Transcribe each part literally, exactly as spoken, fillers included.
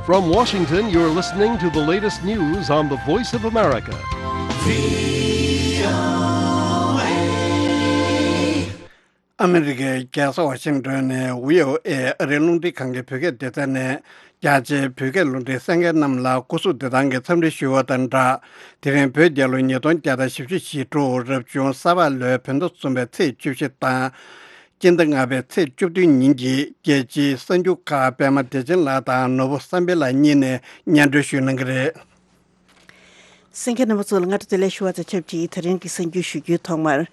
From Washington, you're listening to the latest news on the Voice of America. ཨ་མི་རི་ཀའི་རྒྱལ་ས་ཝ་ཤིང་ཏོན་ནས་བྷི་ཨོ་ཨེ་ཨ་རིའི་རླུང་འཕྲིན་ཁང་གི་བོད་སྐད་སྡེ་ཚན་ནས་རྒྱ་ཆེའི་བོད་སྐད་རླུང་འཕྲིན་གསན་མཁན་རྣམས་ལ་སྐུ་གཟུགས་བདེ་ཐང་གི་འཚམས་འདྲི་ཞུ་བ་དང་སྦྲགས། དེ་རིང་བོད་རྒྱལ་ལོ་ཉིས་སྟོང་བརྒྱ་དང་བཞི་བཅུ་ཞེ་དྲུག་རབ་བྱུང་ས་ཕག་ལོའི་བོད་ཟླ་གསུམ་པའི་ཚེས་བཅུ་བཞི་དང་། སྤྱི་ཟླ་ལྔ་པའི་ཚེས་བཅུ་བདུན་ཉིན་གྱི་རྒྱལ་སྤྱིའི་གསར་འགྱུར་ཁག་པད་མ་བདེ་ཆེན་ལགས་དང་ནོར་བུ་བསམ་འཕེལ་ལགས་གཉིས་ནས་སྙན་སྒྲོན་ཞུ་གནང་གི་རེད། གསན་མཁན་རྣམ་པ་ཚོ་ལ་སྔ་དྲོ་བདེ་ལེགས་ཞུ་བ་དང་ཆབས་ཅིག་དེ་རིང་གི་གསར་འགྱུར་ཞུ་རྒྱུའི་ཐོག་མར།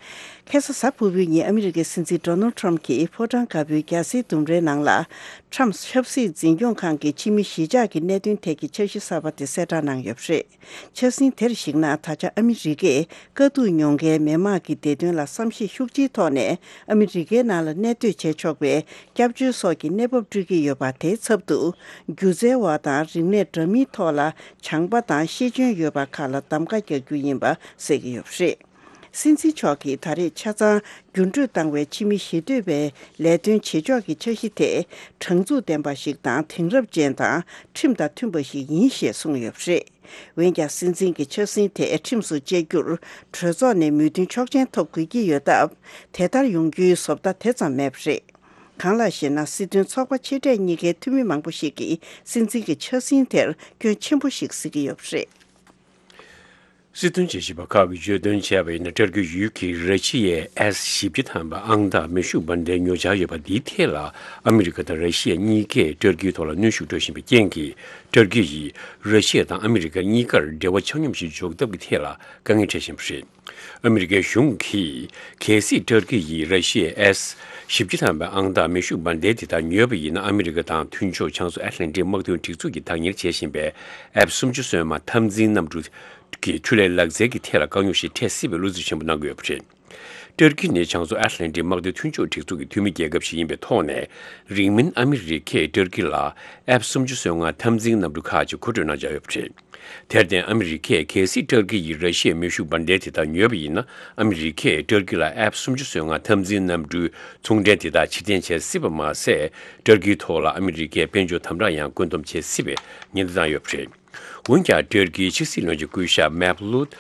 ཁ་སང་གཟའ་ཕུར་བུའི་ཉིན་ཨ་མི་རི་ཀའི་སྲིད་འཛིན་ཌོ་ནལ་ཁྲམ་གྱིས་ཕོ་བྲང་དཀར་པོའི་རྒྱལ་སའི་ལྡུམ་རའི་ནང་ལ། ཁྲམ་ཆབ་སྲིད་འཛིན་སྐྱོང་ཁང་གི་ཕྱི་མི་གཞིས་ཆགས་ཀྱི་གནད་དོན་ཐད་ཀྱི་འཆར་གཞི་གསར་པ་དེ་གསལ་བསྒྲགས་གནང་ཡོད་པ་རེད། འཆར་ཟིན་དེར་གཞིགས་ན། ད་ཆ་ཨ་མི་རི་ཀས་དཀའ་སྡུག་མྱོང་མཁན་མི་དམངས་ཀྱི་བདེ་དོན་ལ་བསམ་ཤེས་ཤུགས་ཆེའི་ཐོག་ནས་ཨ་མི་རི་ཀའི་ནང་ལ་གནས་སྡོད་བྱེད་ཆོག་པའི་སྐྱབས་བཅོལ་སོགས་ཀྱི་གནས་བབ་སྤྲོད་ཀྱི་ཡོད་པ་དེའི་ཚབ་ཏུ། སྒྱུ་རྩལ་བ་དང་རིག་གནས་འདྲ་མིན་ཐོག་ལ་སྦྱངས་པ་དང་ཤེས་འཇོན་ཡོད་པ་ཁག་ལ་གདམ་ག་རྒྱག་རྒྱུ་ཡིན་པ་གསལ་གྱི་ཡོད་པ་རེད། སྲིད་འཛིན་མཆོག་གིས་ད་རེས་ཆ་ཚང་འགྱུར་འགྲོས་བཏང་བའི་ཕྱི་མི་ཞེ་འདོད་པའི་ལས་དོན་བྱེད་ཕྱོགས་ཀྱི་འཆར་གཞི་དེ་དྲང་ཚུགས་ལྡན་པ་ཞིག་དང་དེང་རབས་ཅན་དང་ཁྲིམས་དང་མཐུན་པ་ཞིག་ཡིན་ཞེས་གསུངས་ཡོད་པ་རེད། འོན་ཀྱང་སྲིད་འཛིན་གྱི་འཆར་ཟིན་དེ་ཁྲིམས་སུ་བཅད་རྒྱུར་གྲོས་ཚོགས་ནས་མོས་མཐུན་ཆོག་མཆན་ཐོབ་དགོས་ཀྱི་ཡོད་སྟབས། དེ་ལྟར་ཡོང་རྒྱུའི་བཟོ་ལྟ་དེ་ཙམ་མེད་པ་རེད། གང་ལགས་ཤེ་ན། སྲིད་དོན་ཚོགས་པ་ཕྱི་འབྲེལ་གཉིས་ཀའི་འཐུས་མི་མང་པོ་ཞིག་གིས་སྲིད་འཛིན་གྱི་འཆར་ཟིན་དེར་སྐྱོན་ཆེན་པོ་ཞིག་གཟིགས་ཀྱི་ཡོད་པ་རེད། སྲིད་དོན་དཔྱད་ཞིབ་པ་ཁག་གིས་བརྗོད་དོན་བྱས་པ་ཡིན་ན། ཏུར་ཀི་ཡུལ་གྱིས་ར་ཤི་ཡའི་ཨེས་བཞི་བཅུ་ཐམ་པ་ཨང་རྟགས་མེ་ཤུགས་འབར་མདེལ་ཉོ་འཆར་ཡོད་པ་འདིའི་ཐད་ལ། ཨ་མི་རི་ཀ་དང་ར་ཤི་ཡ་གཉིས་ཀས་ཏུར་ཀིའི་ཐོག་ལ་གནོན་ཤུགས་སྤྲོད་བཞིན་པའི་རྐྱེན་གྱིས། ཏུར་ཀི་ཡིས་ར་ཤི་ཡ་དང་ཨ་མི་རི་ཀ་གཉིས་ཀར་འབྲེལ་བ་ཆ་སྙོམས་ཤིག་འཇོག་ཐབས་ཀྱི་ཐད་ལ་དཀའ་ངལ་འཕྲད་བཞིན་པ་རེད། ཨ་མི་རི་ཀའི་གཞུང་གིས། གལ་སྲིད་ཏུར་ཀི་ཡིས་ར་ཤི་ཡའི་ཨེས་བཞི་བཅུ་ཐམ་པའི་ཨང་རྟགས་མེ་ཤུགས་འབར་མདེལ་དེ་དག་ཉོས་པ་ཡིན་ན། ཨ་མི་རི་ཀ་དང་མཐུན་ཕྱོགས་བྱང་མཚོ་ཨེཊ་ལན་ཊིག་དམག་དོན་སྒྲིག་འཛུགས་ཀྱིས་བདག་གཉེར་བྱེད་བཞིན་པའི་ཨེཕ་སུམ་ཅུ་སོ་ལྔ་འཐབ་འཛིང་གནམ་གྲུ་གི་འཕྲུལ་ལས་ལག་རྩལ་གྱི་ཐད་ལ་དཀའ་རྙོག་ཞིག་འཕྲད་སྲིད་པའི་བློ་འཚབ་ཆེན་པོ་གནང་གི་ཡོད་པ་རེད། ཏུར་ཀི་ནི་བྱང་མཚོ་ཨེཊ་ལན་ཊིག་དམག་དོན་མཐུན་ཕྱོགས་སྒྲིག་འཛུགས་ཀྱི་འཐུས་མི་རྒྱལ་ཁབ་ཞིག་ཡིན་པའི་ཐོག་ནས། རིང་མིན་ཨ་མི་རི་ཀས་ཏུར་ཀི་ལ་ཨེཕ་སུམ་ཅུ་སོ་ལྔ་འཐབ་འཛིང་གནམ་གྲུ་ཁག་ཅིག་མཁོ་སྤྲོད་གནང་འཆར་ཡོད་པ་རེད། དེར་བརྟེན། ཨ་མི་རི་ཀས་གལ་སྲིད་ཏུར་ཀི་ཡིས་ར་ཤི་ཡའི་མེ་ཤུགས་འབར་མདེལ་དེ་དག་ཉོས་པ་ཡིན་ན། ཨ་མི་རི་ཀས་ཏུར་ཀི་ལ་ཨེཕ་སུམ་ཅུ་སོ་ལྔ་འཐབ་འཛིང་གནམ་གྲུའི་ཚོང་འབྲེལ་དེ་དག་ཕྱིར་འཐེན་བྱེད་སྲིད་པ་མ་ཟད། ཏུར་ཀིའི་ཐོག་ལ་ཨ་མི་རི་ཀའི་དཔལ་འབྱོར་དམ་དྲག་ཡང་བཀོད་འདོམས་བྱེད་སྲིད་པའི་ཉེན་བརྡ་བཏང་ཡོད་པ་རེད། འོན་ཀྱང་། ཏུར་ཀིའི་ཕྱི་སྲིད་བློན་ཆེན་སྐུ་ཞབས་མེབ་ལུད་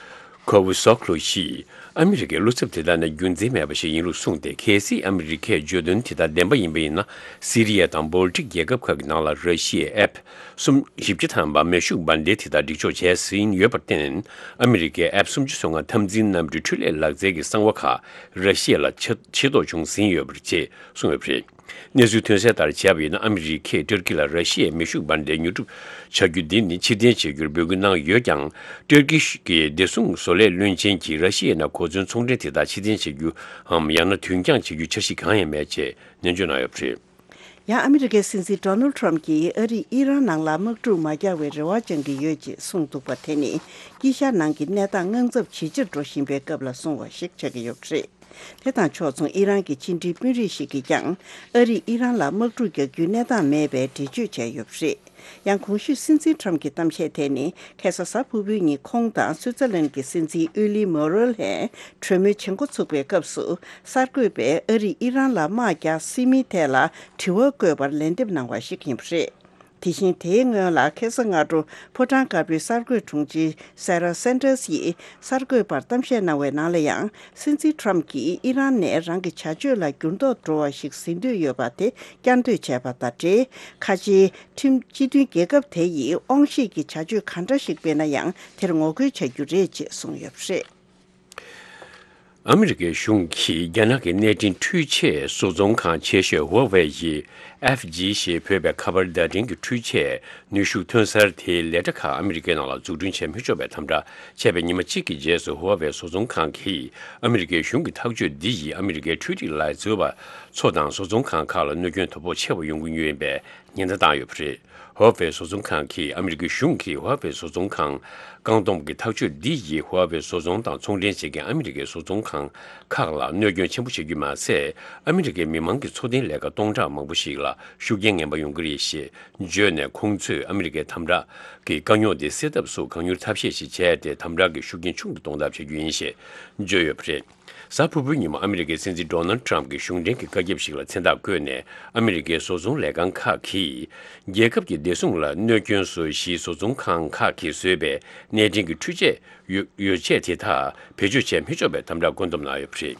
ཁོ་ཝུ་སོག་ལུ་ཡིས། ཨ་མི་རི་ཀའི་བློ་འཚབ་དེ་དག་ནི་རྒྱུ་མཚན་མེད་པ་ཞིག་ཡིན་ལུགས་གསུངས་ཏེ། གལ་སྲིད་ཨ་མི་རི་ཀས་བརྗོད་དོན་དེ་དག་བདེན་པ་ཡིན་པ་ཡིན་ན། སི་རི་ཡ་དང་སྦོལ་ཊིག་རྒྱལ་ཁབ་ཁག་གི་ནང་ལ་ར་ཤི་ཡའི་ཨེཕ་སུམ་བཞི་བཅུ་ཐམ་པ་མེ་ཤུགས་འབར་མདེལ་དེ་དག་སྒྲིག་འཇོག་བྱས་ཟིན་ཡོད་པར་བརྟེན། ཨ་མི་རི་ཀས་ཨེཕ་སུམ་ཅུ་སོ་ལྔ་འཐབ་འཛིང་གནམ་གྲུའི་འཕྲུལ་ལས་ལག་རྩལ་གྱི་གསང་བ་ཁག་ར་ཤི་ཡ་ལ་ཆེ་ཆེ་མཐོང་བྱུང་ཟིན་ཡོད་པ་རེད་ཅེས་གསུངས་ཡོད་པ་རེད། གནས་ཚུལ་ཐོན་གསལ་ལྟར་བྱས་པ་ཡིན་ན། ཨ་མི་རི་ཀས་ཏུར་ཀི་ལ་ར་ཤི་ཡའི་མེ་ཤུགས་འབར་མདེལ་ཉོ་སྒྲུབ་བྱ་རྒྱུ་འདི་ནི་ཕྱིར་འཐེན་བྱེད་རྒྱུར་འབོད་སྐུལ་གནང་ཡོད་ཀྱང་། ཏུར་ཀི་གི་བདེ་སྲུང་བཟོ་ལས་བློན་ཆེན་གྱིས་ར་ཤི་ཡའི་ནང་གོ་མཚོན་ཚོང་འབྲེལ་དེ་དག་ཕྱིར་འཐེན་བྱེད་རྒྱུའམ། ཡང་ན་དུས་འགྱངས་བྱེད་རྒྱུའི་འཆར་གཞི་གང་ཡང་མེད་ཅེས་ནན་བརྗོད་གནང་ཡོད་པ་རེད། ཡང་ཨ་མི་རི་ཀའི་སྲིད་འཛིན་ཌོ་ནལ་ཁྲམ་གྱིས་ཨ་རིས་ཨི་རན་ནང་ལ་དམག་འཁྲུག་མ་རྒྱག་པའི་རེ་བ་བཅང་གི་ཡོད་ཅེས་གསུངས་འདུག་པ་དེ་ནི། དཀྱིལ་ཤར་ནང་གི་གནས་སྟངས་དངངས་འཚབ་ཇེ་ཆེར་འགྲོ་བཞིན་པའི་སྐབས་ལ་སོང་བ་ཞིག་ཆགས་ཀྱི་ཡོད་པ་རེད། དེ་དང་ཕྱོགས་མཚུངས། ཨི་རན་གྱི་ཕྱི་འབྲེལ་དཔོན་རིགས་ཤིག་གིས་ཀྱང་། ཨ་རིས་ཨི་རན་ལ་དམག་འཁྲུག་རྒྱག་རྒྱུའི་གནས་སྟངས་མེད་པའི་འགྲེལ་བརྗོད་བྱས་ཡོད་པ་རེད། ཡང་གོང་ཞུས་སྲིད་འཛིན་ཁྲམ་གྱི་གཏམ་བཤད་དེ་ནི། ཁ་སང་གཟའ་ཕུར་བུའི་ཉིན་ཁོང་དང་སུའུ་ཙེར་ལན་གྱི་སྲིད་འཛིན་ཨུ་ལི་མོ་རོལ་ཧན་གྲོས་མོལ་བྱེད་འགོ་ཚུགས་པའི་སྐབས་སུ། གསར་འགོད་པས་ཨ་རིས་ཨི་རན་ལ་དམག་རྒྱག་སྲིད་མིན་ཐད་ལ་དྲི་བ་བཀོད་པར་ལན་འདེབས་གནང་བ་ཞིག་ཡིན་པ་རེད། དེ་བཞིན། དེའི་སྔོན་ལ་ཁ་སང་སྔ་དྲོ་ཕོ་བྲང་དཀར་པོའི་གསར་འགོད་དྲུང་ཆེ་སེ་ར་སན་ཏྲེས་ཡིས་གསར་འགོད་པར་གཏམ་བཤད་གནང་བའི་ནང་ལ་ཡང་། སྲིད་འཛིན་ཁྲམ་གྱིས་ཨི་རན་ནས་རང་གི་བྱ་སྤྱོད་ལ་འགྱུར་ལྡོག་འགྲོ་བ་ཞིག་ཟིན་འདོད་ཡོད་པ་དེ་བསྐྱར་ཟློས་བྱས་པ་དང་འབྲེལ། ཁ་ཆེའི་ཁྲིམས་སྤྱི་མཐུན་རྒྱལ་ཁབ་དེ་ཡིས་དབང་ཤེད་ཀྱི་བྱ་སྤྱོད་ག་འདྲ་ཞིག་སྤེལ་ན་ཡང་དེར་ངོ་རྒོལ་བྱ་རྒྱུ་རེད་ཅེས་གསུངས་ཡོད་པ་རེད། ཨ་མི་རི་ཀའི་གཞུང་གིས་རྒྱ་ནག་གི་གནས་འཕྲིན་འཕྲུལ་ཆས་བཟོ་ཚོང་ཁང་ཆེ་ཤོས་ཧུའུ་ཝེ་ཡིས་ཨེཕ་ཇི་ཞེས་འབོད་པའི་ཁ་པར་བརྡ་འཕྲིན་གྱི་འཕྲུལ་ཆས་ནུས་ཤུགས་ཐོན་གསར་དེའི་ལས་གྲྭ་ཁག་ཨ་མི་རི་ཀའི་ནང་ལ་འཛུགས་སྐྲུན་བྱེད་མི་ཆོག་པའི་དམ་དྲག་བྱས་པའི་ཉི་མ་གཅིག་གི་རྗེས་སུ། ཧུའུ་ཝེ་བཟོ་ཚོང་ཁང་གིས་ཨ་མི་རི་ཀའི་གཞུང་གི་ཐག་གཅོད་འདི་ཡིས་ཨ་མི་རི་ཀའི་འཕྲུལ་རིག་ལས་བཟོ་བ་ཚོ་དང་བཟོ་ཚོང་ཁང་ཁག་ལ་གནོད་སྐྱོན་དོ་ཕོག་ཆེ་བ་ཡོང་གི་ཡོད་པའི་ཉེན་བརྡ་བཏང་ཡོད་པ་རེད། ཧུའུ་ཝེ་བཟོ་ཚོང་ཁང་གིས། ཨ་མི་རི་ཀའི་གཞུང་གིས་ཧུའུ་ཝེ་བཟོ་ཚོང་ཁང་བཀག་སྡོམ་གྱི་ཐག་གཅོད་འདི་ཡིས་ཧུའུ་ཝེ་བཟོ་ཚོང་དང་ཚོང་འབྲེལ་བྱེད་མཁན་ཨ་མི་རི་ཀའི་བཟོ་ཚོང་ཁང་ཁག་ལ་གནོད་སྐྱོན་ཆེན་པོ་བྱེད་རྒྱུ་མ་ཟད། ཨ་མི་རི་ཀའི་མི་མང་གི་འཚོ་རྟེན་ལས་ཀ་སྟོང་ཕྲག་མང་པོ་ཞིག་ལ་ཤུགས་རྐྱེན་ངན་པ་ཡོང་གི་རེད་ཞེས་བརྗོད་ནས། ཁོང་ཚོས་ཨ་མི་རི་ཀའི་དམ་དྲག་གི་དཀའ་རྙོག་དེ་སེལ་ཐབས་སུ་གང་མྱུར་ཐབས་ཤེས་ཤིག་བྱས་ཏེ། དམ་དྲག་གི་ཤུགས་རྐྱེན་ཆུང་དུ་གཏོང་ཐབས་བྱ་རྒྱུ་ཡིན་ཞེས་བརྗོད་ཡོད་པ་རེད། གཟའ་ཕུར་བུའི་ཉིན་མོ་ཨ་མི་རི་ཀའི་སྲིད་འཛིན་ཌོ་ནལ་ཊམ་གྱི་གཞུང་འབྲེལ་གྱི་བཀའ་ཁྱབ་ཞིག་ལ་མཚན་རྟགས་བཀོད་ནས། ཨ་མི་རི་ཀའི་བཟོ་ཚོང་ལས་ཁང་ཁག་གིས་རྒྱལ་ཁབ་ཀྱི་བདེ་སྲུང་ལ་གནོད་སྐྱོན་བཟོ་བཞིའི་བཟོ་ཚོང་ཁང་ཁག་གིས་བཟོས་པའི་གནད་འཕྲིན་གྱི་འཕྲུལ་ཆས་ཡོ་ཡོ་ཆས་དེ་དག་བེད་སྤྱོད་བྱས་མི་ཆོག་པའི་དམ་བསྒྲགས་བཀོད་འདོམས་གནང་ཡོད་པ་རེད།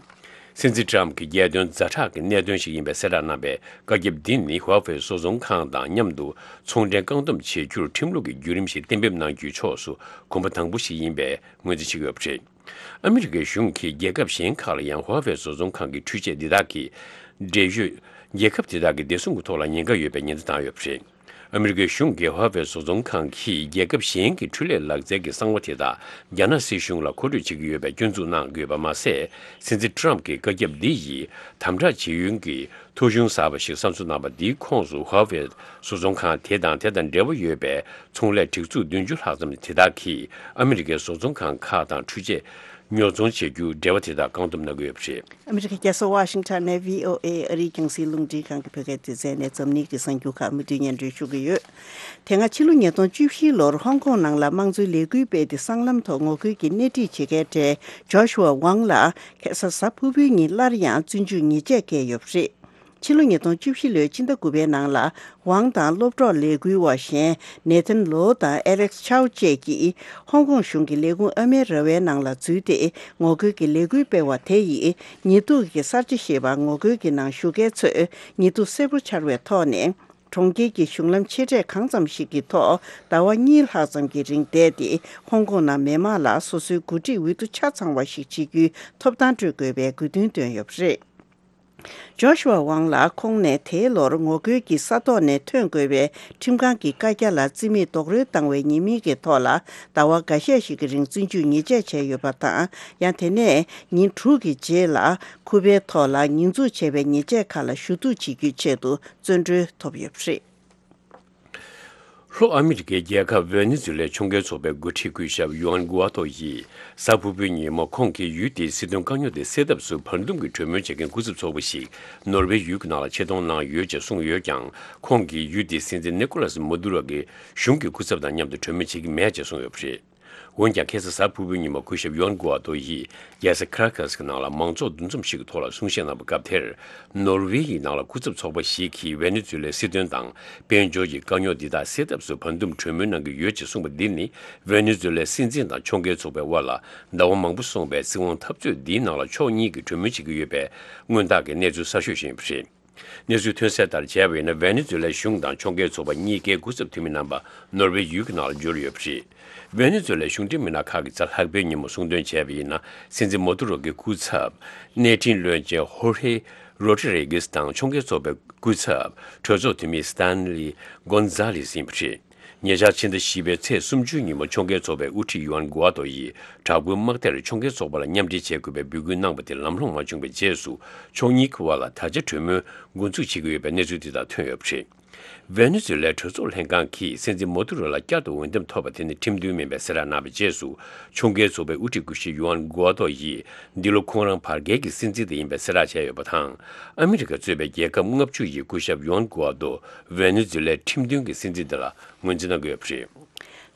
སྲིད་འཛིན་ཊམ་གྱི་རྒྱལ་དོན་ཛ་དྲག་གི་གནད་དོན་ཞིག་ཡིན་པའི་གསལ་བསྒྲགས་གནང་བའི་བཀའ་ཁྱབ་འདི་ནི་ཧྭ་ཧྥེ་བཟོ་ཚོང་ཁང་དང་མཉམ་དུ་ཚོང་འབྲེལ་བཀག་སྡོམ་བྱེད་རྒྱུར་ཁྲིམས་ལུགས་ཀྱི་བརྒྱུད་རིམ་ཞིག་གཏན་འབེབས་གནང་རྒྱུའི་ཕྱོགས་སུ་གོམ་པ་དང་པོ་ཞིག་ཡིན་པའི་ངོས་འཛིན་བྱེད་ཀྱི་ཡོད་པ་རེད། ཨ་མི་རི་ཀའི་གཞུང་གིས་རྒྱལ་ཁབ་གཞན་ཁག་ལ་ཡང་ཧྭ་ཧྥེ་བཟོ་ཚོང་ཁང་གི་འཕྲུལ་ཆས་འདི་དག་གི་འབྲེལ་ཡོད་རྒྱལ་ཁབ་དེ་དག་གི་བདེ་སྲུང་གི་ཐོག་ལ་ཉེན་ཁ་ཡོད་པའི་ཉེན་བརྡ་བཏང་ཡོད་པ་རེད། ཨ་མི་རི་ཀའི་གཞུང་གིས་ཧྭ་ཧྥེ་བཟོ་ཚོང་ཁང་གིས་རྒྱལ་ཁབ་གཞན་གྱི་འཕྲུལ་ལས་ལག་རྩལ་གྱི་གསང་བ་དེ་དག་རྒྱ་ནག་སྲིད་གཞུང་ལ་མཁོ་སྤྲོད་བྱེད་ཀྱི་ཡོད་པའི་སྐྱོན་འཛུགས་གནང་དགོས་པ་མ་ཟད། སྲིད་འཛིན་ཊམ་གྱི་བཀའ་ཁྱབ་འདི་ཡིས་དམ་དྲག་བྱེད་ཡུན་གྱི་ཐོ་གཞུང་གསར་པ་ཞིག་གསར་འཛུགས་གནང་བ་འདིའི་ཁོངས་སུ་ཧྭ་ཧྥེ་བཟོ་ཚོང་ཁང་དེ་དང་དེ་དང་འབྲེལ་བ་ཡོད་པའི་ཚོང་ལས་སྒྲིག་འཛུགས་བདུན་ཅུ་ལྷག་ཙམ་དེ་དག་གིས་ཨ་མི་རི་ཀའི་བཟོ་ཚོང་ཁང་ཁག་དང་འཕྲུལ་ཆས་ཉོ་ཚོང་བྱེད་རྒྱུ་འབྲེལ་བ་དེ་དག་བཀག་སྡོམ་གནང་གི་ཡོད་པ་རེད། ཨ་མི་རི་ཀའི་རྒྱལ་ས་ཝ་ཤིང་ཊོན་ནས་བྷི་ཨོ་ཨེ་ཨ་རིའི་རྒྱང་སྲིང་རླུང་འཕྲིན་ཁང་གི་བོད་སྐད་སྡེ་ཚན་ནས་འཛམ་གླིང་གི་གསར་འགྱུར་ཁག་མུ་མཐུད་སྙན་སྒྲོན་ཞུ་གི་ཡོད། དེ་སྔ་ཕྱི་ལོ་ཉིས་སྟོང་བཅུ་བཞི་ལོར་ཧོང་ཀོང་ནང་ལ་དམངས་གཙོའི་ལས་འགུལ་སྤེལ་ཏེ་སྲང་ལམ་ཐོག་ངོ་རྒོལ་གྱི་སྣེ་ཁྲིད་བྱེད་མཁན་གྲས་ཇོ་ཤུ་ཝ་ཝང་ལ་ཁ་སང་གཟའ་ཕུར་བུའི་ཉིན་སླར་ཡང་བཙོན་འཇུག་ཉེས་ཆད་བཀལ་ཡོད་པ་རེད། ཕྱི་ལོ་ཉིས་སྟོང་བཅུ་བཞི་ལོའི་ཕྱི་ཟླ་དགུ་པའི་ནང་ལ་ཝང་དང་སློབ་གྲོགས་ལས་འགུལ་བ་གཞན་ནེ་ཐན་ལོ་དང་ཨེ་ལེགས་ཆའོ་བཅས་ཀྱིས་ཧོང་ཀོང་གཞུང་གི་ལས་ཁུངས་ཨ་མའི་ར་བའི་ནང་ལ་འཛུལ་ཏེ་ངོ་རྒོལ་གྱི་ལས་འགུལ་སྤེལ་བ་དེ་ཡིས་ཉེས་འཛུགས་ཀྱི་གསར་བརྗེ་ཞེས་པ་ངོ་རྒོལ་གྱི་ནང་ཞུགས་མཁན་ཚོས་ཉེས་འཛུགས་གསལ་པོ་འཆར་བའི་ཐོག་ནས། གྲོང་ཁྱེར་གྱི་གཞུང་ལམ་ཆེ་གྲས་གང་ཙམ་ཞིག་གི་ཐོག་ཟླ་བ་གཉིས་ལྷག་ཙམ་གྱི་རིང་བསྡད་དེ། ཧོང་ཀོང་ནང་མི་མང་ལ་སོ་སོའི་འགོ་ཁྲིད་འོས་བསྡུ་ཆ་ཚང་བ་ཞིག་བྱེད་རྒྱུའི་ཐོབ་ཐང་སྤྲོད་དགོས་པའི་དགོས་འདུན་བཏོན་ཡོད་པ་རེད། ཇོ་ཤུ་ཝ་ཝང་ལགས་ཁོང་ནས་དེའི་ལོར་ངོ་རྒོལ་གྱི་ས་ཐོག་ནས་ཐོན་དགོས་པའི་ཁྲིམས་ཁང་གི་བཀའ་རྒྱ་ལ་རྩིས་མེད་རྡོག་རོལ་བཏང་བའི་ཉེས་མིང་གི་ཐོག་ལ་ཟླ་བ་འགའ་ཤས་ཤིག་གི་རིང་བཙོན་འཇུག་ཉེས་ཆད་བཅད་ཡོད་པ་དང་། ཡང་དེ་ནས་ཉིན་དྲུག་གི་རྗེས་ལ་ཁུ་པའི་ཐོག་ལ་ཉེས་འཛུགས་བྱས་པའི་ཉེས་ཆད་ཁག་ལ་ཞུ་གཏུག་བྱེད་རྒྱུའི་ཆེད་དུ་བཙོན་གྲོལ་ཐོབ་ཡོད་པ་རེད། ལྷོ་ཨ་མི་རི་ཀའི་རྒྱལ་ཁབ་ཝེ་ནེ་ཛུ་ལའི་ཕྱོགས་འགལ་ཚོགས་པའི་འགོ་ཁྲིད་སྐུ་ཞབས་ཡུའན་གུ་ཨ་ཏོ་ཡིས་གཟའ་ཕུར་བུའི་ཉིན་མོ་ཁོང་གིས་ཡུལ་དེའི་སྲིད་དོན་དཀའ་རྙོག་དེ་སེལ་ཐབས་སུ་བར་འདུམ་གྱི་གྲོས་མོལ་བྱེད་མཁན་སྐུ་ཚབ་ཚོགས་པ་ཞིག་ནོར་ཝེ་ཡུལ་གྱི་ནང་ལ་ཆེད་གཏོང་གནང་ཡོད་ཅེས་གསུངས་ཡོད་ཀྱང་། ཁོང་གིས་ཡུལ་དེའི་སྲིད་འཛིན་ནི་ཀོ་ལ་སི་མོ་དུ་རོ་གི་གཞུང་གི་སྐུ་ཚབ་དང་མཉམ་དུ་གྲོས་མོལ་བྱེད་ཀྱི་མེད་ཅེས་གསུངས་ཡོད་པ་རེད། འོན་ཀྱང་ཁ་སང་གཟའ་ཕུར་བུའི་ཉིན་མོ་སྐུ་ཞབས་ཡོན་གོ་ཨ་ཏོ་ཡིས་རྒྱལ་ས་ཁ་ར་ཀ་སི་གི་ནང་ལ་མང་ཚོགས་འདུ་འཛོམས་ཤིག་གི་ཐོག་ལ་གསུང་བཤད་གནང་བའི་སྐབས་དེར། ནོར་ཝེ་ཡི་ནང་ལ་སྐུ་ཚབ་ཚོགས་པ་ཞིག་གིས་ཝེ་ནེ་ཛུ་ལའི་སྲིད་དོན་དང་དཔལ་འབྱོར་གྱི་དཀའ་རྙོག་འདི་དག་སེལ་ཐབས་སུ་བར་འདུམ་གྲོས་མོལ་གནང་གི་ཡོད་ཅེས་གསུངས་པ་འདི་ནི་ཝེ་ནེ་ཛུ་ལའི་སྲིད་འཛིན་དང་ཕྱོགས་འགལ་ཚོགས་པའི་དབར་ལ་ཟླ་བ་མང་པོ་སོང་བའི་སྲིད་དབང་འཐབ་རྩོད་འདིའི་ནང་ལ་ཕྱོགས་གཉིས་ཀྱིས་གྲོས་མོལ་བྱེད་ཀྱི་ཡོད་པའི་སྔོན་རྟགས་ཀྱི་གནས་ཚུལ་གསར་ཤོས་ཤིག་ཡིན་པ་རེད། གནས་ཚུལ་ཐོན་གསལ་ལྟར་བྱས་པ་ཡིན་ན། ཝེ་ནེ་ཛུ་ལའི་གཞུང་དང་ཕྱོགས་འགལ་ཚོགས་པ་གཉིས་ཀའི་སྐུ་ཚབ་འཐུས་མི་རྣམ་པ་ནོར་ཝེ་ཡུལ་གྱི་ནང་ལ་འབྱོར་ཡོད་པ་རེད། ཝེ་ནེ་ཛུ་ལའི་གཞུང་འབྲེལ་མི་སྣ་ཁག་གིས་གཟའ་ལྷག་པའི་ཉིན་མོ་གསུངས་དོན་བྱས་པ་ཡིན་ན། སྲིད་འཛིན་མོ་དུ་རོ་གི་སྐུ་ཚབ་གནས་འཕྲིན་བློན་ཆེན་ཧོར་ཧེ་རོ་ཏྲི་རེ་གིས་དང་ཕྱོགས་འགལ་ཚོགས་པའི་སྐུ་ཚབ་གྲོས་ཚོགས་འཐུས་མི་སི་ཏན་ལི་གོན་ཛ་ལེ་སི་ཡིན་པ་རེད། ཉེ་ཆར་ཕྱི་ཟླ་བཞི་པའི་ཚེས་སུམ་ཅུའི་ཉིན་མོ་ཕྱོགས་འགལ་ཚོགས་པའི་དབུ་ཁྲིད་ཡུའན་གུ་ཨ་ཏོ་ཡིས་དྲག་པོའི་དམག་སྡེར་ཕྱོགས་འགལ་ཚོགས་པ་ལ་མཉམ་འབྲེལ་བྱེད་དགོས་པའི་འབོད་སྐུལ་གནང་བ་དེ་ལམ་ལྷོང་མ་བྱུང་བའི་རྗེས་སུ། ཕྱོགས་གཉིས་ཀྱི་དབར་ལ་ད་ཆ་གྲོས་མོལ་འགོ་འཛུགས་བྱེད་ཀྱི་ཡོད་པའི་གནས་ཚུལ་དེ་དག་ཐོན་ཡོད་པ་རེད། ཝེ་ནེ་ཛུ་ལའི་གྲོས་ཚོགས་ལྷན་ཁང་གིས་སྲིད་འཛིན་མོ་དུ་རོ་ལ་བསྐྱར་དུ་འོས་འདེམས་ཐོབ་པ་དེ་ནི་ཁྲིམས་མཐུན་མིན་པའི་གསལ་བསྒྲགས་གནང་བའི་རྗེས་སུ། ཕྱོགས་འགལ་ཚོགས་པའི་དབུ་ཁྲིད་སྐུ་ཞབས་ཡུའན་གུ་ཨ་ཏོ་ཡིས་འདི་ལོ་ཁོང་རང་བར་བརྒལ་གྱི་སྲིད་འཛིན་དེ་ཡིན་པའི་གསལ་བསྒྲགས་བྱས་ཡོད་པ་དང་། ཨ་མི་རི་ཀ་གཙོས་པའི་རྒྱལ་ཁབ་ལྔ་བཅུ་ཡིས་སྐུ་ཞབས་ཡུའན་གུ་ཨ་ཏོ་ཝེ་ནེ་ཛུ་ལའི་ཁྲིམས་མཐུན་གྱི་སྲིད་འཛིན་དེ་ལ་ངོས་འཛིན་གནང་གི་ཡོད་པ་རེད།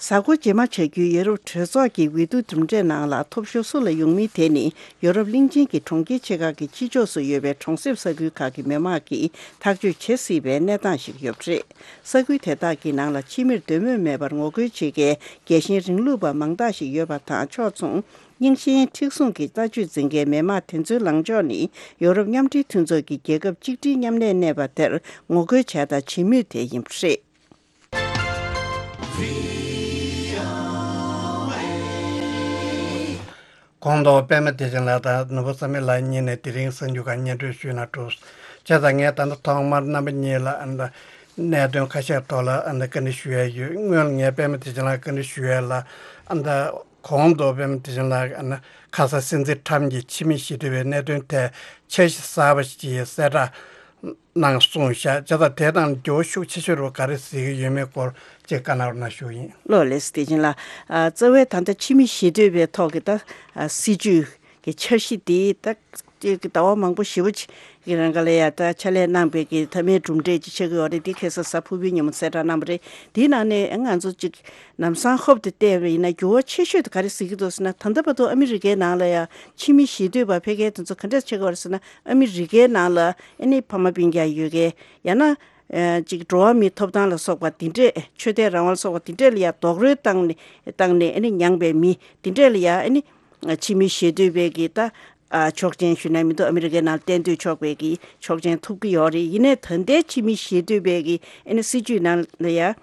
གཟའ་འཁོར་རྗེས་མ་བྱ་རྒྱུའི་ཡོ་རོབ་གྲོས་ཚོགས་ཀྱི་འོས་བསྡུ་གྲུབ་འབྲས་ནང་ལ་ཐོབ་ཤོར་སུ་ལ་ཡོང་མིན་དེ་ནི་ཡོ་རོབ་གླིང་ཆེན་གྱི་གྲོང་ཁྱེར་ཆེ་ཁག་གི་ཕྱི་ཕྱོགས་སུ་ཡོད་པའི་གྲོང་གསེབ་ས་ཁུལ་ཁག་གི་མི་དམངས་ཀྱིས་ཐག་གཅོད་བྱེད་སྲིད་པའི་གནས་སྟངས་ཤིག་ཡོད་པ་རེད། ས་ཁུལ་དེ་དག་གི་ནང་ལ་ཕྱི་མིར་འདོད་མོས་མེད་པར་ངོ་རྒོལ་བྱེད་མཁན་རྒྱལ་ཞེན་རིང་ལུགས་པ་མང་དག་ཞིག་ཡོད་པ་དང་། ཕྱོགས་མཚུངས་རྙིང་ཞེན་མཁྲེགས་བཟུང་གི་ལྟ་སྤྱོད་འཛིན་མཁན་མི་དམངས་དེ་ཚོའི་ལངས་ཕྱོགས་ནི་ཡོ་རོབ་མཉམ་འབྲེལ་མཐུན་ཚོགས་ཀྱི་རྒྱལ་ཁབ་གཅིག་སྒྲིལ་མཉམ་གནས་གནས་པ་དེར་ངོ་རྒོལ་བྱས་དང་བྱེད་མུས་དེ་ཡིན་པ་རེད། གོང་དུ་པད་མ་བདེ་ཆེན་ལགས་དང་ནོར་བུ་བསམ་འཕེལ་ལགས་གཉིས་ནས་དེ་རིང་གསར་འགྱུར་ཁག་སྙན་སྒྲོན་ཞུས་ན་འགྲོ། བྱས་ཙང་ངས་ད་ལྟ་ཐོག་མར་རྣམ་པ་གཉིས་ལ་ཨ་ནི་གནད་དོན་ཁ་ཤས་ཐོག་ལ་ཨ་ནི་བཀའ་འདྲི་ཞུ་ཡས་ཡོད། སྔོན་ངས་པད་མ་བདེ་ཆེན་ལགས་བཀའ་འདྲི་ཞུ་ཡས་ལ་ཨ་ནི་གོང་དུ་པད་མ་བདེ་ཆེན་ལགས་ཨ་ནི་ཁ་སང་སྲིད་འཛིན་ཁྲམ་གྱིས་ཕྱི་མིག་ཞི་དུལ་བའི་གནད་དོན་ཐད་འཆར་གཞི་གསར་པ་ཞིག་གསལ་བསྒྲགས་གནང་གསུངས་བཞག་བྱས་ཙང་དེ་དང་འགྱུར་བ་ཤུགས་ཆེ་ཤོས་རུ་ག་རེ་གཟིགས་ཀྱི་ཡོད་མེད་སྐོར་ཅིག་བཀའ་གནང་རོགས་གནང་ཞུ་ཡིན། ལགས་ལགས་སོ། བདེ་ཆེན་ལགས། ཨ་རྩ་བའི་ད་ལྟ་ཕྱི་མིག་ཞི་དུལ་བའི་ཐོག་གི་ད་ཨ་སྲིད་ཇུས་ གི་འཆར་གཞི་དེ་ད་ཅིག་ཟླ་བ་མང་པོ་ཞེ་པོ་ཅིག་གི་རིང་ག་ལ་ཡ་ད་ཕྱག་ལས་གནང་པའི་གི་མཐའ་མའི་གྲུབ་འབྲས་ཅིག་ཆགས་ཀྱི་ཡོད་རེད། དེ་ཁ་སང་གཟའ་ཕུར་བུའི་ཉིན་མོ་གསལ་བསྒྲགས་གནང་བ་རེད། དེའི་ནང་ནས་ང་ཚོ་ཅིག་ལམ་སང་ཧོབ་ཏེ་བལྟས་པ་ཡིན་ན་འགྱུར་བ་ཆེ་ཤོས་དེ་ག་རེ་གཟིགས་ཀྱི་འདུག་ཟེར་ན། ད་ལྟ་བར་དུ་ཨ་མི་རི་ཀའི་ནང་ལ་ཡ་ཕྱི་མི་ཞེ་འདོད་པ་ཕལ་སྐད་དེ་ཚོ་ག་འདྲས་ཆགས་ཀྱི་ཡོད་རེད་ཟེར་ན། ཨ་མི་རི་ཀའི་ནང་ལ་ཨ་ནི་ཕ་མ་སྤུན་ཀྱག་ཡོད་མཁན། ཡང་ན་ཨ་ཅིག་འགྲོ་བ་མིའི་ཐོབ་ཐང་ལ་སོགས་པ་དེ་འདྲས། ཆོས་དད་རང་དབང་ལ་སོགས་པ་དེ་འདྲས་ལ་ཡ་རྡོག་རོལ་བཏང་ནས་བཏང་ནས་ཨ་ནི་མྱངས་པའི་མི་དེ་འདྲས་ལ་ཡ་ཨ་ནི་ཕྱི་མི་ཞེ་འདོད་པའི་གི་ད་ཨ་ཆོག་མཆན་ཞུ་ན་མི་འདུག་ཨ་མི་རི་ཀའི་ནང་གཏན་སྡོད་ཆོག་པའི་གི་ཆོག་མཆན་ཐོབ་ཀྱི་ཡོད་རེད། ཡིན་ནའི་ད་ལྟའི་ཕྱི་མི་ཞེ་འདོད་པའི་གི་ཨ་ནི་སྲིད་ཇུས་ནང་ལ་ཡ་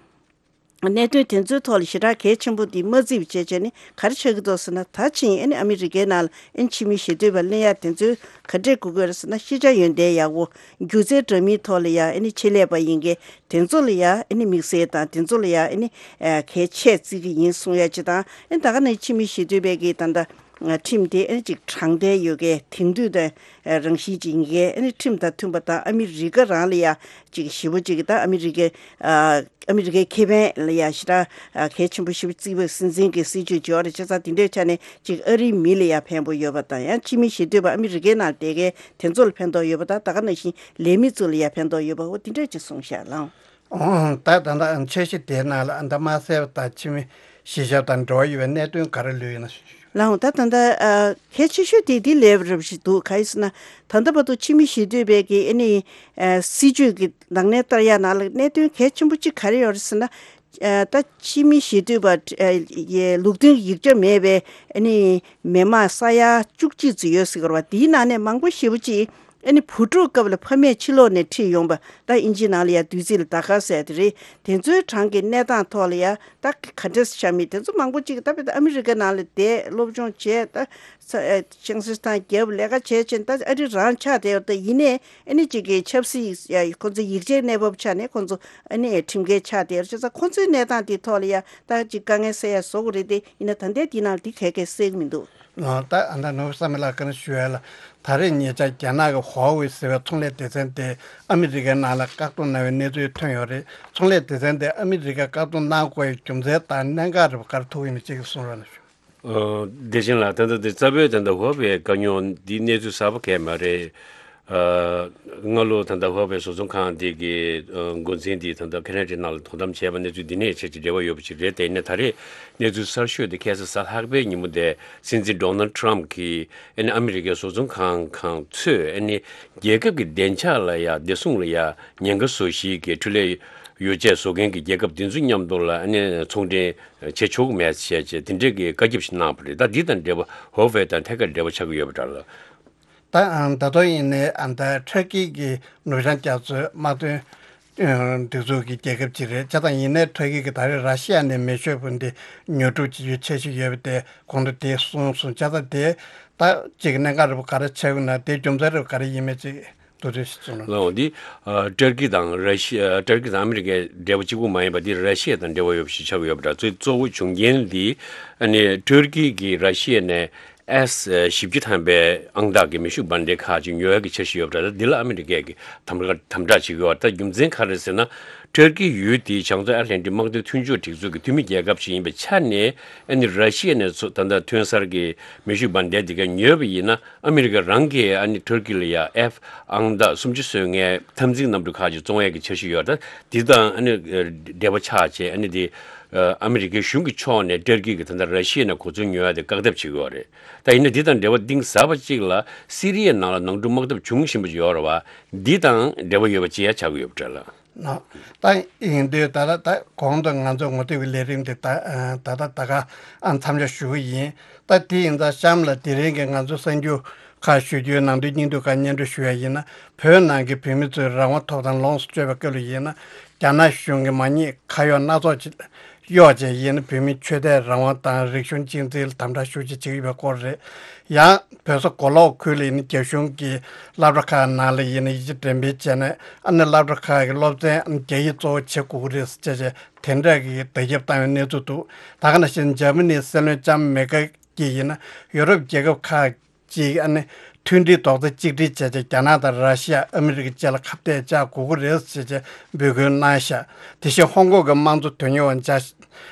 གནད་དོན་དེ་ཚོའི་ཐོག་ལ་ཞེ་དྲག་གལ་ཆེན་པོ་འདི་མ་བརྩིས་པ་བྱས་བྱས་ནས་ག་རེ་ཆགས་ཀྱི་འདུག་ཟེར་ན། ད་ཕྱིན་ཨ་ནི་ཨ་མི་རི་ཀའི་ནང་ལ་ཨ་ནི་ཕྱི་མི་ཞེ་འདོད་པ་ལེན་ཡ་དེ་ཚོའི་ག་འདྲས་དགོས་ཀྱི་ཡོད་རེད་ཟེར་ན། ཤེས་བྱ་ཡོན་ཏན་ཡག་པོ། སྒྱུ་རྩལ་འདྲ་མིན་ཐོག་ལ་ཡ་ཨ་ནི་ཆེད་ལས་པ་ཡིན་མཁན་དེ་ཚོ་ལ་ཡ་ཨ་ནི་དམིགས་བསལ་དང་། དེ་ཚོ་ལ་ཡ་ཨ་ནི་ཨ་གལ་ཆེ་བརྩི་གི་ཡིན་གསུང་ཡ་ཅིག་དང་། ཨ་ནི་ད་ག་ནང་ཕྱི་མི་ཞེ་འདོད་པའི་གི་ད་ལྟ་ཁྲིམས་དེ་ཨ་ནི་ཅིག་དྲང་བདེན་ཡོད་མཁན། དེང་དུས་དང་རང་བཞིན་ཅན་གྱི་ཨ་ནི་ཁྲིམས་དང་མཐུན་པ་དང་། ཨ་མི་རི་ཀ་རང་ལ་ཡ་ཅིག་ཞེ་པོ་ཅིག་ད་ཨ་མི་རི་ཀའི་ཨ་ཨ་མི་རི་ཀའི་ཁེ་ཕན་ལ་ཡ་ཞེ་དྲག་ཨ་གལ་ཆེན་པོ་ཞེ་པོ་བརྩི་བའི་སྲིད་འཛིན་གྱི་སྲིད་ཇུས་ཅིག་ཡོད་རེད། བྱས་ཙང་དེ་འདྲའི་ཆ་ནས་ཅིག་ཨ་རིའི་མི་ལ་ཡ་ཕན་པོ་ཡོད་པ་དང་། ཡང་ཕྱི་མི་ཞེ་འདོད་པ་ཨ་མི་རི་ཀའི་ནང་བསྡད་མཁན་དེ་ཚོ་ལ་ཕན་ཐོགས་ཡོད་པ་དང་། ད་ག་ནང་བཞིན་ལས་མི་ཚོ་ལ་ཡ་ཕན་ཐོགས་ཡོད་པ། འོ་དེ་འདྲས་ཅིག་གསུངས་ཤག་ལགས། ཨོ། ད་ད་ལྟ་འཆར་གཞི་དེའི་ནང་ལ་ཨ་ད་མ་གསལ་བ་དང་ཕྱི་མི་གཞིས་ཆགས་དང་འབྲེལ་བ་ཡོད་པའི་གནད་དོན་ག་རེ་ལུས་ཡོད་ན། ལགས་འོང་། ད་ད་ལྟ་ཨ་གལ་ཆེ་ཤོས་དེ་འདི་ལས་རབ་ཞིག་འདུག་ག་ཡིན་ཟེར་ན། ད་ལྟ་བར་དུ་ཕྱི་མི་ཞེ་འདོད་པའི་གི་ཨ་ནི་ཨ་སྲིད་ཇུས་ཀྱི་ནང་ནས་ལྟ་ཡ་ནང་ལ་གནད་དོན་གལ་ཆེན་པོ་གཅིག་ག་རེ་ཡོད་རེད་ཟེར་ན། ཨ་ད་ཕྱི་མི་ཞེ་འདོད་པ་ཨ་ཡི་ལུགས་མཐུན་ཡིག་ཆ་མེད་པའི་ཨ་ནི་མི་མང་ས་ཡ་བཅུ་གཅིག་ཙམ་ཡོད་ཟེར་གི་རེད་བ། དེའི་ནང་ནས་མང་པོ་ཞེ་པོ་ཅིག་ཨ་ནི་བུ་ཕྲུག་སྐབས་ལ་ཕ་མས་ཕྱི་ལོགས་ནས་ཁྲིད་ཡོང་བ། ད་ཨིན་ཇི་ནང་ལ་ཡ་བསྡུས་ཚིག་ལ་ཌ་ཁ་ཟེར་དེ་རེད། དེ་ཚོའི་གྲངས་ཀྱི་གནས་སྟངས་ཐོག་ལ་ཡ་ད་ག་འདྲས་ཤར་མིན་དེ་ཚོ་མང་པོ་ཅིག་ད་བོད་ཨ་མི་རི་ཀ་ནང་ལ་བསྡད་སློབ་སྦྱོང་བྱས། ད་ས་ཨ་ཆང་ས་ཐང་རྒྱབ་ལས་ཀ་བྱས་བྱས་ད་ཨ་རི་རང་ཆགས་བསྡད་ཡོད། ད་ཡིན་ནའི་ཨ་ནི་ཅིག་གི་ཆབ་སྲིད་ཡ་ཁོ་ཚོ་ཡིག་ཆའི་གནས་བབ་ཆ་ནས་ཁོ་ཚོ་ཨ་ནི་ཁྲིམས་འགལ་ཆགས་བསྡད་ཡོད། བྱས་ཙང་ཁོ་ཚོའི་གནས་སྟངས་དེ་ཐོག་ལ་ཡ་ད་ཅིག་དཀའ་ངལ་སེལ་ཡ་བཟོ་དགོས་རེད་དེ། ཡིན་ན་ད་ལྟའི་དེ་ནང་ལ་དེ་ག་གས་སེལ་གི་མི་འདུག་ཨ། ད་ཨ་ད་ནོར་བུ་བསམ་འཕེལ་ལགས་བཀའ་འདྲི་ཞུ་ཡ་ལ། ད་རེས་ཉེ་ཆར་རྒྱ་ནག་གི་ཧྭ་ཝེ་ཟེར་བའི་ཚོང་ལས་སྡེ་ཚན་དེ་ཨ་མི་རི་ཀའི་ནང་ལ་བཀག་སྡོམ་གནང་བའི་གནས་ཚུལ་ཐོན་ཡོད་རེད། ཚོང་ལས་སྡེ་ཚན་དེ་ཨ་མི་རི་ཀས་བཀག་སྡོམ་གནང་དགོས་པའི་རྒྱུ་མཚན་དང་གནད་འགག་རེ་བ་ག་རེ་ཐུག་ཡོད་མེད་ཅིག་གསུང་རོགས་གནང་ཞུ། ཨ། བདེ་ཆེན་ལགས། ད་ལྟ་དེ་རྩ་བའི་ད་ལྟ་ཧྭ་ཝེ་བཀག་ཉོ་འདི་གནས་ཚུལ་གསར་པ་གང་ཡང་མ་རེད། ཨ། སྔ་ལོ་ད་ལྟ་ཧྭ་ཝེ་བཟོ་ཚོང་ཁང་འདི་གི་ཨ་འགོ་འཛིན་འདི་ད་ལྟ་ཁེ་ན་ཌའི་ནང་ལ་དོ་དམ་བྱས་པ་གནས་ཚུལ་འདི་ནས་ཆེད་ཀྱི་འབྲེལ་བ་ཡོད་པ་ཅིག་རེད། དེ་ནས་ད་རེས་གནས་ཚུལ་གསར་ཤོས་དེ་ཁ་སང་གཟའ་ལྷག་པའི་ཉིན་མོ་དེ་སྲིད་འཛིན་ཌོ་ནལ་ཌི་ཊརམ་གྱིས་ཨ་ནི་ཨ་མི་རི་ཀའི་བཟོ་ཚོང་ཁང་ཁང་ཚོས་ཨ་ནི་རྒྱལ་ཁབ་ཀྱི་བདེ་འཇགས་ལ་ཡ་བདེ་སྲུང་ལ་ཡ་ཉེན་ཁ་བཟོ་གཞིའི་གི་འཕྲུལ་ལས་ཡོ་བྱད་བཟོ་མཁན་གྱི་རྒྱལ་ཁབ་དེ་ཚོ་མཉམ་དུ་ལ་ཨ་ནི་ཚོང་འབྲེལ་བྱེད་ཆོག་གི་མེད་ཟེར་བྱས་དེ་འདྲའི་གི་བཀའ་ཁྱབ་ཞིག་གནང་བ་རེད། ད་འདི་དང་འབྲེལ་བ་ཧྭ་ཝེ་དང་ཐད་ཀར་འབྲེལ་བ་ཆགས་ཀྱི་ཡོད་པ་འདྲ་ལ། ད་ཨ་ད་དུང་ཡིན་ནའི་ཨ་ད་ཊར་ཀི་གི་ནུབ་བྱང་རྒྱ་མཚོའི་དམག་དོན་སྒྲིག་འཛུགས་ཀྱི་རྒྱལ་ཁབ་ཅིག་རེད། བྱས་ཙང་ཡིན་ནའི་ཊར་ཀི་གིས་ད་རེས་ར་ཤི་ཡ་ནས་མེ་མཆོད་འབུམ་དེ་ཉོ་སྒྲུབ་བྱེད་རྒྱུའི་འཆར་གཞི་ཡོད་པ་དེ་གོང་དུ་དེ་གསུངས་སོང་། བྱས་ཙང་དེ་ད་ཅིག་གནད་འགག་རེ་བ་ག་རེ་ཆགས་ཡོད་ན། དེའི་རྒྱུ་མཚན་རེ་བ་ག་རེ་ཡིན་མིན་ཅིག་བསྡུས་གྲོས་ཤིག་གསུངས་རོགས། ལགས་འོང་། འདི་ཨ་ཊར་ཀི་དང་ར་ཤི་ཨ་ཊར་ཀི་དང་ཨ་མི་རི་ཀའི་འབྲེལ་བ་གཅིག་པུ་མ་ཡིན་པ་འདི་ར་ཤི་ཡ་དང་འབྲེལ་བ་ཡོད་པ་ཞིག་ཆགས་ཀྱི་ཡོད་པ་འདྲ། གཙོ་གཙོ་བོ་བྱུང་རྐྱེན་འདི་ཨ་ནི་ཊར་ཀི་གིས་ར་ཤི་ཡ་ནས་ཨེས་བཞི་བཅུ་ཐམ་པའི་ཨང་རྟགས་ཀྱི་མེ་ཤུགས་འབར་མདེལ་ཁག་ཅིག་ཉོ་ཡག་གི་འཆར་གཞི་ཡོད་པ་འདྲ། འདི་ལ་ཨ་མི་རི་ཀས་ཀྱི་དམ་དམ་དྲག་བྱེད་ཀྱི་ཡོད་པ་འདྲ། རྒྱུ་མཚན་ག་རེ་ཟེར་ན། ཊར་ཀི་ཡུལ་དེའི་བྱང་མཚོ་ཨེཊ་ལན་ཊིག་དམག་དོན་མཐུན་སྦྱོར་སྒྲིག་འཛུགས་ཀྱི་འཐུས་མི་རྒྱལ་ཁབ་ཞིག་ཡིན་པའི་ཆ་ནས། ཨ་ནི་ར་ཤི་ཡ་ནས་ཚུ་ད་ལྟ་ཐོན་གསར་གྱི་མེ་ཤུགས་འབར་མདེལ་འདི་ག་ཉོས་པ་ཡིན་ན། ཨ་མི་རི་ཀ་རང་གིས་ཨ་ནི་ཊར་ཀི་ལ་ཡ་ཨེཕ་ཨང་རྟགས་སུམ་ཅུ་སོ་ལྔའི་འཐབ་འཛིང་གནམ་གྲུ་ཁག་ཅིག་བཙོང་ཡས་ཀྱི་འཆར་གཞི་ཡོད་རེད། འདི་དང་ཨ་ནི་འབྲེལ་བ་ཆགས་བྱས། ཨ་ནི་འདི་ཨ་མི་རི་ཀའི་གཞུང་གི་ཕྱོགས་ནས་ཊར་ཀི་གིས་ད་ལྟ་ར་ཤི་ཡ་ནས་གོ་མཚོན་ཉོ་ཡ་དེ་བཀག་ཐབས་བྱེད་ཀྱི་ཡོད་རེད། ད་ཡིན་ན་འདི་དང་འབྲེལ་བ་གཏིང་ཟབ་པ་གཅིག་ལ་སི་རི་ཡའི་ནང་ལ་ནང་འཁྲུག་དམག་འཐབ་འབྱུང་བཞིན་པ་ཅིག་ཡོད་རེད་བ། འདི་དང་འབྲེལ་བ་ཡོད་པ་ཅིག་ཡང་ཆགས་ཀྱི་ཡོད་པ་འདྲ་ལགས། ནོ། ད་ཡིན་དུས་ད་ལྟ་ད་གོང་དུ་ང་ཚོ་ངོ་དེབ་ཀྱི་ལས་རིམ་དེ་ད་ད་ལྟ་ད་ག་ཨ་མཚམས་འཇོག་ཞུ་གི་ཡིན། ད་དེ་ཡིན་ཙང་གཤམ་ལ་དེ་རིང་གི་ང་ཚོ་གསར་འགྱུར་ཁག་ཞུ་རྒྱུའི་ནང་དོན་སྙིང་བསྡུས་ཁག་སྙན་སྒྲོན་ཞུ་ཡ་ཡིན་ན། བོད་ནང་གི་བོད་མི་ཚོའི་རང་དབང་ཐོབ་ཐང་ལོངས་སུ་སྤྱོད་པའི་སྐབས་ལ་ཡིན་ན། རྒྱ་ནག་གཞུང་གིས་མ་ཉེས་ཁ་གཡོག་སྣ་ཚོགས་ཅིག་གཡོག་བྱས་ཡིན་ན། བོད་མིའི་ཆོས་དད་རང་དབང་དང་རིག་གཞུང་གཅེས་འཛིན་ལ་དམ་དྲག་ཤུགས་ཆེ་བྱེད་ཀྱི་ཡོད་པའི་སྐོར་རེད། ཡང་བོད་ས་མགོ་ལོག་ཁུལ་ལ་ཡིན་ན་རྒྱ་གཞུང་གི་སློབ་གྲྭ་ཁག་ནང་ལ་ཡིན་ན་ཡིག་ཆ་འགྲེམས་སྤེལ་བྱས་ནས། ཨ་ནི་སློབ་གྲྭ་ཁག་གི་སློབ་ཚན་ཨ་ནི་རྒྱ་ཡིག་གཙོ་བོ་བྱེད་དགོས་ཀྱི་རེད་ཟེར་བྱས་བྱས་དེ་འདྲ་གི་བརྡ་ཁྱབ་བཏང་བའི་གནས་ཚུལ་འདུག། ད་ག་ནང་བཞིན་འཇར་མ་ནིའི་སྲིད་བློན་ལྕམ་མེར་ཀེལ་གྱིས་ཡིན་ན་ཡུ་རོབ་རྒྱལ་ཁབ་ཁག་ཅིག་ཨ་ནི་མཐུན་སྒྲིལ་རྡོག་རྩ་གཅིག་སྒྲིལ་བྱས་བྱས་རྒྱ་ནག་དང་ར་ཤི་ཡ། ཨ་མི་རི་ཀ་བཅས་ལ་ཁ་གཏད་བཅག་དགོས་ཀྱི་རེད་ཟེར་བྱས་འབོད་སྐུལ་གནང་ཤག། དེ་བཞིན་ཧོང་ཀོང་གི་དམངས་གཙོ་དོན་གཉེར་བ་འཇའ་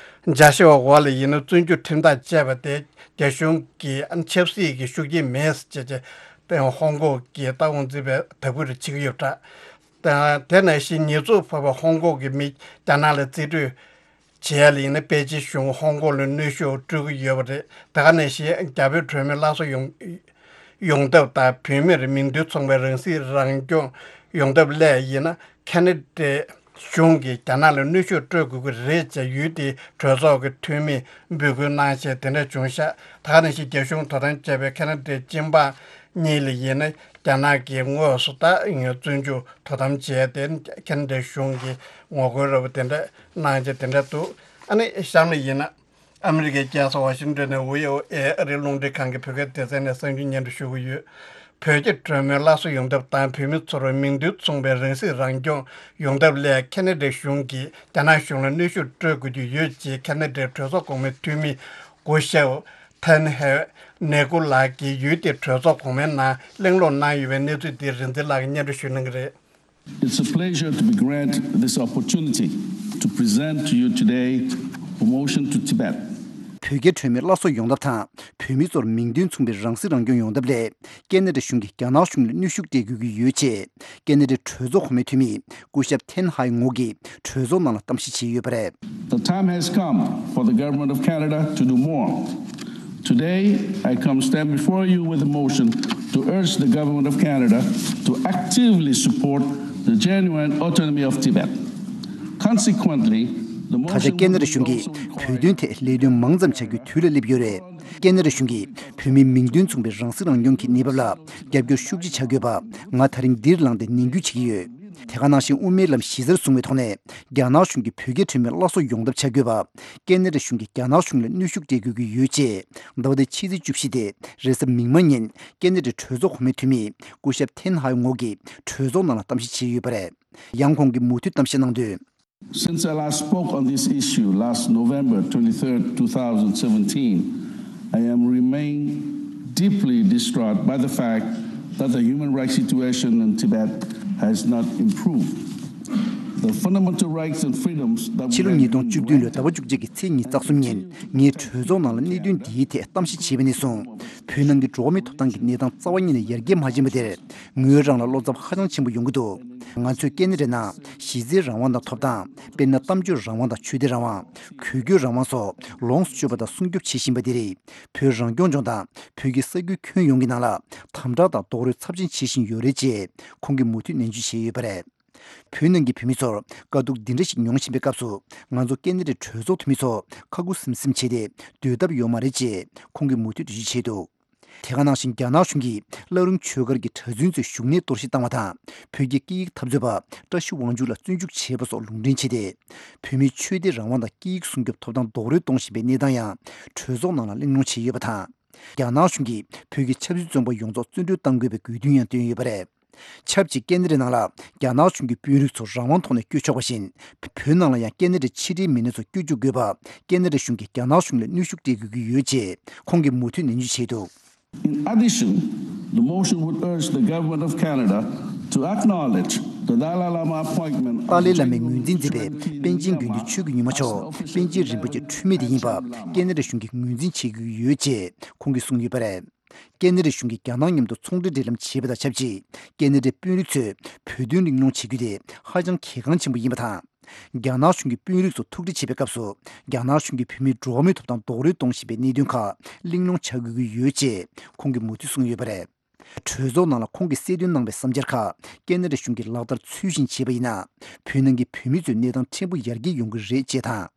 འཇའ་ཤར་བ་འོག་ལ་ཡིན་ན་བཙོན་འཇུག་ཁྲིམས་ཐག་བཅད་པ་དེ་རྒྱ་གཞུང་གི་ཆབ་སྲིད་ཀྱི་ཤུགས་རྐྱེན་མེད་ཟེར་བྱས་བྱས་ཧོང་ཀོང་གི་ལྟ་དབང་འཛིན་པས་དག་པོ་རེ་བྱེད་ཀྱི་ཡོད་པ་འདྲ། དེ་ནང་བཞིན་ཉེས་འཛུགས་ཕོག་པའི་ཧོང་ཀོང་གི་མི་རྒྱ་ནག་ལ་རྩིས་སྤྲོད་བྱས་ལ་ཡིན་ན་པེ་ཅིན་གཞུང་ཧོང་ཀོང་ལ་གནོན་ཤུགས་སྤྲོད་ཀྱི་ཡོད་པ་རེད། དེ་ག་ནང་བཞིན་རྒྱ་བོད་གྲོས་མོལ་སླར་གསོ་ཡོང་ཡོང་ཐབས་དང་བོད་མིར་མིང་དོན་མཚུངས་པའི་རང་སྲིད་རང་སྐྱོང་ཡོང་ཐབས་སླད་ཡིན་ན་ཁ་ན་ཌའི་གཞུང་གིས་རྒྱ་ནག་ལ་གནོན་ཤུགས་སྤྲོད་དགོས་ཀྱི་རེད་ཅེས་ཡུལ་དེའི་གྲོས་ཚོགས་ཀྱི་འཐུས་མིས་འབོད་སྐུལ་གནང་བྱས་དེ་འདྲ་བྱུང་ཤག་དེ་ག་ནང་བཞིན་རྒྱ་གཞུང་དོ་དམ་བྱས་པའི་ཁ་ན་ཌའི་སྤྱི་འབངས་གཉིས་ལ་ཡིན་ན་རྒྱ་ནག་གིས་དངོས་སུ་ད་བཙོན་འཇུག་དོ་དམ་བྱས་ཏེ་ཁ་ན་ཌའི་གཞུང་གིས་ངོ་རྒོལ་ར་བ་དེ་འདྲ་གནང་བྱས་དེ་འདྲ་འདུག་ཨ་ནི་གཤམ་ལ་ཡིན་ན། ཨ་མི་རི་ཀའི་རྒྱལ་ས་ཝ་ཤིང་ཏོན་ནས་བྷི་ཨོ་ཨེ་ཨ་རིའི་རླུང་འཕྲིན་ཁང་གི་བོད་སྐད་སྡེ་ཚན་ནས་གསར་འགྱུར་སྙན་སྒྲོན་ཞུ་གི་ཡོད། བོད་རྒྱ་གྲོས་མོལ་སླར་གསོ་ཡོང་ཐབས་དང་བོད་མི་ཚོར་མིང་དོན་མཚུངས་པའི་རང་སྲིད་རང་སྐྱོང་ཡོང་ཐབས་སླད་ཁ་ན་ཌའི་གཞུང་གིས་རྒྱ་ནག་གཞུང་ལ་གནོན་ཤུགས་སྤྲོད་དགོས་ཀྱི་ཡོད་ཅེས་ཁ་ན་ཌའི་གྲོས་ཚོགས་གོང་མའི་འཐུས་མི་སྐུ་ཞབས་ཐན་ཧེ་ནེ་ཀུ་ལགས་ཀྱིས་ཡུལ་དེའི་གྲོས་ཚོགས་གོང་མའི་ནང་གླེང་སློང་གནང་ཡོད་པའི་གནས་ཚུལ་འདི་རིག་འཛིན་ལགས་ཀྱིས་སྙན་སྒྲོན་ཞུ་གནང་གི་རེད། It's a pleasure to be granted this opportunity to present to you today a motion to Tibet. བོད་རྒྱ་གྲོས་མོལ་སླར་གསོ་ཡོང་ཐབས་དང་བོད་མི་ཚོར་མིང་དོན་མཚུངས་པའི་རང་སྲིད་རང་སྐྱོང་ཡོང་ཐབས་སླད་ཁ་ན་ཌ་གཞུང་གིས་རྒྱ་ནག་གཞུང་ལ་གནོན་ཤུགས་སྤྲད་དགོས་ཀྱི་ཡོད་ཅེས་ཁ་ན་ཌའི་གྲོས་ཚོགས་གོང་མའི་འཐུས་མི་སྐུ་ཞབས་ཐེན་ཧའེ་ངོ་གིས་གྲོས་ཚོགས་ནང་ལ་གཏམ་བཤད་བྱས་ཡོད་པ་རེད། The time has come for the Government of Canada to do more. Today, I come stand before you with a motion to urge the Government of Canada to actively support the genuine autonomy of Tibet. Consequently, the ད་ཆ་motion ཁ་ན་ཌ་གཞུང་གིས་བོད་དོན་ཐད་ལས་དོན་མང་ཙམ་བྱ་རྒྱུའི་དུས་ལ་སླེབས་ཡོད་རེད། ཁ་ན་ཌ་གཞུང་གིས་བོད་མིའི་མིང་དོན་མཚུངས་པའི་རང་སྲིད་རང་སྐྱོང་གི་གནས་བབ་ལ་རྒྱབ་སྐྱོར་ཤུགས་ཆེ་བྱ་དགོས་པ་ང་ད་རིང་འདིར་ལངས་ཏེ་ནན་སྐུལ་བྱེད་ཀྱི་ཡོད། དེ་ག་ནང་བཞིན་དབུ་མའི་ལམ་གཞི་རྩར་བཟུང་བའི་ཐོག་ནས་རྒྱ་ནག་གཞུང་གིས་བོད་རྒྱའི་གྲོས་མོལ་སླར་གསོ་ཡོང་ཐབས་བྱ་དགོས་པ། ཁ་ན་ཌ་གཞུང་གིས་རྒྱ་ནག་གཞུང་ལ་གནོན་ཤུགས་སྤྲད་དགོས་ཀྱི་ཡོད་ཅེས་ཟླ་བ་འདིའི་ཕྱི་ཚེས་བཅུ་བཞི་སྟེ་རེས་གཟའ་མིག་དམར་ཉིན་ཁ་ན་ཌའི་གྲོས་ཚོགས་གོང་མའི་འཐུས་མི་སྐུ་ཞབས་ཐེན་ཧའེ་ངོ་གིས་གྲོས་ཚོགས་ནང་ལ་གཏམ་བཤད་བྱས་ཡོད་པ་རེད། ཡང་ཁོང་གིས་མུ་མཐུད་གཏམ་བཤད་གནང་དོན། Since I last spoke on this issue last November twenty-third, two thousand seventeen, I am remain deeply distraught by the fact that the human rights situation in Tibet has not improved. The fundamental rights and freedoms that we ཕྱི་ལོ་have ཉིས་སྟོང་བཅུ་བདུན་ལོའི་ཟླ་བ་བཅུ་གཅིག་གི་ཚེས་ཉི་ཤུ་རྩ་གསུམ་ཉིན་ངས་གྲོས་ཚོགས་ནང་ལ་གནད་དོན་འདིའི་ཐད་གཏམ་བཤད་བྱས་པ་ནས་བཟུང་བོད་ནང་གི་འགྲོ་བ་མིའི་ཐོབ་ཐང་གི་གནས་སྟངས་རྩ་བ་ཉིད་ནས་ཡར་རྒྱས་མ་ཕྱིན་པ་དེར་ངོས་རང་ལ་བློ་འཚབ་ཧ་ཅང་ཆེན་པོ་ཡོང་གི་འདུག་ང་ཚོས་ཁ་ན་ཌའི་ནང་གཞི་རྩའི་རང་དབང་དང་ཐོབ་ཐང་དཔེར་ན་གཏམ་བརྗོད་རང་དབང་དང་ཆོས་དད་རང་དབང་། གུས་སྐྱོད་རང་དབང་སོགས་ལོངས་སུ་སྤྱོད་པ་དང་སྲུང་སྐྱོབ་བྱེད་བཞིན་པ་འདི་རིགས་བོད་རང་སྐྱོང་ལྗོངས་དང་བོད་ཀྱི་ས་ཁུལ་ཁྱོན་ཡོངས་ཀྱི་ནང་ལ་དམ་དྲག་དང་རྡོག་རོལ་ཚབས་ཆེན་བྱེད་བཞིན་ཡོད་རེད་ཅེས་ཁོང་གིས་མུ་མཐུད་ནན་བརྗོད་བྱས་ཡོད་པ་རེད། བོད་ནང་གི་བོད་མི་ཚོར་དཀའ་སྡུག་འདི་འདྲ་ཞིག་མྱོང་བཞིན་པའི་སྐབས་སུ་ང་ཚོ་ཁ་ན་ཌའི་གྲོས་ཚོགས་འཐུས་མི་ཚོ་ཁ་ཁུ་སིམ་སིམ་བྱས་ཏེ་སྡོད་ཐབས་ཡོད་མ་རེད་ཅེས་ཁོང་གིས་མུ་མཐུད་འགྲེལ་བརྗོད་བྱས་འདུག་དེ་ག་ནང་བཞིན་རྒྱ་ནག་གཞུང་གིས་བླ་རུང་ཆོས་སྒར་གྱི་གྲྭ་བཙུན་ཚོའི་བཞུགས་གནས་གཏོར་བཤིག་བཏང་བ་དང་བོད་ཀྱི་སྐད་ཡིག་འཐབ་རྩོད་པ་བཀྲ་ཤིས་དབང་ཕྱུག་ལ་བཙོན་འཇུག་བྱས་པ་སོགས་ལུང་འདྲེན་བྱས་ཏེ། བོད་མིའི་ཆོས་དད་རང་དབང་དང་སྐད་ཡིག་སྲུང་སྐྱོབ་ཐོབ་ཐང་རྡོག་རོལ་གཏོང་བཞིན་པའི་གནས་སྟངས་ཡང་གྲོས་ཚོགས་ནང་ལ་གླེང་སློང་བྱས་ཡོད་པ་དང་། རྒྱ་ནག་གཞུང་གིས་བོད་ཀྱི་ཆབ་སྲིད་བཙོན་པ་ཡོངས་རྫོགས་བཙོན་གྲོལ་གཏང་དགོས་པའི་དགོས་འདུན་ཡང་བཏོན་ཡོད་པ་རེད། ཆབས་ཅིག་ཁ་ན་ཌའི་ནང་ལ་རྒྱ་ནག་གཞུང་གི་དཔོན་རིགས་ཚོ་རང་དབང་ཐོག་ནས་བསྐྱོད་ཆོག་པ་བཞིན། བོད་ནང་ལ་ཡང་ཁ་ན་ཌའི་ཕྱི་འབྲེལ་མི་སྣ་ཚོ་བསྐྱོད་འཇུག་དགོས་པ། ཁ་ན་ཌ་གཞུང་གིས་རྒྱ་ནག་གཞུང་ལ་གནོན་ཤུགས་སྤྲད་དགོས་ཀྱི་ཡོད་ཅེས་ཁོང་གིས་མུ་མཐུད་ནན་བརྗོད་བྱས་འདུག In addition, the motion would urge the government of Canada to acknowledge the Dalai Lama appointment ཏཱ་ལའི་བླ་མས་ངོས་འཛིན་མཛད་པའི་པཎ་ཆེན་དགེ་འདུན་ཆོས་ཀྱི་ཉི་མ་མཆོག་པཎ་ཆེན་རིན་པོ་ཆེ་འཁྲུལ་མེད་དེ་ཡིན་པ་ཁ་ན་ཌ་གཞུང་གིས་ངོས་འཛིན་བྱེད་དགོས་ཀྱི་ཡོད་ཅེས་ཁོང་གིས་གསུངས་ཡོད་པ་རེད། ཁ་ན་ཌ་གཞུང་གིས་རྒྱ་ནག་མཉམ་དུ་ཚོང་འབྲེལ་འབྲེལ་ལམ་བྱེད་པ་དང་ཆབས་ཅིག་ཁ་ན་ཌའི་དཔོན་རིགས་ཚོས་བོད་དོན་གླེང་སློང་བྱེད་རྒྱུ་དེ་ཧ་ཅང་གལ་འགངས་ཆེན་པོ་ཡིན་པ་དང་། རྒྱ་ནག་གཞུང་གི་དཔོན་རིགས་ཚོ་ཐུག་འཕྲད་བྱེད་པའི་སྐབས་སུ་རྒྱ་ནག་གཞུང་གིས་བོད་མིའི་འགྲོ་བ་མིའི་ཐོབ་ཐང་རྡོག་རོལ་གཏོང་བཞིན་པའི་གནད་དོན་ཁག་གླེང་སློང་བྱ་དགོས་ཀྱི་ཡོད་ཅེས་ཁོང་གིས་མུ་མཐུད་གསུངས་ཡོད་པ་རེད། གྲོས་ཚོགས་ནང་ལ་ཁོང་གིས་གསལ་སྟོན་གནང་བའི་བསམ་འཆར་ཁག་ཁ་ན་ཌ་གཞུང་གིས་ལག་བསྟར་ཚུལ་བཞིན་བྱས་པ་ཡིན་ན། བོད་ནང་གི་བོད་མི་ཚོའི་གནས་སྟངས་ཕྲན་བུ་ཡར་རྒྱས་ཡོང་གི་རེད་ཅེས་དང་།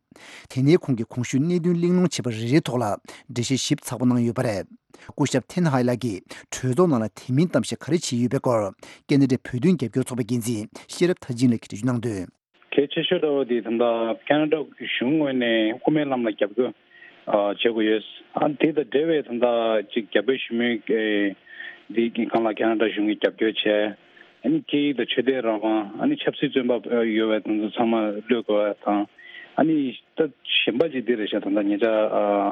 དེ་ནས་ཁོང་གིས་གོང་ཞུས་གནད་དོན་གླེང་སློང་བྱས་པ་རེ་རེའི་ཐོག་ལ་འགྲེལ་བཤད་ཞིབ་ཚགས་པོ་གནང་ཡོད་པ་རེད། སྐུ་ཞབས་ཐེན་ཧའེ་ལགས་ཀྱིས་གྲོས་ཚོགས་ནང་ལ་དེ་མིན་གཏམ་བཤད་ག་རེ་བྱས་ཡོད་པའི་སྐོར་ཁ་ན་ཌའི་བོད་དོན་རྒྱབ་སྐྱོར་ཚོགས་པའི་འགན་འཛིན་ཤེས་རབ་མཐར་ཕྱིན་ལགས་ཀྱིས་འགྲེལ་བརྗོད་གནང་དོན། གལ་ཆེ་ཤོས་འདྲ་བོ་དེ་ད་ལྟ་ཁ་ན་ཌ་གཞུང་ངོས་ནས་དབུ་མའི་ལམ་ལ་རྒྱབ་སྐྱོར་ཨ་བྱེད་དགོས་ཡོད། ཨ་དེ་དང་འབྲེལ་བའི་ད་ལྟ་ཅིག་རྒྱ་བོད་ཞི་མོལ་འདི་གི་སྒང་ལ་ཁ་ན་ཌ་གཞུང་གིས་རྒྱབ་སྐྱོར་བྱས། ཨ་ནི་སྐད་ཡིག་དང་ཆོས་དད་རང་དབང་ཨ་ནི་ཆབ་སྲིད་བཙོན་པ་ཡོད་པའི་དེ་ཚོ་ཚང་མ་གློད་དགོས་པ་དང་། ཨ་ནི་ད་གཞན་པ་ཅིག་འདི་རེད་ཤག་ད་ལྟ་ཉེ་ཆར་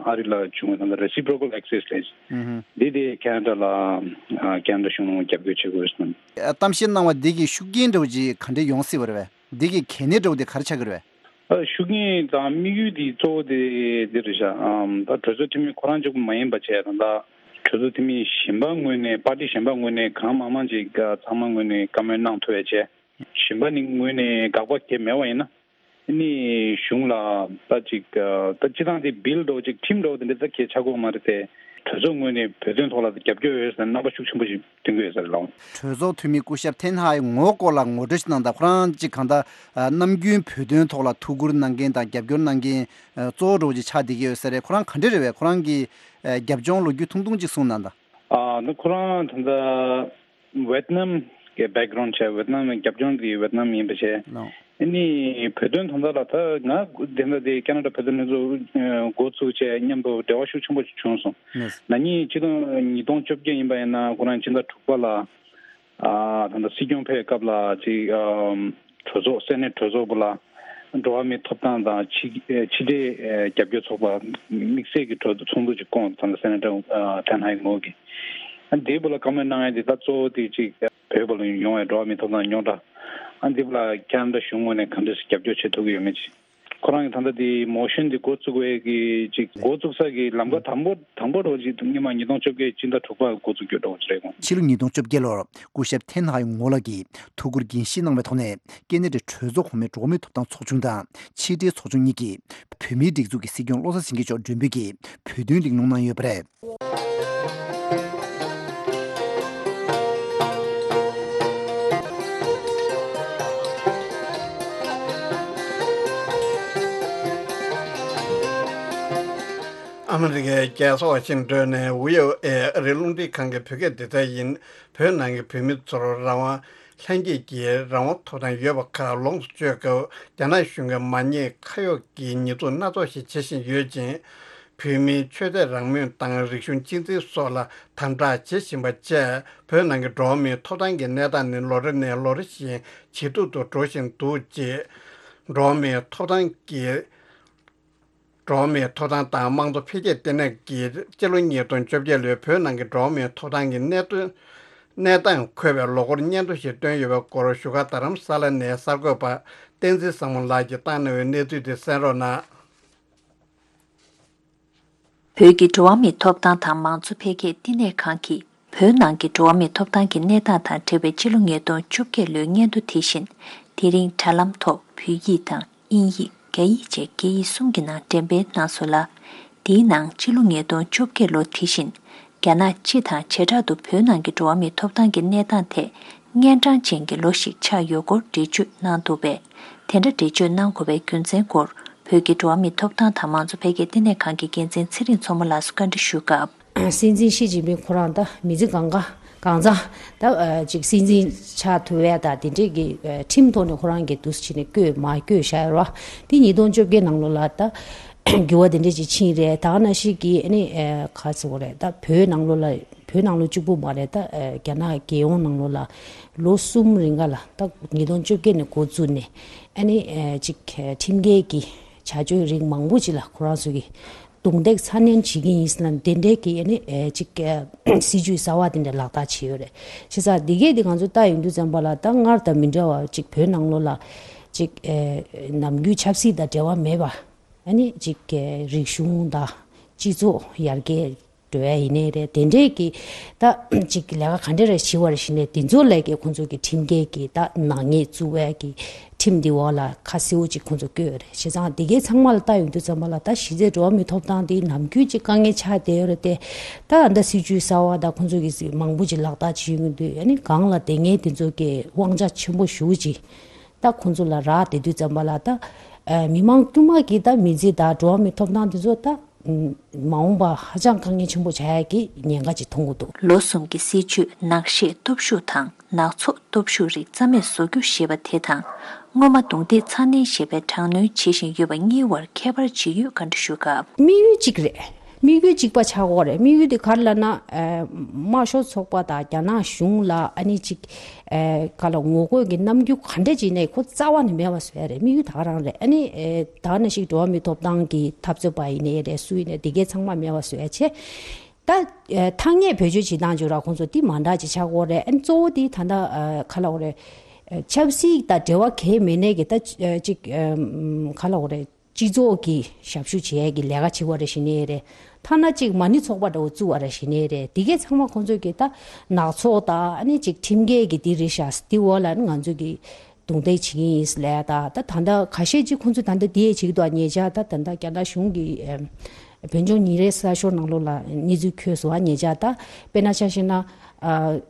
ཨ་རི་ལ་བྱུང་བའི་ད་ལྟ་reciprocal access་ལས་འདི་དེ་ཁ་ན་ཌ་ལ་ཨ་ཁ་ན་ཌ་གཞུང་ལ་རྒྱབ་སྐྱོར་བྱེད་དགོས་ཟེར། གཏམ་བཤད་གནང་བ་འདི་གི་ཤུགས་རྐྱེན་འདྲ་བོ་ཅིག་ག་འདྲས་ཡོང་སྲིད་པ་རེད་པས། འདི་གི་གལ་གནད་འདྲ་བོ་དེ་ག་རེ་ཆགས་ཀྱི་རེད་པས། ཨ་ཤུགས་རྐྱེན་དང་དམིགས་ཡུལ་དེ་གཙོ་བོ་དེ་འདི་རེད་ཤག་ཨམ་ད་གྲོས་ཚོགས་འཐུས་མི་ཁོ་རང་གཅིག་པུ་མ་ཡིན་པ་བྱས། ད་ལྟ་གྲོས་ཚོགས་འཐུས་མི་གཞན་པ་ངོས་ནས། པར་ཊི་གཞན་པ་ངོས་ནས་གང་མང་མང་ཅིག་ཨ་ཚང་མ་ངོས་ནས་བཀའ་མོལ་གནང་ཐུབ་ཡ་བྱས། གཞན་པ་ནི་ངོས་ནས་དགག་པ་གང་ཡང་མེད་པ་ཡིན་ན། ཨ་ནི་གཞུང་ལ་ད་ཅིག་ཨ་ད་སྤྱི་བཏང་དེ་བིལ་འདྲ་བོ་ཅིག་ཁྲིམས་འདྲ་བོ་དེ་འདྲ་ད་གང་ཡང་ཆགས་ཀྱི་ཡོད་མ་རེད་དེ། གྲོས་ཚོགས་ངོས་ནས་བོད་དོན་ཐོག་ལ་རྒྱབ་སྐྱོར་ཡོད་ཟེར་རྣམ་པ་ཤུགས་ཆེན་པོ་ཞིག་སྟོན་གྱི་ཡོད་ས་རེད་ལགས། གྲོས་ཚོགས་འཐུས་མི་སྐུ་ཞབས་ཐེན་ཧའེ་ངོ་སྐོར་ལ་ངོ་སྤྲོད་ཞིག་གནང་དང་། ཁོ་རང་ཅིག་གང་ལྟར་ཨ་ནམ་རྒྱུན་བོད་དོན་ཐོག་ལ་ཐུགས་ཁུར་གནང་མཁན་དང་རྒྱབ་སྐྱོར་གནང་མཁན་ཨ་གཙོ་བོ་འདྲ་བོ་ཅིག་ཆགས་བསྡད་ཀྱི་ཡོད་ས་རེད། ཁོ་རང་ག་འདྲ་རེད་པས། ཁོ་རང་གི་ཨ་རྒྱབ་ལྗོངས་ལོ་རྒྱུས་ཐུང་ཐུང་ཅིག་གསུངས་གནང་དང་། ཨ་ནི་ཁོ་རང་ད་ལྟ་ཝེད་ནམ་གི་བེག་གྷ་རའུན་ཌི་བྱས། ཝེད་ནམ་རྒྱབ་ལྗོངས་དེ་ཝེད་ནམ་ཡིན་པ་བྱས། ལགས། ཨ་ནི་བོད་དོན་དོན་དག་ལ་ད་ང་དེ་འདྲ་དེ་ཁེ་ན་ཌ་བོད་དོན་ལྷན་ཚོགས་འགོ་བཙུགས་བྱས་མཉམ་དུ་འབྲེལ་བ་ཤུགས་ཆེན་པོ་ཞིག་བྱུང་སོང་། ལགས། ན་ནིང་ཕྱི་ལོ་ཉིས་སྟོང་བཅོ་བརྒྱད་ཡིན་པ་ཡིན་ན། ཁོ་རང་ཕྱི་ཟླ་དྲུག་པ་ལ་ཨ་ད་ལྟ་སྲིད་སྐྱོང་ཕེབས་སྐབས་ལ་ཅིག་ཨམ་གྲོས་ཚོགས། སེ་ནེ་ཊི་གྲོས་ཚོགས་པོ་ལ་འགྲོ་བ་མིའི་ཐོབ་ཐང་དང་ཕྱི་ཕྱི་འབྲེལ་ཨ་རྒྱབ་སྐྱོར་ཚོགས་པ་དམིགས་བསལ་གྱི་གྲོས་ཚོགས་ཚོགས་འདུ་ཅིག་བསྐོངས། ད་ལྟ་སེ་ནེ་ཊར་ཨ་ཐེན་ཧའེ་ངོས་ཀྱིས། ཨ་དེའི་སྐོར་ལ་བཀའ་མོལ་གནང་ཡ་དེ་ད་གཙོ་བོ་དེ་ཅིག་བོད་པ་ལ་ཡོང་བའི་འགྲོ་བ་མིའི་ཐོབ་ཐང་རྙོག་དྲ། ཨ་འདི་ལ་ཁེ་ན་ཌ་གཞུང་ངོས་ནས་ག་འདྲ་ཞིག་རྒྱབ་སྐྱོར་བྱེད་ཐུབ་ཀྱི་ཡོད་མེད་ཅིག་ཁོ་རང་གིས་ད་ལྟ་དེ་མོ་ཤན་དེ་འགོ་བཙུགས་པའི་གི་ཅིག་འགོ་བཙུགས་ས་གི་ལམ་ཁ་དང་པོ་དང་པོ་འདྲ་བོ་ཅིག་སྔོན་མ་ཉིས་སྟོང་བཅོ་བརྒྱད་ཕྱི་ཟླ་དྲུག་པར་འགོ་བཙུགས་རྒྱུ་འདྲ་བོ་ཅིག་རེད་ཁོང་། ཕྱི་ལོ་ཉིས་སྟོང་བཅོ་བརྒྱད་ལོར་སྐུ་ཞབས་ཐེན་ཧའེ་ངོ་ལགས་ཀྱིས་ཐུགས་ཁུར་འགན་བཞེས་གནང་བའི་ཐོག་ནས། ཀེ་ན་ཌའི་གྲོས་ཚོགས་གོང་མའི་འགྲོ་བ་མིའི་ཐོབ་ཐང་ཚོགས་ཆུང་དང་ཕྱི་འབྲེལ་ཚོགས་ཆུང་གཉིས་ཀྱིས་བོད་མིའི་སྒྲིག་འཛུགས་ཀྱི་སྲིད་སྐྱོང་བློ་བཟང་སེང་གེ་མཆོག་མགྲོན་འབོད་ཀྱིས་བོད་དོན་གླེང་སློང་གནང་ཡོད་པ་རེད། ཨ་མི་རི་ཀའི་རྒྱལ་ས་ཝ་ཤིང་ཏོན་ནས་ཝི་ཨོ་ཨེ་ཨ་རིའི་རླུང་འཕྲིན་ཁང་གི་བོད་སྐད་སྡེ་ཚན་ཡིན། བོད་ནང་གི་བོད་མི་ཚོར་རང་དབང་ལྷན་སྐྱེས་ཀྱི་རང་དབང་ཐོབ་ཐང་ཡོད་པ་ཁག་ལོངས་སུ་སྤྱོད་སྐབས། རྒྱ་ནག་གཞུང་གིས་མ་ཉེས་ཁ་གཡོགས་ཀྱི་ཉེས་འཛུགས་སྣ་ཚོགས་ཤིག་བྱེད་བཞིན་ཡོད་ཅིང་། བོད་མིའི་ཆོས་དད་རང་མོས་དང་རིག་གཞུང་གཅེས་འཛིན་སོགས་ལ་དམ་དྲག་བྱེད་བཞིན་པ་བཅས། བོད་ནང་གི་འགྲོ་བ་མིའི་ཐོབ་ཐང་གི་གནས་སྟངས་ནི་ལོ་རེ་ནས་ལོ་རེ་བཞིན་ཇེ་སྡུག་ཏུ་འགྲོ་བཞིན་འདུག་ཅེས། འགྲོ་བ་མིའི་ཐོབ་ཐང་གི་འགྲོ་བ་མིའི་ཐོབ་ཐང་དང་དམངས་གཙོ་འཕེལ་རྒྱས་ལྟེ་གནས་ཀྱིས་སྤྱི་ལོ་ཉིས་སྟོང་བཅོ་བརྒྱད་ལོའི་བོད་ནང་གི་འགྲོ་བ་མིའི་ཐོབ་ཐང་གི་གནད་དོན། གནས་སྟངས་འཁོད་པའི་ལོ་འཁོར་སྙན་ཐོ་ཞིག་བཏོན་ཡོད་པའི་སྐོར། བཞུགས་སྒར་རྡ་རམ་ས་ལ་ནས་གསར་འགོད་པ་བསྟན་འཛིན་བཟང་མོ་ལགས་ཀྱིས་བཏང་གནང་བའི་གནས་ཚུལ་དེ་གསན་རོགས་གནང་། བོད་ཀྱི་འགྲོ་བ་མིའི་ཐོབ་ཐང་དང་དམངས་གཙོ་འཕེལ་རྒྱས་བསྟི་གནས་ཁང་གིས། བོད་ནང་གི་འགྲོ་བ་མིའི་ཐོབ་ཐང་གི་གནས་སྟངས་དང་འབྲེལ་བའི་ཕྱི་ལོ་ཉིས་སྟོང་བཅོ་བརྒྱད་ལོའི་སྙན་ཐོ་དེ་བཞིན། དེ་རིང་དྲ་ལམ་ཐོག་བོད་ཡིག་དང་དབྱིན་ཡིག་རྒྱ་ཡིག་བཅས་སྐད་ཡིག་གསུམ་གྱི་ནང་འགྲེམས་སྤེལ་གནང་སོང་ལ། དེའི་ནང་ཕྱི་ལོ་ཉིས་སྟོང་བཅོ་བརྒྱད་ལོ་དེ་བཞིན། རྒྱ་ནག་སྤྱི་དང་བྱེ་བྲག་ཏུ་བོད་ནང་གི་འགྲོ་བ་མིའི་ཐོབ་ཐང་གི་གནས་སྟངས་ཐད། གཉན་འཕྲང་ཅན་གྱི་ལོ་ཞིག་ཆགས་ཡོད་སྐོར་འགྲེལ་བརྗོད་གནང་འདུག་པས། དེ་འདྲ་འགྲེལ་བརྗོད་གནང་དགོས་པའི་རྒྱུ་མཚན་སྐོར། བོད་ཀྱི་འགྲོ་བ་མིའི་ཐོབ་ཐང་དང་དམངས་གཙོ་འཕེལ་རྒྱས་ལྟེ་གནས་ཁང་གི་འགན་འཛིན་ཚེ་རིང་མཚོ་མོ་ལགས་སུ་བཀའ་འདྲི་ཞུས་སྐབས། སྲིད་འཛིན་ཞི་ཅིན་ཕིང་ཁོ་རང་ད་མི་ཚེ་གང་ག་གང་ཚང་ད་ཅིག་སྲིད་འཛིན་ཆགས་ཐུབ་ཡ་ད་དེ་འདྲས་ཀྱི་ཁྲིམས་ཐོག་ནས་ཁོ་རང་གི་འདུག་སེ་བྱས་ནས་བསྐོས་མ་བསྐོས་བཞག་ཡོད་ར། དེ་ཉིས་སྟོང་བཅོ་བརྒྱད་ནང་ལོགས་ལ་ད་འགྱུར་བ་དེ་འདྲས་ཅིག་ཕྱིན་རེད། ད་ག་ནང་བཞིན་གྱི་ཨ་ནི་ག་ཟེར་དགོས་རེད། ད་བོད་ནང་ལོགས་ལ་བོད་ནང་ལོགས་གཅིག་པུ་མ་རེད། ད་རྒྱ་ནག་རྒྱལ་ཡོངས་ནང་ལོགས་ལ་ལོ་གསུམ་རིང་ག་ལ་ད་ཉིས་སྟོང་བཅོ་བརྒྱད་ནས་འགོ་བཙུགས་ནས་ཨ་ནི་ཅིག་ཁྲིམས་འགལ་གྱི་བྱ་སྤྱོད་རིགས་མང་པོ་ཅིག་ལ་ཁོ་རང་ཚོ་གིས་རྡུང་རྡེག་ཚ་ནན་བྱེད་ཀྱི་ཡིན་ཟེར་ན་དེ་འདྲའི་གི་ཨ་ནི་ཅིག་སྲིད་ཇུས་གསར་བ་དེ་འདྲ་ལག་བསྟར་བྱས་ཡོད་རེད། བྱས་ཙང་འདི་གས་དེ་ང་ཚོ་ལྟ་ཡོང་དུས་ཙམ་པ་ལ་ད་སྔར་དང་མི་འདྲ་བ་ཅིག་བོད་ནང་ལོགས་ལ་ཅིག་ནམ་རྒྱུན་ཆབ་སྲིད་དང་འབྲེལ་བ་མེད་པ། ཨ་ནི་ཅིག་རིག་གཞུང་དང་སྤྱི་ཚོགས་ཡར་རྒྱས་འགྲོ་ཡ་ཡིན་ནའི་རེད། དེ་འདྲའི་གི་ད་ཅིག་ལས་ཀ་ག་འདྲ་རེ་བྱེད་པ་རེ་བཞིན་ནས་དེ་ཚོ་ལས་ཀའི་ཁོང་ཚོ་གི་ཁྲིམས་འགལ་གི་ད་ནག་ཉེས་བཙུགས་པའི་གི་ཁྲིམས་འདི་འོག་ལ་ཁ་གསལ་པོ་ཅིག་ཁོང་ཚོ་བཀོད་ཡོད་རེད། བྱས་ཙང་དེ་གའི་ཚང་མ་ལ་ལྟ་ཡོང་དུས་ཙམ་པ་ལ་ད་གཞི་རྩའི་འགྲོ་བ་མིའི་ཐོབ་ཐང་དེ་ནམ་རྒྱུན་ཅིག་དཀའ་ངལ་ཆགས་བསྡད་ཡོད་རེད་དེ། ད་ད་སྲིད་ཇུས་གསར་བ་ད་ཁོང་ཚོ་གི་མང་པོ་ཅིག་ལག་བསྟར་བྱེད་ཡོང་གི་འདུག་ཨ་ནི་གང་ལ་དེ་ངས་དེ་ཚོ་གི་དབང་ཆ་ཆེན་པོ་ཞེ་པོ་ཅིག་ད་ཁོང་ཚོ་ལ་རག་བསྡད་དུས་ཙམ་པ་ལ་ད་མི་མང་དཀྱུས་མ་གི་ད་མི་ཚེ་ད་འགྲོ་བ་མིའི་ཐོབ་ཐང་དེ་ཚོ་ད་མ་འོངས་པ་ཧ་ཅང་དཀའ་ངལ་ཆེན་པོ་ཆགས་ཡ་གི་ཉེན་ཁ་ཅིག་མཐོང་གི་འདུག་ལོ་གསུམ་གྱི་སྲིད་བྱུས་ནག་བཤད་སྟོབས་ཤུགས་དང་ནག་ཚོགས་སྟོབས་ཤུགས་རིགས་རྩ་མེད་བཟོ་རྒྱུ་ཞེས་པ་དེ་དང་། སྔོན་མ་རྡུང་རྡེག་ཚ་ནན་ཞེས་པའི་དྲག་གནོན་བྱེད་བཞིན་ཡོད་པ་གཉིས་བར་ཁྱད་པར་ཇི་ཡོད་བཀའ་འདྲི་ཞུས་སྐབས། དམིགས་ཡུལ་གཅིག་རེད། དམིགས་ཡུལ་གཅིག་པ་ཆགས་ཀྱི་ཡོད་རེད། དམིགས་ཡུལ་དེ་ག་རེ་ལབ་ན། ཨ་དམར་ཤོག་ཚོགས་པ་དང་རྒྱ་ནག་གཞུང་ལ་ཨ་ནི་ཅིག་ཨ་ག་ལ་ངོ་རྒོལ་གྱི་རྣམ་འགྱུར་ག་འདྲ་ཅིག་ནས་ཁོ་རྩ་བ་ནས་མེད་པ་བཟོ་ཡ་རེད། དམིགས་ཡུལ་ད་ག་རང་རེད། ཨ་ནི་ཨེ་ད་ག་ནང་བཞིན་འགྲོ་བ་མིའི་ཐོབ་ཐང་གི་འཐབ་རྩོད་པ་ཡིན་ནའི་རེད། སུ་ཡིན་ནའི་དེ་གའི་ཚང་མ་མེད་པ་བཟོ་ཡ་བྱས། ད་ཨེ་ཐ་སྙད་བེད་སྤྱོད་བྱེད་སྟངས་ཅིག་ར་ཁོང་ཚོ་དེ་མ་འདྲ་ཅིག་ཆགས་ཀྱི་ཡོད་རེད། ཨ་ནི་གཙོ་བོ་དེ་ད་ལྟ་ཨ་ག་ལ་འོ་རེད། ཆབ་སྲིད་དང་འབྲེལ་བ་གང་ཡང་མེད་ནའི་གི་ད་ཅིག་ག་ལབ་དགོས་རེད། སྤྱི་ཚོགས་ཀྱི་ཞབས་ཞུ་བྱེད་ཡས་ཀྱི་ལས་ཀ་བྱེད་པ་རེ་བྱེད་ནའི་རེད། ཐ་ན་ཅིག་མ་ཎི་ཚོགས་པ་འདྲ་བོ་བཙུགས་པ་རེ་བྱེད་ནའི་རེད། དེ་གས་ཚང་མ་ཁོང་ཚོས་ཀྱི་ད་ནག་ཚོགས་དང་ཨ་ནི་ཅིག་ཁྲིམས་འགལ་གྱི་དེ་རེད་ཤག་དེ་འོག་ལ་ནི་ང་ཚོས་ཀྱི་རྡུང་རྡེག་བྱེད་ཀྱི་ཡིན་ལས་ད་ད་ད་ལྟ་ཁ་ཤས་ཅིག་ཁོང་ཚོས་ད་ལྟ་དེ་ཡས་བྱེད་ཀྱི་འདུག་ཉེ་ཆར་ད་ད་ལྟ་རྒྱ་ནག་གཞུང་གི་བོད་ལྗོངས་ཉིན་རེའི་གསར་ཤོག་ནང་ལོགས་ལ་གནས་ཚུལ་འཁོད་སོང་བ། ཉེ་ཆར་ད་དཔེར་ན་ཆ་བཞག་ན།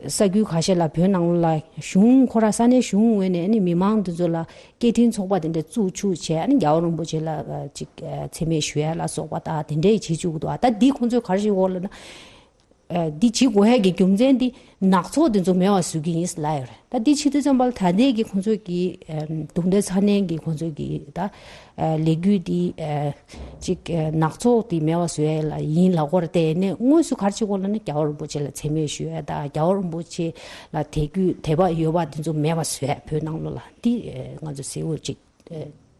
ས་ཁུལ་ཁ་ཤས་ལ་བོད་ནང་ལོགས་ལ་གཞུང་ཁོ་རང་ས་གནས་གཞུང་ངོས་ནས་ནི་མི་མང་དེ་ཚོ་ལ་སྐད་འཕྲིན་ཚོགས་པ་དེ་འདྲ་བཙུགས་བཅུག་བྱས་ནི་རྒྱལ་བ་རིན་པོ་ཆེ་ལ་ཅིག་མཚན་སྨད་ཞུ་ཡ་ལ་སོགས་པ་དང་དེ་འདྲས་བྱེད་བཅུག་གི་འདུག་ད་འདི་ཁོང་ཚོས་ག་རེ་ཞིག་འོག་ལ་ན། འདི་བྱེད་དགོས་ཡ་གི་རྒྱུ་མཚན་འདི་ནག་ཚོགས་དེ་ཚོ་མེད་པ་བཟོ་གི་ཡིན་ལབ་ཡོད་རེད། ད་འདི་བྱེད་དུས་ཙམ་པ་ལ་ད་ལྟའི་གི་ཁོང་ཚོས་ཀྱི་རྡུང་རྡེག་ཚ་ནན་གྱི་ཁོང་ཚོས་ཀྱི་ད། ལས་འགུལ་འདི་ཅིག་ནག་ཚོགས་འདི་མེད་པ་བཟོ་ཡ་ལ་ཡིན་ལབ་དགོས་རེད་དེ། ནས་དངོས་སུ་ག་རེ་བྱེད་དགོས་ལབ་ན་རྒྱལ་བ་རིན་པོ་ཆེ་ལ་མཚན་སྨད་ཞུ་ཡ་དང་རྒྱལ་བ་རིན་པོ་ཆེ་ལ་དད་གུས་དད་པ་ཡོད་པ་འདི་ཚོ་མེད་པ་བཟོ་ཡ་བོད་ནང་ལོགས་ལ་འདི་ང་ཚོ་གསལ་བོ་ཅིག་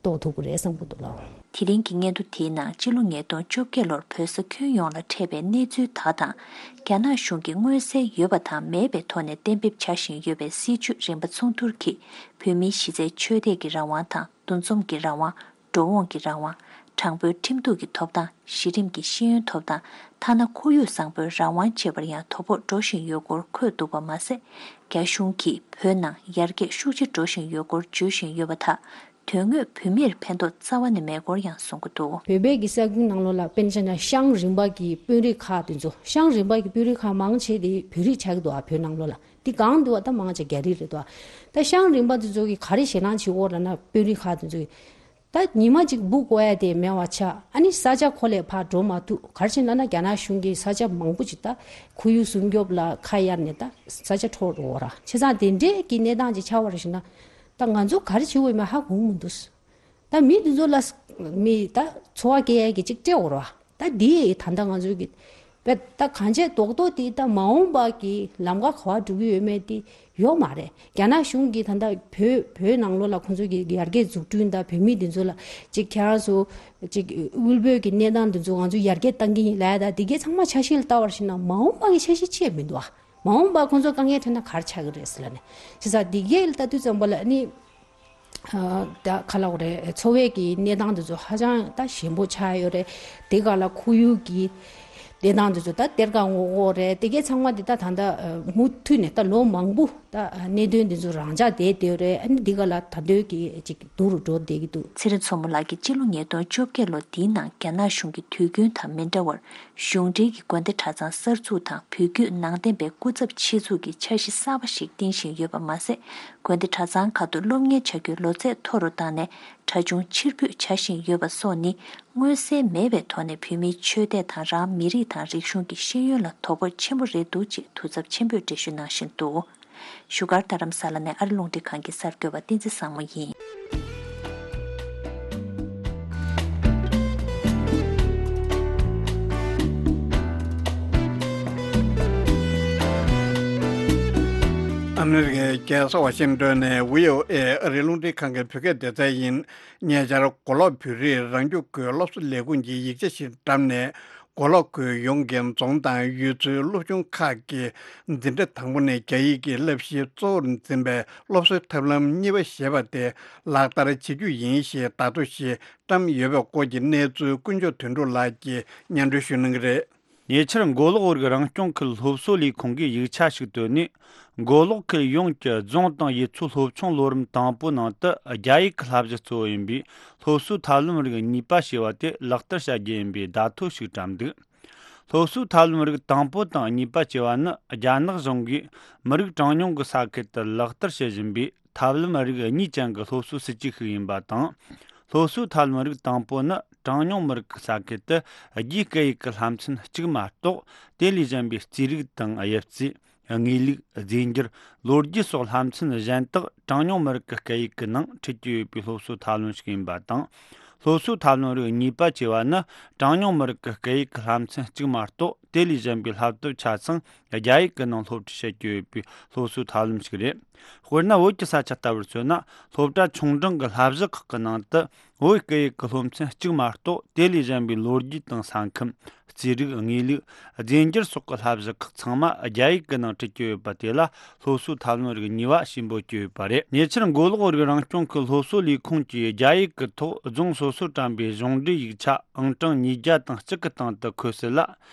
རྟོགས་ཐུབ་ཀྱི་རེད་བསམ་གྱི་འདུག་ལགས། དེ་རིང་གི་སྙན་ཐོ་དེའི་ནང་སྤྱི་ལོ་ཉིས་སྟོང་བཅོ་བརྒྱད་ལོར་བོད་ས་ཁྱོན་ཡོངས་ལ་འཕྲད་པའི་གནས་ཚུལ་དག་དང་། རྒྱ་ནག་གཞུང་གིས་མངོན་གསལ་ཡོད་པ་དང་མེད་པའི་ཐོག་ནས་གཏན་འབེབས་བྱ་བཞིན་ཡོད་པའི་སྲིད་བྱུས་རིམ་པ་མཚུངས་བསྡུར་གྱིས་བོད་མིའི་གཞི་རྩའི་ཆོས་དད་ཀྱི་རང་དབང་དང་། འདུ་འཛོམས་ཀྱི་རང་དབང་། འགྲོ་འོང་གི་རང་དབང་། དྲང་པོའི་ཁྲིམས་གཏུག་གི་ཐོབ་ཐང་། གཞི་རིམ་གྱི་ཤེས་ཡོན་ཐོབ་ཐང་། ཐ་ན་ཁོར་ཡུག་བཟང་པོའི་རང་དབང་བཅས་པར་ཡང་དོ་ཕོག་འགྲོ་བཞིན་ཡོད་སྐོར་འཁོད་འདུག་པ་མ་ཟད། རྒྱ་གཞུང་གིས་བོད་ནང་ཡར་རྒྱས་ཤུགས་ཆེ་འགྲོ་བཞིན་ཡོད་སྐོར་བརྗོད་བཞིན་ཡོད་པ་དག་དོན་དངོས་བོད་མིར་ཕན་ཐོགས་རྩ་བ་ནས་མེད་སྐོར་ཡང་གསུང་གི་འདུག་བོད་པའི་གི་ས་ཁུལ་ནང་ལོགས་ལ་དཔེར་ན་ཆ་བཞག་ན་ཤང་རིམ་པ་གི་དཔོན་རིགས་ཁག་དེ་ཚོ། ཤང་རིམ་པ་གི་དཔོན་རིགས་ཁག་མང་ཆེ་དེ་བོད་རིགས་ཆགས་ཀྱི་འདུག་ཨ། བོད་ནང་ལོགས་ལ་དེ་གང་འདུག་བ། ད་མང་ཆེ་རྒྱ་རིགས་རེད་འདུག་ཨ། ད་ཤང་རིམ་པ་དེ་ཚོ་གི་ག་རེ་ཞེད་སྣང་བྱེད་འོག་ལ་ན་དཔོན་རིགས་ཁག་དེ་ཚོ་གི་ད་ཉི་མ་གཅིག་འབུ་བརྐོ་ཡ་དེ་མེད་པ་ཆགས། ཨ་ནི་ས་ཆ་ཁོ་ལས་ཕར་འགྲོ་མ་ཐུབ། ག་རེ་བྱས་ན་ན་རྒྱ་ནག་གཞུང་གིས་ས་ཆ་མང་པོ་ཅིག་ད་ཁོར་ཡུག་སྲུང་སྐྱོབ་ལ་ཁ་གཡར་ནས་ད་ས་ཆ་འཕྲོག་འགྲོ་བ་ར། བྱས་ཙང་དེ་འདྲའི་གི་གནས་སྟངས་ཅིག་ཆགས་པ་རེད་ཟེར་ན། ད་ང་ཚོ་ག་རེ་བྱེད་དགོས་མིན་ཧ་གོ་གི་མི་འདུག་ད་མི་འདི་ཚོ་ལ་མི་ད་འཚོ་བ་སྐྱེལ་ཡ་གི་ཅིག་སྤྲད་འོ་ར། ད་འདི་ད་ལྟ་ང་ཚོའི་གི་བས་ད་གང་ཆེ་རྡོག་རྡོག་དེ་ད་མ་འོངས་པ་གི་ལམ་ཁ་ག་པར་འགྲོ་གི་ཡོད་མེད་དེ་ཡོད་མ་རེད། རྒྱ་ནག་གཞུང་གིས་ད་ལྟ་བོད་བོད་ནང་ལོགས་ལ་ཁོང་ཚོའི་གི་ཡར་རྒྱས་འཛུགས་སྐྲུན་དང་བོད་མི་འདི་ཚོ་ལ་ཅིག་ཁྱེད་རང་ཚོ་ཅིག་དབུལ་པོའི་གི་གནས་སྟངས་འདི་ཚོ་ང་ཚོ་ཡར་རྒྱས་བཏང་གི་ཡིན་ལབ་ཡ། ད་འདི་གའི་ཚང་མ་འཆར་གཞི་ལ་ལྟ་བར་ཕྱིན་ན་མ་འོངས་པ་གི་འཆར་གཞི་ཅི་ཡང་མི་འདུག་ཨ། མ་འོངས་པ་ཁོང་ཚོ་དཀའ་ངལ་འཕྲད་ན་ག་རེ་ཆགས་ཀྱི་རེད་ཟེར་ལབ་ནས། བྱས་ཙང་འདི་གའི་ལ་ལྟ་དུས་ཙམ་པ་ལ་ནི། ཨ། ད་ག་ལབ་དགོས་རེད། འཚོ་བའི་གི་གནས་སྟངས་དེ་ཚོ་ཧ་ཅང་ད་ཞན་པོ་ཆགས་ཡོད་རེད། དེ་ག་ལ་ཁོར་ཡུག་གི་གནས་སྟངས་དེ་ཚོ་ད་གཏེར་ཁ་སྔོག་དགོས་རེད། དེ་གའི་ཚང་མ་དེ་ད་ད་ལྟ་མུ་མཐུད་ནས་ད་ལོ་མང་པོ་ད་གནད་དོན་དེ་ཚོ་རང་འཇགས་བསྡད་བསྡད་ཡོད་རེད། ཨ་ནི་འདི་ག་ལ་ད་དུང་གི་ཅིག་སྡུག་རུ་འགྲོ་བསྡད་ཀྱི་འདུག་ཚེ་རིང་མཚོ་མོ་ལགས་ཀྱིས་སྤྱི་ལོ་ཉིས་སྟོང་བཅོ་བརྒྱད་ལོ་འདིའི་ནང་རྒྱ་ནག་གཞུང་གི་དུས་རྒྱུན་དང་མི་འདྲ་བར། གཞུང་འབྲེལ་གྱི་དགོན་སྡེ་གྲྭ་ཚང་གསར་འཛུགས་དང་བོད་བརྒྱུད་ནང་བསྟན་པའི་སྐུ་ཚབ་ཆེད་འཛུགས་ཀྱི་འཆར་གཞི་གསར་པ་ཞིག་བཏིང་བཞིན་ཡོད་པ་མ་ཟད། དགོན་སྡེ་གྲྭ་ཚང་ཁག་ཏུ་སློབ་གཉེར་བྱ་རྒྱུའི་ལོ་ཚད་མཐོ་རུ་བཏང་ནས་གྲྭ་ཆུང་ཕྱིར་འབུད་བྱ་བཞིན་ཡོད་པ་སོགས་ནི། མངོན་གསལ་མེད་པའི་ཐོག་ནས་བོད་མིའི་ཆོས་དད་དང་རང་མི་རིགས་དང་རིག་གཞུང་གི་ཤེས་ཡོན་ལ་དོ་ཕོག་ཆེན་པོ་རེད་འདུག་ཅེས་དུས་ཚབས་ཆེན་པོས་འགྲེལ་བརྗོད་གནང་བཞིན་འདུག་བཞུགས་སྒར་རྡ་རམ་ས་ལ་ནས་ཨ་རི་རླུང་འཕྲིན་ཁང་གི་གསར་འགོད་པ་བསྟན་འཛིན་བཟང་མོ་ཡིན། ཨ་མི་རི་ཀའི་རྒྱལ་ས་ཝ་ཤིང་ཏོན་ནས་བྷི་ཨོ་ཨེ་ཨ་རིའི་རླུང་འཕྲིན་ཁང་གི་བོད་སྐད་སྡེ་ཚན་ཡིན། ཉེ་ཆར་མགོ་ལོག་བོད་རིགས་རང་སྐྱོང་ཁུལ་སློབ་གསོ་ལས་ཁུངས་ཀྱིས་ཡིག་ཆ་ཞིག་བཀྲམ་ནས། མགོ་ལོག་ཁུལ་ཡོངས་ཀྱི་རྫོང་དང་ཡུལ་ཚོའི་སློབ་ཆུང་ཁག་གི་འཛིན་གྲྭ་དང་པོ་ནས་རྒྱ་ཡིག་གི་བསླབ་གཞི་གཙོ་བོར་འཛིན་པའི་སློབ་གསོའི་ཐབས་ལམ་གཉིས་པ་ཞེས་པ་དེ་ལག་བསྟར་བྱེད་རྒྱུ་ཡིན་ཞེས་བརྡ་ཐོ་ཞིག་བཀྲམ་ཡོད་པའི་སྐོར་གྱི་གནས་ཚུལ་དཀོན་མཆོག་དོན་གྲུབ་ལགས་ཀྱིས་སྙན་སྒྲོན་ཞུ་གནང་གི་རེད། ཉེ་ཆར་མགོ་ལོག་རིགས་རང་སྐྱོང་ཁུལ་སློབ་གསོ་ལས་ཁུངས་ཀྱིས་ཡིག་ཆ་ཞིག་བཏོན་ནས། མགོ་ལོག་ཁུལ་ཡོངས་ཀྱི་རྫོང་དང་ཡུལ་ཚོའི་སློབ་ཆུང་ལོ་རིམ་དང་པོ་ནང་དུ་རྒྱ་ཡིག་གི་བསླབ་གཞི་གཙོ་བོ་ཡིན་པའི་སློབ་གསོའི་ཐབས་ལམ་རིགས་གཉིས་པ་ཞེས་པ་དེ་ལག་བསྟར་བྱ་རྒྱུ་ཡིན་པའི་བརྡ་ཐོ་ཞིག་བཀྲམ་འདུག་སློབ་གསོའི་ཐབས་ལམ་རིགས་དང་པོ་དང་གཉིས་པ་ཅེས་པ་ནི་རྒྱ་ནག་གཞུང་གིས་མི་རིགས་གྲངས་ཉུང་གི་ས་ཁུལ་དུ་ལག་བསྟར་བྱེད་བཞིན་པའི་ཐབས་ལམ་རིགས་གཉིས་ཅན་གྱི་སློབ་གསོའི་སྲིད་ཇུས་ཤིག་ཡིན་པ་དང་། སློབ་གསོའི་ཐབས་ལམ་རིགས་དང་པོ་ནི་གྲངས་ཉུང་མི་རིགས་ཀྱི་ས་ཁུལ་དུ་རྒྱའི་སྐད་ཡིག་གི་བསླབ་ཚན་གཅིག་མ་གཏོགས། དེ་ལས་གཞན་པའི་རྩིས་རིག་དང་དབྱིབས་རྩིས། དངོས་ལུགས། རྫས་འགྱུར། ལོ་རྒྱུས་སོགས་བསླབ་ཚན་གཞན་དག་གྲངས་ཉུང་མི་རིགས་ཀྱི་སྐད་ཡིག་གི་ནང་ཁྲིད་ཀྱི་ཡོད་པའི་སློབ་གསོའི་ཐབས་ལམ་ཞིག་ཡིན་པ་དང་། སློབ་གསོའི་ཐབས་ལམ་རིགས་གཉིས་པ་ཅེས་པ་ནི་གྲངས་ཉུང་མི་རིགས་ཀྱི་སྐད་ཡིག་གི་བསླབ་ཚན་གཅིག་མ་གཏོགས། དེ་ལས་གཞན་པའི་བསླབ་དེབ་ཆ་ཚང་རྒྱ་ཡིག་གི་ནང་སློབ་ཁྲིད་བྱེད་ཀྱི་ཡོད་པའི་སློབ་གསོའི་ཐབས་ལམ་ཞིག་རེད། དཔེར་ན། བོད་ཀྱི་ས་ཆ་ལྟ་བུར་མཚོན་ན། སློབ་གྲྭ་ཆུང་འབྲིང་གི་བསླབ་གཞི་ཁག་གི་ནང་དུ། བོད་སྐད་ཡིག་གི་སློབ་ཚན་གཅིག་མ་གཏོགས། དེ་ལས་གཞན་པའི་ལོ་རྒྱུས་དང་ས་ཁམས། རྩིས་རིག། དངོས་ལུགས། རྫས་འགྱུར་སོགས་ཀྱི་བསླབ་གཞི་ཁག་ཚང་མ་རྒྱ་ཡིག་གི་ནང་ཁྲིད་ཀྱི་ཡོད་པ་དེ་ལ། སློབ་གསོའི་ཐབས་ལམ་རིགས་གཉིས་པ་ཞེས་འབོད་ཀྱི་ཡོད་པ་རེད། ཉེ་ཆར། མགོ་ལོག་རིགས་རང་སྐྱོང་ཁུལ་སློབ་གསོ་ལས་ཁུངས་ཀྱིས་རྒྱ་ཡིག་གི་ཐོག་རྫོང་སོ་སོར་བཀྲམ་པའི་གཞུང་འབྲེལ་ཡིག་ཆ་ཨང་གྲངས་ཉིས་བརྒྱ་དང་གཅིག་གི་སྟེང་དུ་འཁོད་གསལ་ལ།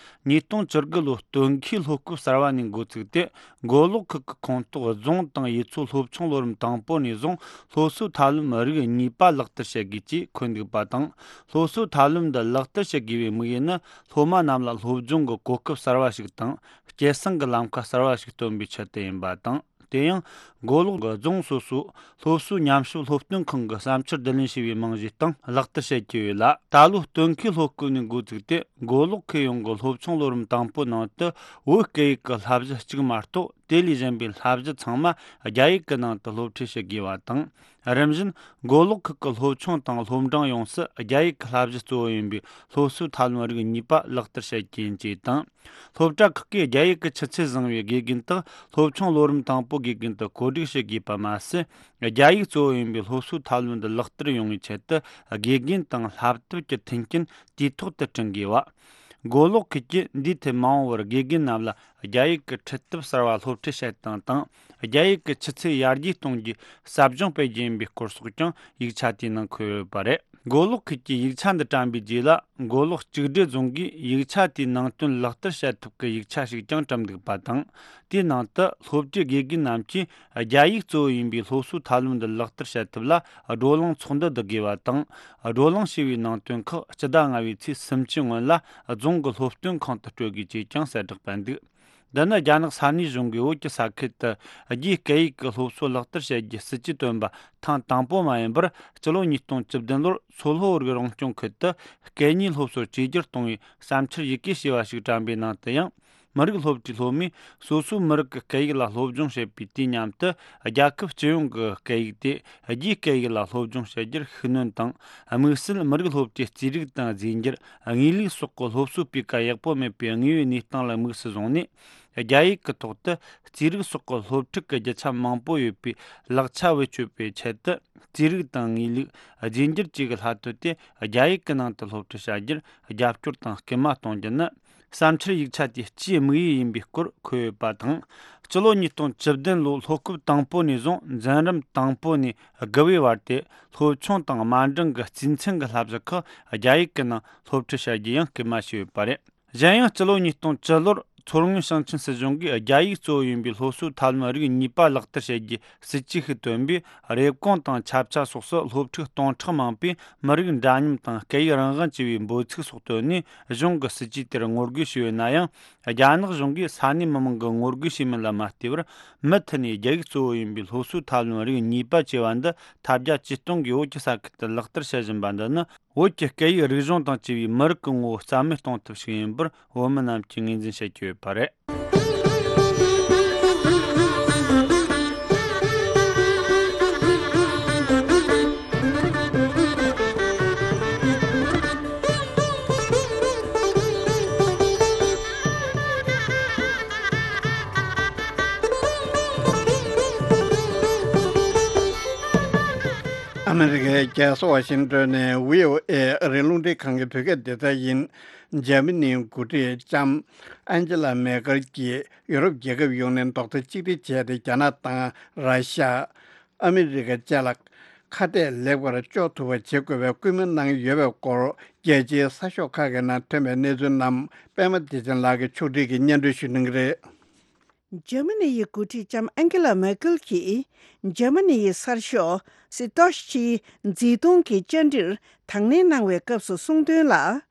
ཉིས་སྟོང་བཅུ་དགུ་ལོའི་སྟོན་ཁའི་སློབ་སྐབས་གསར་བ་ནས་འགོ་བཙུགས་ཏེ། མགོ་ལོག་ཁུལ་གྱི་ཁོངས་གཏོགས་རྫོང་དང་ཡུལ་ཚོའི་སློབ་ཆུང་ལོ་རིམ་དང་པོ་ནས་བཟུང་སློབ་གསོའི་ཐབས་ལམ་རིགས་གཉིས་པ་ལག་བསྟར་བྱེད་དགོས་ཅེས་འཁོད་འདུག་པ་དང་། སློབ་གསོའི་ཐབས་ལམ་འདི་ལག་བསྟར་བྱེད་དགོས་པའི་དམིགས་ཡུལ་ནི། སློབ་མ་རྣམས་ལ་སློབ་སྦྱོང་གི་གོ་སྐབས་གསར་བ་ཞིག་དང་། སྐྱེད་སྲིང་གི་ལམ་ཁ་གསར་བ་ཞིག་སྟོན་པའི་ཆེད་དུ་ཡིན་པ་དང་། དེ་ཡང་། མགོ་ལོག་གི་རྫོང་སོ་སོའི་སློབ་གསོའི་ཉམས་ཞིབ་སློབ་སྟོན་ཁང་གིས་བསམ་འཆར་བསྡུ་ལེན་བྱས་པའི་རྨང་གཞིའི་སྟེང་ལག་བསྟར་བྱེད་ཀྱི་ཡོད་ལ། ད་ལོའི་སྟོན་ཁའི་སློབ་སྐབས་ནས་འགོ་བཙུགས་ཏེ། མགོ་ལོག་ཁུལ་ཡོངས་ཀྱི་སློབ་ཆུང་ལོ་རིམ་དང་པོའི་ནང་དུ། བོད་སྐད་ཡིག་གི་བསླབ་གཞི་གཅིག་མ་གཏོགས། དེ་ལས་གཞན་པའི་བསླབ་གཞི་ཚང་མ་རྒྱ་ཡིག་གི་ནང་དུ་སློབ་ཁྲིད་བྱེད་དགོས་པ་དང་། རིམ་བཞིན་མགོ་ལོག་ཁུལ་གྱི་སློབ་ཆུང་དང་སློབ་འབྲིང་ཡོངས་སུ་རྒྱ་ཡིག་གི་བསླབ་གཞི་གཙོ་བོ་ཡིན་པའི་སློབ་གསོའི་ཐབས་ལམ་རིགས་གཉིས་པ་ལག་བསྟར་བྱེད་རྒྱུ་ཡིན་ཅེས་དང་། སློབ་གྲྭ་ཁག་གིས་རྒྱ་ཡིག་གི་ཆུ་ཚད་བཟང་བའི་དགེ་རྒན་དག་སློབ་ཆུང་ལོ་རིམ་དང་པོའི་དགེ་རྒན་དུ་བཀོད་སྒྲིག་བྱེད་དགོས་པ་མ་ཟད། རྒྱ་ཡིག་གཙོ་བོ་ཡིན་པའི་སློབ་གསོའི་ཐབས་ལམ་འདི་ལག་བསྟར་ཡོང་བའི་ཆེད་དུ། དགེ་རྒན་དང་བསླབ་དེབ་ཀྱི་མཐུན་རྐྱེན་དུས་ཐོག་ཏུ་བསྐྲུན་དགོས་པ། མགོ་ལོག་ཁུལ་གྱིས་འདིའི་ཐད་མ་འོངས་པར་དགེ་རྒན་རྣམས་ལ་རྒྱ་ཡིག་གི་ཁྲིད་ཐབས་གསར་བ་སློབ་ཁྲིད་བྱེད་སྟངས་དང་། རྒྱ་ཡིག་གི་ཆུ་ཚད་ཡར་རྒྱས་གཏོང་རྒྱུའི་ཟབ་སྦྱོང་སྤེལ་རྒྱུ་ཡིན་པའི་སྐོར་སོགས་ཀྱང་ཡིག་ཆ་དེའི་ནང་འཁོད་ཡོད་པ་རེད། མགོ་ལོག་ཁུལ་གྱིས་ཡིག་ཆ་འདི་བཀྲམ་པའི་རྗེས་ལ། མགོ་ལོག་གཅིག་སྒྲིལ་རྫོང་གིས་ཡིག་ཆ་དེའི་ནང་དོན་ལག་བསྟར་བྱེད་ཐབས་ཀྱི་ཡིག་ཆ་ཞིག་ཀྱང་བཀྲམ་འདུག་པ་དང་། དེའི་ནང་དུ་སློབ་གྲྭའི་དགེ་རྒན་རྣམས་ཀྱིས་རྒྱ་ཡིག་གཙོ་བོ་ཡིན་པའི་སློབ་གསོའི་ཐབས་ལམ་འདི་ལག་བསྟར་བྱེད་ཐབས་ལ་བགྲོ་གླེང་ཚོགས་འདུ་བསྡུ་དགོས་པ་དང་། བགྲོ་གླེང་བྱས་པའི་ནང་དོན་ཁག་སྤྱི་ཟླ་ལྔ་པའི་ཚེས་སུམ་ཅུ་སྔོན་ལ་རྫོང་གི་སློབ་སྟོན་ཁང་དུ་སྤྲོད་དགོས་ཅེས་ཀྱང་གསལ་བསྒྲགས་སྤེལ་འདུག་འདི་ནི་རྒྱ་ནག་ས་གནས་གཞུང་གིས་བོད་ཀྱི་ས་ཁུལ་དུ་རྒྱའི་སྐད་ཡིག་གི་སློབ་གསོ་ལག་བསྟར་བྱེད་རྒྱུའི་སྲིད་ཇུས་བཏོན་པ་ཐེངས་དང་པོ་མ་ཡིན་པར། སྤྱི་ལོ་ཉིས་སྟོང་བཅུ་བདུན་ལོར་མཚོ་ལྷོ་རིགས་རང་སྐྱོང་ཁུལ་དུ་སྐད་གཉིས་སློབ་གསོ་བཅོས་བསྒྱུར་གཏོང་བའི་བསམ་འཆར་ཡི་གེ་ཞེས་པ་ཞིག་བཀྲམ་པའི་ནང་དུ་ཡང་། མི་རིགས་སློབ་གྲྭའི་སློབ་མས་སོ་སོའི་མི་རིགས་ཀྱི་སྐད་ཡིག་ལ་སློབ་སྦྱོང་བྱེད་པའི་དུས་མཉམ་དུ། རྒྱལ་ཁབ་སྤྱི་ཡོངས་ཀྱི་སྐད་ཡིག་དེ་རྒྱའི་སྐད་ཡིག་ལ་སློབ་སྦྱོང་བྱེད་རྒྱུར་ཤུགས་སྣོན་དང་། དམིགས་བསལ་མི་རིགས་སློབ་གྲྭའི་རྩིས་རིག་དང་རྫས་འགྱུར། དངོས་ལུགས་སོགས་ཀྱི་སློབ་གསོའི་སྤུས་ཀ་ཡག་པོ་མེད་པའི་དངོས་ཡོད་གནས་སྟངས་ལ་དམིགས་སུ་བཟུང་ནས། རྒྱ་ཡིག་གི་ཐོག་ཏུ་རྩིས་རིག་སོགས་ཀྱི་སློབ་ཕྲུག་གི་རྒྱུ་ཆ་མང་པོ་ཡོད་པའི་ལག་ཆ་བེད་སྤྱོད་པའི་ཆེད་དུ། རྩིས་རིག་དང་དངོས་ལུགས། རྫས་འགྱུར་བཅས་ཀྱི་སློབ་དེབ་དེ་རྒྱ་ཡིག་གི་ནང་དུ་སློབ་ཁྲིད་བྱ་རྒྱུར་རྒྱབ་སྐྱོར་དང་སྐུལ་མ་གཏོང་རྒྱུ་ནི། བསམ་འཆར་ཡིག་ཆ་དེའི་སྤྱིའི་དམིགས་ཡུལ་ཡིན་པའི་སྐོར་འཁོད་ཡོད་པ་དང་། སྤྱི་ལོ་ཉིས་སྟོང་བཅུ་བདུན་ལོའི་སློབ་སྐབས་དང་པོ་ནས་བཟུང་འཛིན་རིམ་དང་པོ་ནས་དགུ་པའི་བར་དེ། སློབ་ཆུང་དང་དམའ་འབྲིང་གི་རྩིས་མཚན་གྱི་བསླབ་གཞི་ཁག་རྒྱ་ཡིག་གི་ནང་སློབ་ཁྲིད་བྱ་རྒྱུ་ཡང་སྐུལ་མ་བྱས་ཡོད་པ་རེད། གཞན་ཡང་། སྤྱི་ལོ་ཉིས་སྟོང་བཅུ་ལོར་མཚོ་སྔོན་ཞིང་ཆེན་སྲིད་གཞུང་གིས་རྒྱ་ཡིག་གཙོ་བོ་ཡིན་པའི་སློབ་གསོའི་ཐབས་ལམ་རིགས་གཉིས་པ་ལག་བསྟར་བྱེད་རྒྱུའི་སྲིད་ཇུས་ཤིག་བཏོན་པས། རེབ་གོང་དང་ཆབ་ཆ་སོགས་སུ་སློབ་ཕྲུག་སྟོང་ཕྲག་མང་པོས་མི་རིགས་འདྲ་མཉམ་དང་སྐད་ཡིག་རང་དབང་ཅེས་པའི་འབོད་ཚིག་སོགས་བཏོན་ནས། གཞུང་གིས་སྲིད་ཇུས་དེར་ངོ་རྒོལ་བྱས་ཡོད་ན་ཡང་། རྒྱ་ནག་གཞུང་གིས་ས་གནས་མི་མང་གི་ངོ་རྒོལ་བྱས་མིན་ལ་མ་ལྟོས་པར། མུ་མཐུད་ནས་རྒྱ་ཡིག་གཙོ་བོ་ཡིན་པའི་སློབ་གསོའི་ཐབས་ལམ་རིགས་གཉིས་པ་ཅེས་པ་འདི་ཐབས་བརྒྱ་ཇུས་སྟོང་གིས་བོད་ཀྱི་ས་ཁུལ་དུ་ལག་བསྟར་བྱེད་བཞིན་པ་འདི་ནི། བོད་ཀྱི་སྐད་ཡིག་རིག་གཞུང་དང་བཅས་པའི་མི་རིགས་ཀྱི་ངོ་བོ་རྩ་མེད་གཏོང་ཐབས་ཤིག་ཡིན་པར་བོད་མི་རྣམས་ཀྱིས་ངོས་འཛིན་བྱེད་ཀྱི་ཡོད་པ་རེད། ཨ་མི་རི་ཀའི་རྒྱལ་ས་ཝ་ཤིང་ཏོན་ནས་བྷི་ཨོ་ཨེ་ཨ་རིའི་རླུང་འཕྲིན་ཁང་གི་བོད་སྐད་སྡེ་ཚན་ཡིན། འཇར་མ་ནིའི་འགོ་ཁྲིད་ལྕམ་ཨན་ཇེ་ལ་མེ་ཀལ་གྱིས་ཡོ་རོབ་རྒྱལ་ཁབ་ཡོངས་ནས་རྡོག་རྩ་གཅིག་སྒྲིལ་བྱས་ཏེ། རྒྱ་ནག་དང་ར་ཤ། ཨ་མི་རི་ཀ་བཅས་ལ་ཁ་གཏད་ལེགས་པར་གཅོག་ཐུབ་པ་བྱེད་དགོས་པའི་སྐུལ་མ་གནང་ཡོད་པའི་སྐོར། རྒྱལ་སྤྱིའི་གསར་ཤོག་ཁག་གི་ནང་ཐོན་པའི་གནས་ཚུལ་རྣམས་པད་མ་བདེ་ཆེན་ལགས་ཀྱིས་ཕྱོགས་སྒྲིག་གིས་སྙན་སྒྲོན་ཞུ་གནང་གི་རེད། འཇར་མ་ནི་ཡི་འགོ་ཁྲིད་ལྕམ་ཨན་ཀེ་ལ་མེ་ཀལ་གྱིས། འཇར་མ་ནི་ཡི་གསར་ཤོག་སི་ཏོཤ་ཆིའི་མཛིས་སྟོན་གྱི་བཅར་འདྲིར་དང་ལེན་གནང་བའི་སྐབས་སུ་གསུངས་དོན་ལ།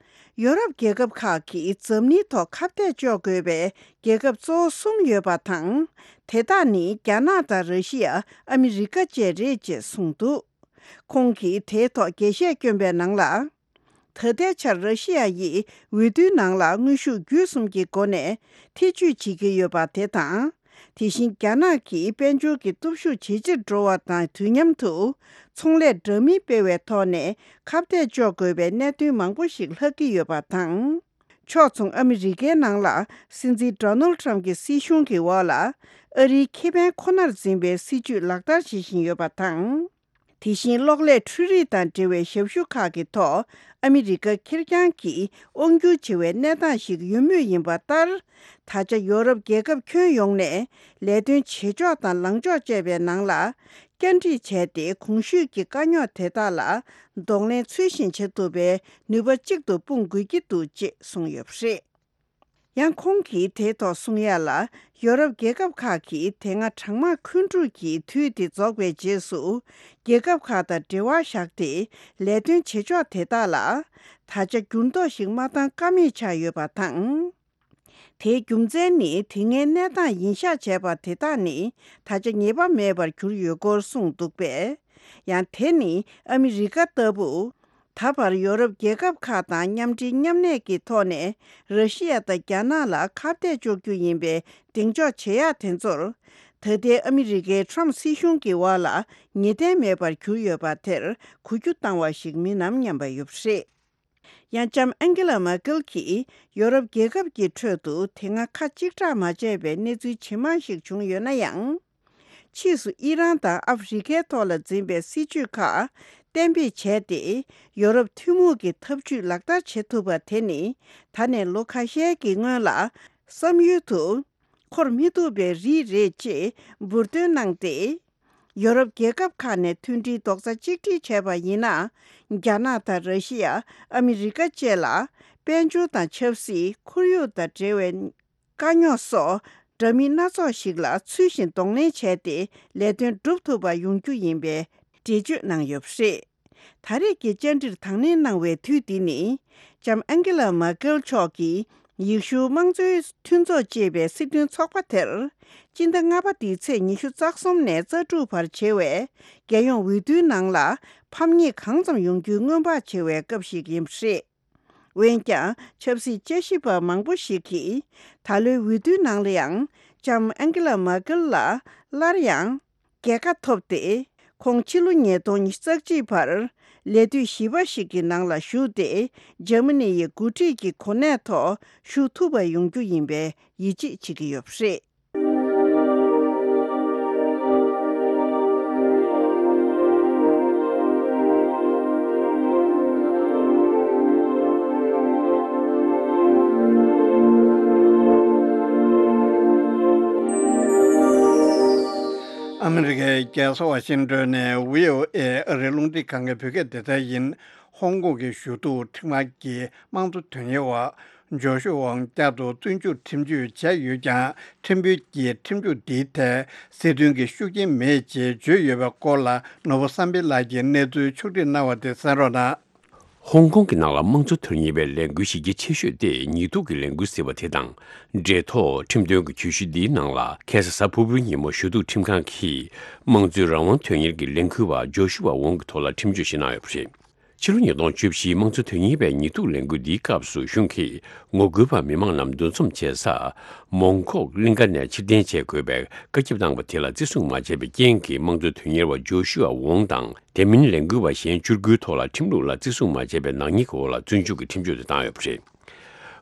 ཡོ་རོབ་རྒྱལ་ཁབ་ཁག་གིས་འཛམ་གླིང་ཐོག་ཁ་གཏད་གཅོག་དགོས་པའི་རྒྱལ་ཁབ་གཙོ་བོ་གསུམ་ཡོད་པ་དང་། དེ་དག་ནི་རྒྱ་ནག་དང་ར་ཤི་ཡ། ཨ་མི་རི་ཀ་བཅས་རེད་ཅེས་གསུངས་འདུག་ཁོང་གིས་དེའི་ཐོག་རྒྱས་བཤད་བསྐྱོན་པའི་ནང་ལ། ད་ལྟའི་ཆར་ར་ཤི་ཡ་ཡིས་འོས་བསྡུའི་ནང་ལ་དངོས་ཤུགས་བརྒྱུད་གསུམ་གྱི་སྒོ་ནས་ཐེ་བྱུས་བྱེད་ཀྱི་ཡོད་པ་དེ་དང་། དེ་བཞིན་རྒྱ་ནག་གིས་དཔལ་འབྱོར་གྱི་སྟོབས་ཤུགས་ཇེ་ཆེར་འགྲོ་བ་དང་དུས་མཉམ་དུ། ཚོང་ལས་འདྲ་མིན་སྤེལ་བའི་ཐོག་ནས་ཁ་གཏད་གཅོག་དགོས་པའི་གནད་དོན་མང་པོ་ཞིག་ལྷག་གི་ཡོད་པ་དང་། ཕྱོགས་མཚུངས་ཨ་མི་རི་ཀའི་ནང་ལ་སྲིད་འཛིན་ཌོ་ནལ་ཊམ་གྱི་སྲིད་གཞུང་གི་འོག་ལ་ཨ་རིའི་ཁེ་ཕན་ཁོ་ནར་འཛིན་པའི་སྲིད་བྱུས་ལག་བསྟར་བྱེད་བཞིན་ཡོད་པ་དང་། དེ་བཞིན་གློག་ཀླད་འཕྲུལ་རིག་དང་འབྲེལ་བའི་ཞབས་ཞུ་ཁག་གི་ཐོག་ཨ་མི་རི་ཀ་ཁེར་རྐྱང་གིས་དབང་སྒྱུར་བྱེད་པའི་གནས་སྟངས་ཤིག་ཡོད་མུས་ཡིན་པ་ལྟར། ད་ཆ་ཡོ་རོབ་རྒྱལ་ཁབ་ཁྱོན་ཡོངས་ནས་ལས་དོན་བྱེད་ཕྱོགས་དང་ལངས་ཕྱོགས་བཅས་པའི་ནང་ལ་བཅར་འདྲི་བྱས་ཏེ། གོང་ཞུས་ཀྱི་དཀའ་རྙོག་དེ་དག་ལ་གདོང་ལེན་ཚུལ་བཞིན་བྱེད་ཐུབ་པའི་ནུས་པ་གཅིག་ཏུ་སྤུངས་དགོས་ཀྱི་འདུག་ཅེས་གསུངས་ཡོད་པ་རེད། ཡང་ཁོང་གིས་དེའི་ཐོག་གསུང་ཡ་ལ། ཡོ་རོབ་རྒྱལ་ཁབ་ཁག་གིས་དེ་སྔ་གྲང་དམག་འཁོན་འཁྲུག་གི་དུས་དེ་རྫོགས་པའི་རྗེས་སུ། རྒྱལ་ཁབ་ཁག་དང་འབྲེལ་བ་བཞག་སྟེ་ལས་དོན་བྱེད་ཕྱོགས་དེ་དག་ལ། ད་ཆ་འགྱུར་ལྡོག་ཞིག་མ་བཏང་ཀ་མེད་ཆགས་ཡོད་པ་དང་། དེའི་རྒྱུ་མཚན་ནི་དེ་སྔའི་གནས་སྟངས་ཡིན་ཤག་བྱས་པ་དེ་དག་ནི་ད་ཆ་ངེས་པ་མེད་པར་གྱུར་ཡོད་སྐོར་གསུངས་འདུག་པས། ཡང་དེ་ནི་ཨ་མི་རི་ཀ་ལྟ་བུ། ད་བར་ཡོ་རོབ་རྒྱལ་ཁབ་ཁག་དང་མཉམ་འབྲེལ་མཉམ་གནས་ཀྱི་ཐོག་ནས་ར་ཤི་ཡ་དང་རྒྱ་ནག་ལ་ཁ་གཏད་གཅོག་རྒྱུ་ཡིན་པའི་གདེང་འཇོག་བྱེད་ཡག་དེ་ཚོར། ད་ལྟའི་ཨ་མི་རི་ཀའི་ཊམ་སྲིད་གཞུང་གི་འོག་ལ་ངེས་གཏན་མེད་པར་གྱུར་ཡོད་པ་དེར་གོ་རྒྱུ་བཏང་བ་ཞིག་མིན་ནམ་སྙམ་པ་ཡོད་པ་རེད། ཡང་ལྕམ་ཨན་ཀེ་ལ་མར་ཀེལ་གྱིས་ཡོ་རོབ་རྒྱལ་ཁབ་ཀྱི་ཁྲོད་དུ་དེ་སྔ་ཁ་གཅིག་གྲགས་མ་བྱས་པའི་གནས་ཚུལ་ཇི་མང་ཞིག་བྱུང་ཡོད་ན་ཡང་། ཕྱིས་སུ་ཨི་རན་དང་ཨ་ཧྥེ་རི་ཁའི་ཐོག་ལ་འཛིན་པའི་སྲིད་བྱུས་ཁག་གཏན་འབེབས་བྱས་ཏེ། ཡོ་རོབ་ཐུན་མོང་གི་ཐབས་ཇུས་ལག་བསྟར་བྱེད་ཐུབ་པ་དེ་ནི་ད་ནས་ལོ་ཁ་ཤས་ཀྱི་སྔོན་ལ་བསམ་ཡུལ་དུ་འཁོར་མི་ཐུབ་པའི་རིགས་རེད་ཅེས་འབུར་འདོན་གནང་སྟེ། ཡོ་རོབ་རྒྱལ་ཁབ་ཁག་ནས་མཐུན་སྒྲིལ་རྡོག་རྩ་གཅིག་སྒྲིལ་བྱས་པ་ཡིན་ན། རྒྱ་ནག་དང་ར་ཤི་ཡ། ཨ་མི་རི་ཀ་བཅས་ལ་དཔལ་འབྱོར་དང་ཆབ་སྲིད། ཁོར་ཡུག་དང་འབྲེལ་བའི་དཀའ་རྙོག་སོགས་འདྲ་མིན་སྣ་ཚོགས་ཤིག་ལ་ཚུལ་བཞིན་གདོང་ལེན་བྱས་ཏེ་ལས་དོན་སྒྲུབ་ཐུབ་པ་ཡོང་རྒྱུ་ཡིན་པའི་འགྲེལ་བརྗོད་གནང་ཡོད་པ་རེད། ད་རེས་ཀྱི་བཅར་འདྲིར་དང་ལེན་གནང་བའི་དུས་འདི་ནི། ལྕམ་ཨན་ཀེ་ལ་མར་ཀེལ་མཆོག་གིས་ཡེ་ཤུ་དམངས་གཙོའི་མཐུན་ཚོགས་ཅེས་པའི་སྲིད་དོན་ཚོགས་པ་དེར། སྤྱི་ཟླ་ལྔ་པ་འདིའི་ཚེས་ཉི་ཤུ་རྩ་གསུམ་ནས་རྩ་དྲུག་བར་བྱེད་པའི་རྒྱལ་ཡོངས་འོས་བསྡུའི་ནང་ལ་ཕམ་ཉེས་གང་ཙམ་ཡོང་རྒྱུའི་སྔོན་དཔག་བྱེད་པའི་སྐབས་ཤིག་ཡིན་པ་རེད། འོན་ཀྱང་ཆབ་སྲིད་དཔྱད་ཞིབ་པ་མང་པོ་ཞིག་གིས་ད་ལོའི་འོས་བསྡུའི་ནང་ལ་ཡང་ལྕམ་ཨན་ཀེ་ལ་མར་ཀེལ་ལ་སླར་ཡང་རྒྱལ་ཁ་ཐོབ་སྟེ། ཁོང་ཕྱི་ལོ་ཉིས་སྟོང་ཉི་ཤུ་རྩ་གཅིག་བར་ལས་དུས་བཞི་པ་ཞིག་གི་ནང་ལ་ཞུགས་ཏེ། འཇར་མ་ནི་ཡི་འགོ་ཁྲིད་ཀྱི་གོ་གནས་ཐོག་ཞུགས་ཐུབ་པ་ཡོང་རྒྱུ་ཡིན་པའི་ཡིད་ཆེས་བྱེད་ཀྱི་ཡོད་པ་རེད། ཨ་མི་རི་ཀའི་རྒྱལ་ས་ཝ་ཤིང་ཏོན་ནས་བྷི་ཨོ་ཨེ་ཨ་རིའི་རླུང་འཕྲིན་ཁང་གི་བོད་སྐད་སྡེ་ཚན་ཡིན། ཧོང་ཀོང་གི་ཞུ་གཏུག་ཁྲིམས་ཁང་གིས་དམངས་གཙོ་དོན་གཉེར་བ་ཇོ་ཤུ་ཝང་བསྐྱར་དུ་བཙོན་འཇུག་ཁྲིམས་གཅོད་བྱས་ཡོད་ཀྱང་། ཁྲིམས་དཔོན་གྱིས་ཁྲིམས་གཅོད་འདིའི་ཐད་སྲིད་དོན་གྱི་ཤུགས་རྐྱེན་མེད་ཅེས་བརྗོད་ཡོད་པའི་སྐོར་ལ། ནོར་བུ་བསམ་འཕེལ་ལགས་ཀྱིས་གནས་ཚུལ་ཕྱོགས་སྒྲིག་གནང་བ་དེ་གསན་རོགས་གནང་། ཧོང་ཀོང་གི་ནང་ལ་དམངས་གཙོ་དོན་གཉེར་བའི་ལས་འགུལ་གཞི་རྒྱ་ཆེ་ཤོས་དེ་ཉེས་འཛུགས་ཀྱི་ལས་འགུལ་ཟེར་བ་དེ་དང་འབྲེལ་ཐོག་ཁྲིམས་དོན་གྱི་གྱོད་གཞི་འདིའི་ནང་ལ། ཁ་སང་གཟའ་ཕུར་བུའི་ཉིན་མོ་ཞུ་གཏུག་ཁྲིམས་ཁང་གིས་དམངས་གཙོའི་རང་དབང་དོན་གཉེར་གྱི་ལས་འགུལ་བ་ཇོ་ཤུ་ཝ་ཝོང་གི་ཐོག་ལ་ཁྲིམས་གཅོད་ཞིག་གནང་ཡོད་པ་རེད། ཕྱི་ལོ་ཉིས་སྟོང་བཅུ་བཞིའི་དམངས་གཙོ་དོན་གཉེར་བའི་ཉེས་འཛུགས་ལས་འགུལ་འདིའི་སྐབས་སུ་གཞུང་གིས་ངོ་རྒོལ་བ་མི་མང་རྣམས་འདུ་འཛོམས་བྱེད་ས་མོང་ཁོག་གླིང་ག་ནས་ཕྱིར་འཐེན་བྱེད་དགོས་པའི་བཀའ་ཁྱབ་གནང་བ་དེ་ལ་བརྩི་སྲུང་མ་བྱས་པའི་རྐྱེན་གྱིས། དམངས་གཙོ་དོན་གཉེར་བ་ཇོ་ཤུ་ཝ་ཝོང་དང་། དེ་མིན་ལས་འགུལ་བ་གཞན་བཅུ་དགུའི་ཐོག་ལ་ཁྲིམས་ལུགས་ལ་བརྩི་སྲུང་མ་བྱས་པའི་ནག་ཉེས་ཀྱི་འོག་ལ་བཙོན་འཇུག་གི་ཁྲིམས་གཅོད་དེ་བཏང་ཡོད་པ་རེད།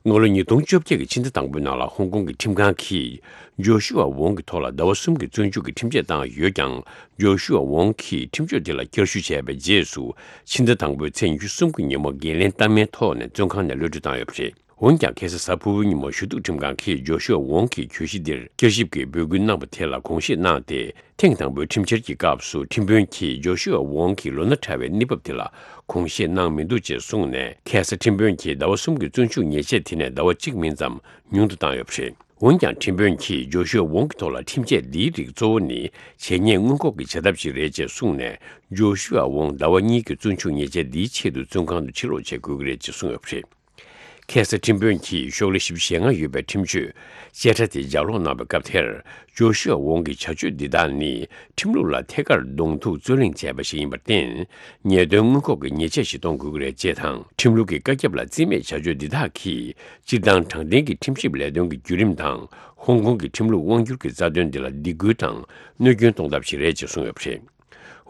སྔ་ལོ་ཉིས་སྟོང་བཅོ་བརྒྱད་ཀྱི་ཕྱི་ཟླ་དང་པོའི་ནང་ལ་ཧོང་ཀོང་གི་ཁྲིམས་ཁང་གིས་ཇོ་ཤུ་ཝ་ཝོང་གི་ཐོག་ལ་ཟླ་བ་གསུམ་གྱི་བཙོན་འཇུག་གི་ཁྲིམས་ཆད་བཏང་ཡོད་ཀྱང་། ཇོ་ཤུ་ཝ་ཝོང་གིས་ཁྲིམས་གཅོད་དེ་ལ་བསྐྱར་ཞུ་བྱས་པའི་རྗེས་སུ། ཕྱི་ཟླ་དང་པོའི་ཚེས་ཉི་ཤུ་གསུམ་གྱི་ཉིན་མོ་འགན་ལེན་ལྟ་མིན་ཐོག་ནས་བཙོན་ཁང་ནས་གློད་གྲོལ་བཏང་ཡོད་པ་རེད། འོན་ཀྱང་། ཁ་སང་གཟའ་ཕུར་བུའི་ཉིན་མོ་ཞུ་གཏུག་ཁྲིམས་ཁང་གིས་ཇོ་ཤུ་ཝ་ཝོང་གི་གྱོད་གཞི་འདིར་བསྐྱར་ཞིབ་ཀྱི་འབོད་སྐུལ་གནང་བ་དེ་ལ་དགོངས་བཞེས་གནང་སྟེ། ཐེངས་དང་པོའི་ཁྲིམས་འཆར་གྱི་སྐབས་སུ་ཁྲིམས་དཔོན་གྱིས་ཇོ་ཤུ་ཝ་ཝོང་གི་ལོ་ན་ཕྲ་བའི་གནས་བབ་དེ་ལ་དགོངས་བཞེས་གནང་མི་འདུག་ཅེས་གསུངས་ནས། ཁ་སང་ཁྲིམས་དཔོན་གྱིས་ཟླ་བ་གསུམ་གྱི་བཙོན་འཇུག་ཉེས་ཆད་དེ་ནས་ཟླ་བ་གཅིག་མིན་ཙམ་ཉུང་དུ་བཏང་ཡོད་པ་རེད། འོན་ཀྱང་། ཁྲིམས་དཔོན་གྱིས་ཇོ་ཤུ་ཝ་ཝོང་གི་ཐོག་ལ་ཁྲིམས་ཆད་འདིའི་རིགས་གཙོ་བོ་ནི་བྱས་ཉེས་སྔོན་འགོག་གི་བྱ་ཐབས་ཤིག་རེད་ཅེས་གསུངས་ནས། ཇོ་ཤུ་ཝ་ཝོང་ཟླ་བ་གཉིས་ཀྱི་བཙོན་འཇུག་ཉེས་ཆད་འདིའི་ཆེད་དུ་བཙོན་ཁང་དུ་ཕྱིར་ལོག་བྱེད་དགོས་ཀྱི་རེད་ཅེས་གསུངས་ཡོད་པ་རེད། ཁ་སང་ཁྲིམས་དཔོན་གྱིས་ཤོག་ལྷེ་བཞི་བཅུ་ཞེ་ལྔ་ཡོད་པའི་ཁྲིམས་གཅོད་བཅད་ཁྲ་དེ་ལྗགས་ཀློག་གནང་བའི་སྐབས་དེར། ཇོ་ཤུ་ཝ་ཝོང་གི་བྱ་སྤྱོད་འདི་དག་ནི་ཁྲིམས་ལུགས་ལ་ཐད་ཀར་གདོང་ཐུག་རྩོད་གླེང་བྱས་པ་ཞིག་ཡིན་པར་བརྟེན། ཉེས་དོན་སྔོན་འགོག་གི་ཉེས་ཆད་ཞིག་གཏོང་དགོས་ཀྱི་རེད་ཅེས་དང་། ཁྲིམས་ལུགས་ཀྱི་བཀའ་ཁྱབ་ལ་བརྩི་མེད་བྱ་སྤྱོད་འདི་དག་གིས་སྤྱིར་བཏང་དྲང་བདེན་གྱི་ཁྲིམས་ཞིབ་ལས་དོན་གྱི་བརྒྱུད་རིམ་དང་། ཧོང་ཀོང་གི་ཁྲིམས་ལུགས་དབང་སྒྱུར་གྱི་རྩ་དོན་འདི་ལ་སྡིགས་སྐུལ་དང་གནོད་སྐྱོན་གཏོང་ཐབས་ཤིག་རེད་ཅེས་གསུངས་ཡོད་པ་རེད།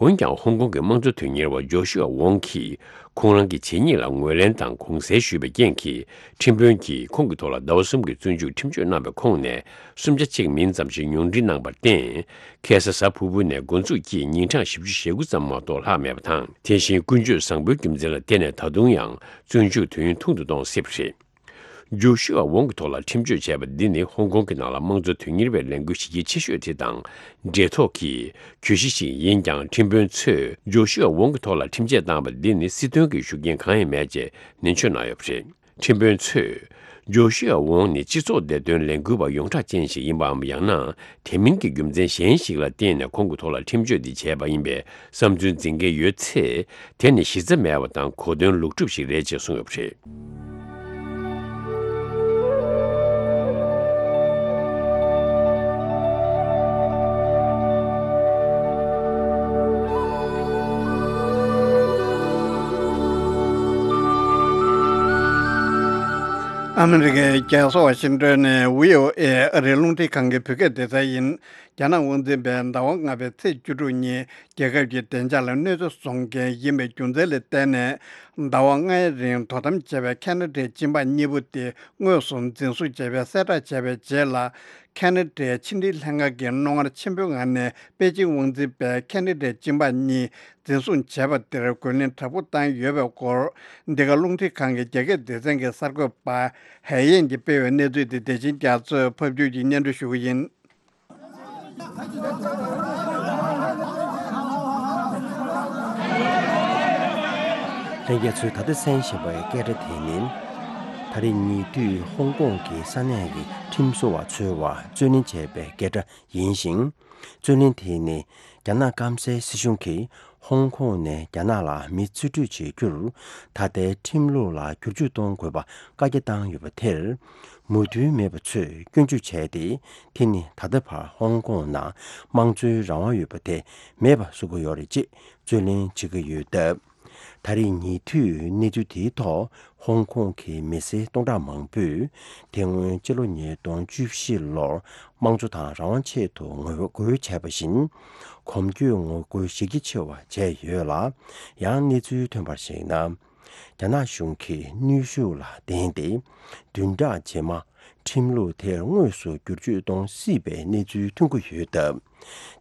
འོན་ཀྱང་ཧོང་ཀོང་གི་དམངས་གཙོ་དོན་གཉེར་བ་ཇོ་ཤུ་ཨ་ཝོང་གིས་ཁོང་རང་གི་བྱས་ཉེས་ལ་ངོས་ལེན་དང་དགོངས་སེལ་ཞུས་པའི་རྐྱེན་གྱིས། ཁྲིམས་དཔོན་གྱིས་ཁོང་གི་ཐོག་ལ་ཟླ་བ་གསུམ་གྱི་བཙོན་འཇུག་ཁྲིམས་གཅོད་གནང་བའི་ཁོངས་ནས་སུམ་ཆ་གཅིག་མིན་ཙམ་ཞིག་ཉུང་འཕྲི་གནང་བར་བརྟེན། ཁ་སང་གཟའ་ཕུར་བུ་ནས་འགོ་འཛུགས་ཀྱིས་ཉིན་གྲངས་བཞི་བཅུ་ཞེ་དགུ་ཙམ་མ་གཏོགས་ལྷག་མེད་པ་དང་། དེ་བཞིན་ཀུན་སྤྱོད་བཟང་པོའི་རྒྱུ་མཚན་ལ་བརྟེན་ནས་ད་དུང་ཡང་བཙོན་འཇུག་དུས་ཡུན་ཐུང་དུ་གཏོང་སྲིད་པ་རེད། ཇོ་ཤུ་ཨ་ཝོང་གི་ཐོག་ལ་ཁྲིམས་གཅོད་བྱས་པ་འདི་ནི་ཧོང་ཀོང་གི་ནང་ལ་དམངས་གཙོ་དོན་གཉེར་བའི་ལས་འགུལ་གཞི་རྒྱ་ཆེ་ཤོས་དེ་དང་འབྲེལ་ཐོགས་ཀྱི་གྱོད་གཞི་ཞིག་ཡིན་ཀྱང་། ཁྲིམས་དཔོན་ཚོས་ཇོ་ཤུ་ཨ་ཝོང་གི་ཐོག་ལ་ཁྲིམས་ཆད་བཏང་བ་འདི་ནི་སྲིད་དོན་གྱི་ཤུགས་རྐྱེན་གང་ཡང་མེད་ཅེས་ནན་བརྗོད་གནང་ཡོད་པ་རེད། ཁྲིམས་དཔོན་ཚོས་ཇོ་ཤུ་ཨ་ཝོང་ནི་སྤྱི་ཚོགས་བདེ་དོན་ལས་འགུལ་བ་ཡོངས་གྲགས་ཅན་ཞིག་ཡིན་པའམ། ཡང་ན་དེ་མིན་གྱི་རྒྱུ་མཚན་གཞན་ཞིག་ལ་བརྟེན་ནས་ཁོང་གི་ཐོག་ལ་ཁྲིམས་གཅོད་འདི་བྱས་པ་ཡིན་པའི་བསམ་ཚུལ་འཛིན་མཁན་ཡོད་ཚེ། དེ་ནི་གཞི་རྩ་མེད་པ་དང་གོ་དོན་ལུག་གྲུབ་ཞིག་རེད་ཅེས་གསུངས་ཡོད་པ་རེད། ཨ་མི་རི་ཀའི་རྒྱལ་ས་ཝ་ཤིང་ཏོན་ནས་བྷི་ཨོ་ཨེ་ཨ་རིའི་རླུང་འཕྲིན་ཁང་གི་བོད་སྐད་སྡེ་ཚན་ཡིན། རྒྱ་ནག་དབང་འཛིན་པས་ཟླ་བ་ལྔ་པའི་ཚེས་བཅུ་དྲུག་ཉིན་རྒྱལ་ཁབ་ཀྱི་བདེ་འཇགས་ལ་གནོད་འཚེ་བཟོ་མཁན་ཡིན་པའི་རྒྱུ་མཚན་ལ་བརྟེན་ནས། ཟླ་བ་ལྔའི་རིང་དོ་དམ་བྱས་པའི་ཁ་ན་ཌའི་སྤྱི་འབངས་གཉིས་པོ་དེ་དངོས་སུ་འཛིན་བཟུང་བྱས་པའི་གསལ་བསྒྲགས་བྱས་པའི་རྗེས་ལ། ཁ་ན་ཌའི་ཕྱི་འབྲེལ་ལྷན་ཁང་གིས་རྣོ་ངར་ཆེན་པོའི་ངང་ནས་པེ་ཅིང་དབང་འཛིན་པས་ཁ་ན་ཌའི་སྤྱི་འབངས་གཉིས་འཛིན་བཟུང་བྱས་པ་དེར་རྒོལ་ལན་དྲག་པོ་བཏང་ཡོད་པའི་སྐོར། འདི་ག་རླུང་འཕྲིན་ཁང་གི་རྒྱ་སྐད་སྡེ་ཚན་གྱི་གསར་འགོད་པ་ཧའེ་ཡན་གྱིས་སྤེལ་བའི་གནས་ཚུལ་དེ། བདེ་ཆེན་རྒྱ་མཚོས་ཕབ་སྒྱུར་གྱིས་སྙན་སྒྲོན་ཞུ་གི་ཡིན། ལྷན་རྒྱས་ཚོས་ད་ལྟ་གསན་བཞིན་པའི་སྐད་སྒྲ་དེ་ནི། ད་རེས་ཉེ་དུས་ཧོང་ཀོང་གི་ས་གནས་ཀྱི་ཁྲིམས་བཟོ་བ་ཚོས་རྩོད་ལེན་བྱས་པའི་སྐད་སྒྲ་ཡིན་ཞིང་། རྩོད་ལེན་དེ་ནི་རྒྱ་ནག་སྐམ་སའི་སྲིད་གཞུང་གིས་ཧོང་ཀོང་ནས་རྒྱ་ནག་ལ་མི་རྩིས་སྤྲོད་བྱེད་རྒྱུར། ད་ལྟའི་ཁྲིམས་ལུགས་ལ་བསྒྱུར་བཅོས་གཏོང་དགོས་པ་བཀའ་རྒྱ་བཏང་ཡོད་པ་དེར། མོས་མཐུན་མེད་པ་ཚོས་སྐྱོན་བརྗོད་བྱས་ཏེ། དེ་ནི་ད་ལྟ་བར་ཧོང་ཀོང་ནང་དམངས་གཙོའི་རང་དབང་ཡོད་པ་དེ་མེད་པ་བཟོ་གི་ཡོད་རེད་ཅེས་རྩོད་ལེན་བྱེད་ཀྱི་ཡོད་སྟབས། ད་རེས་ཉེ་དུས་གནས་ཚུལ་དེའི་ཐོག་ཧོང་ཀོང་གི་མི་སེར་སྟོང་ཕྲག་མང་པོས། དེ་སྔོན་སྤྱི་ལོ་ཉིས་སྟོང་བཅུ་བཞི་ལོར་དམངས་གཙོ་དང་རང་དབང་ཆེད་དུ་ངོ་རྒོལ་བྱས་པ་བཞིན། གོམ་བགྲོད་ངོ་རྒོལ་གཞི་རྒྱ་ཆེ་བ་བྱས་ཡོད་ལ། ཡང་གནས་ཚུལ་ཐོན་པར་གཞིགས་ན། རྒྱ་ནག་གཞུང་གིས་གནོན་ཤུགས་ལ་བརྟེན་ཏེ། བདུན་ཕྲག་རྗེས་མ་ཁྲིམས་ལུགས་དེར་དངོས་སུ་བསྒྱུར་བཅོས་གཏོང་སྲིད་པའི་གནས་ཚུལ་ཐོན་གྱི་ཡོད་སྟབས།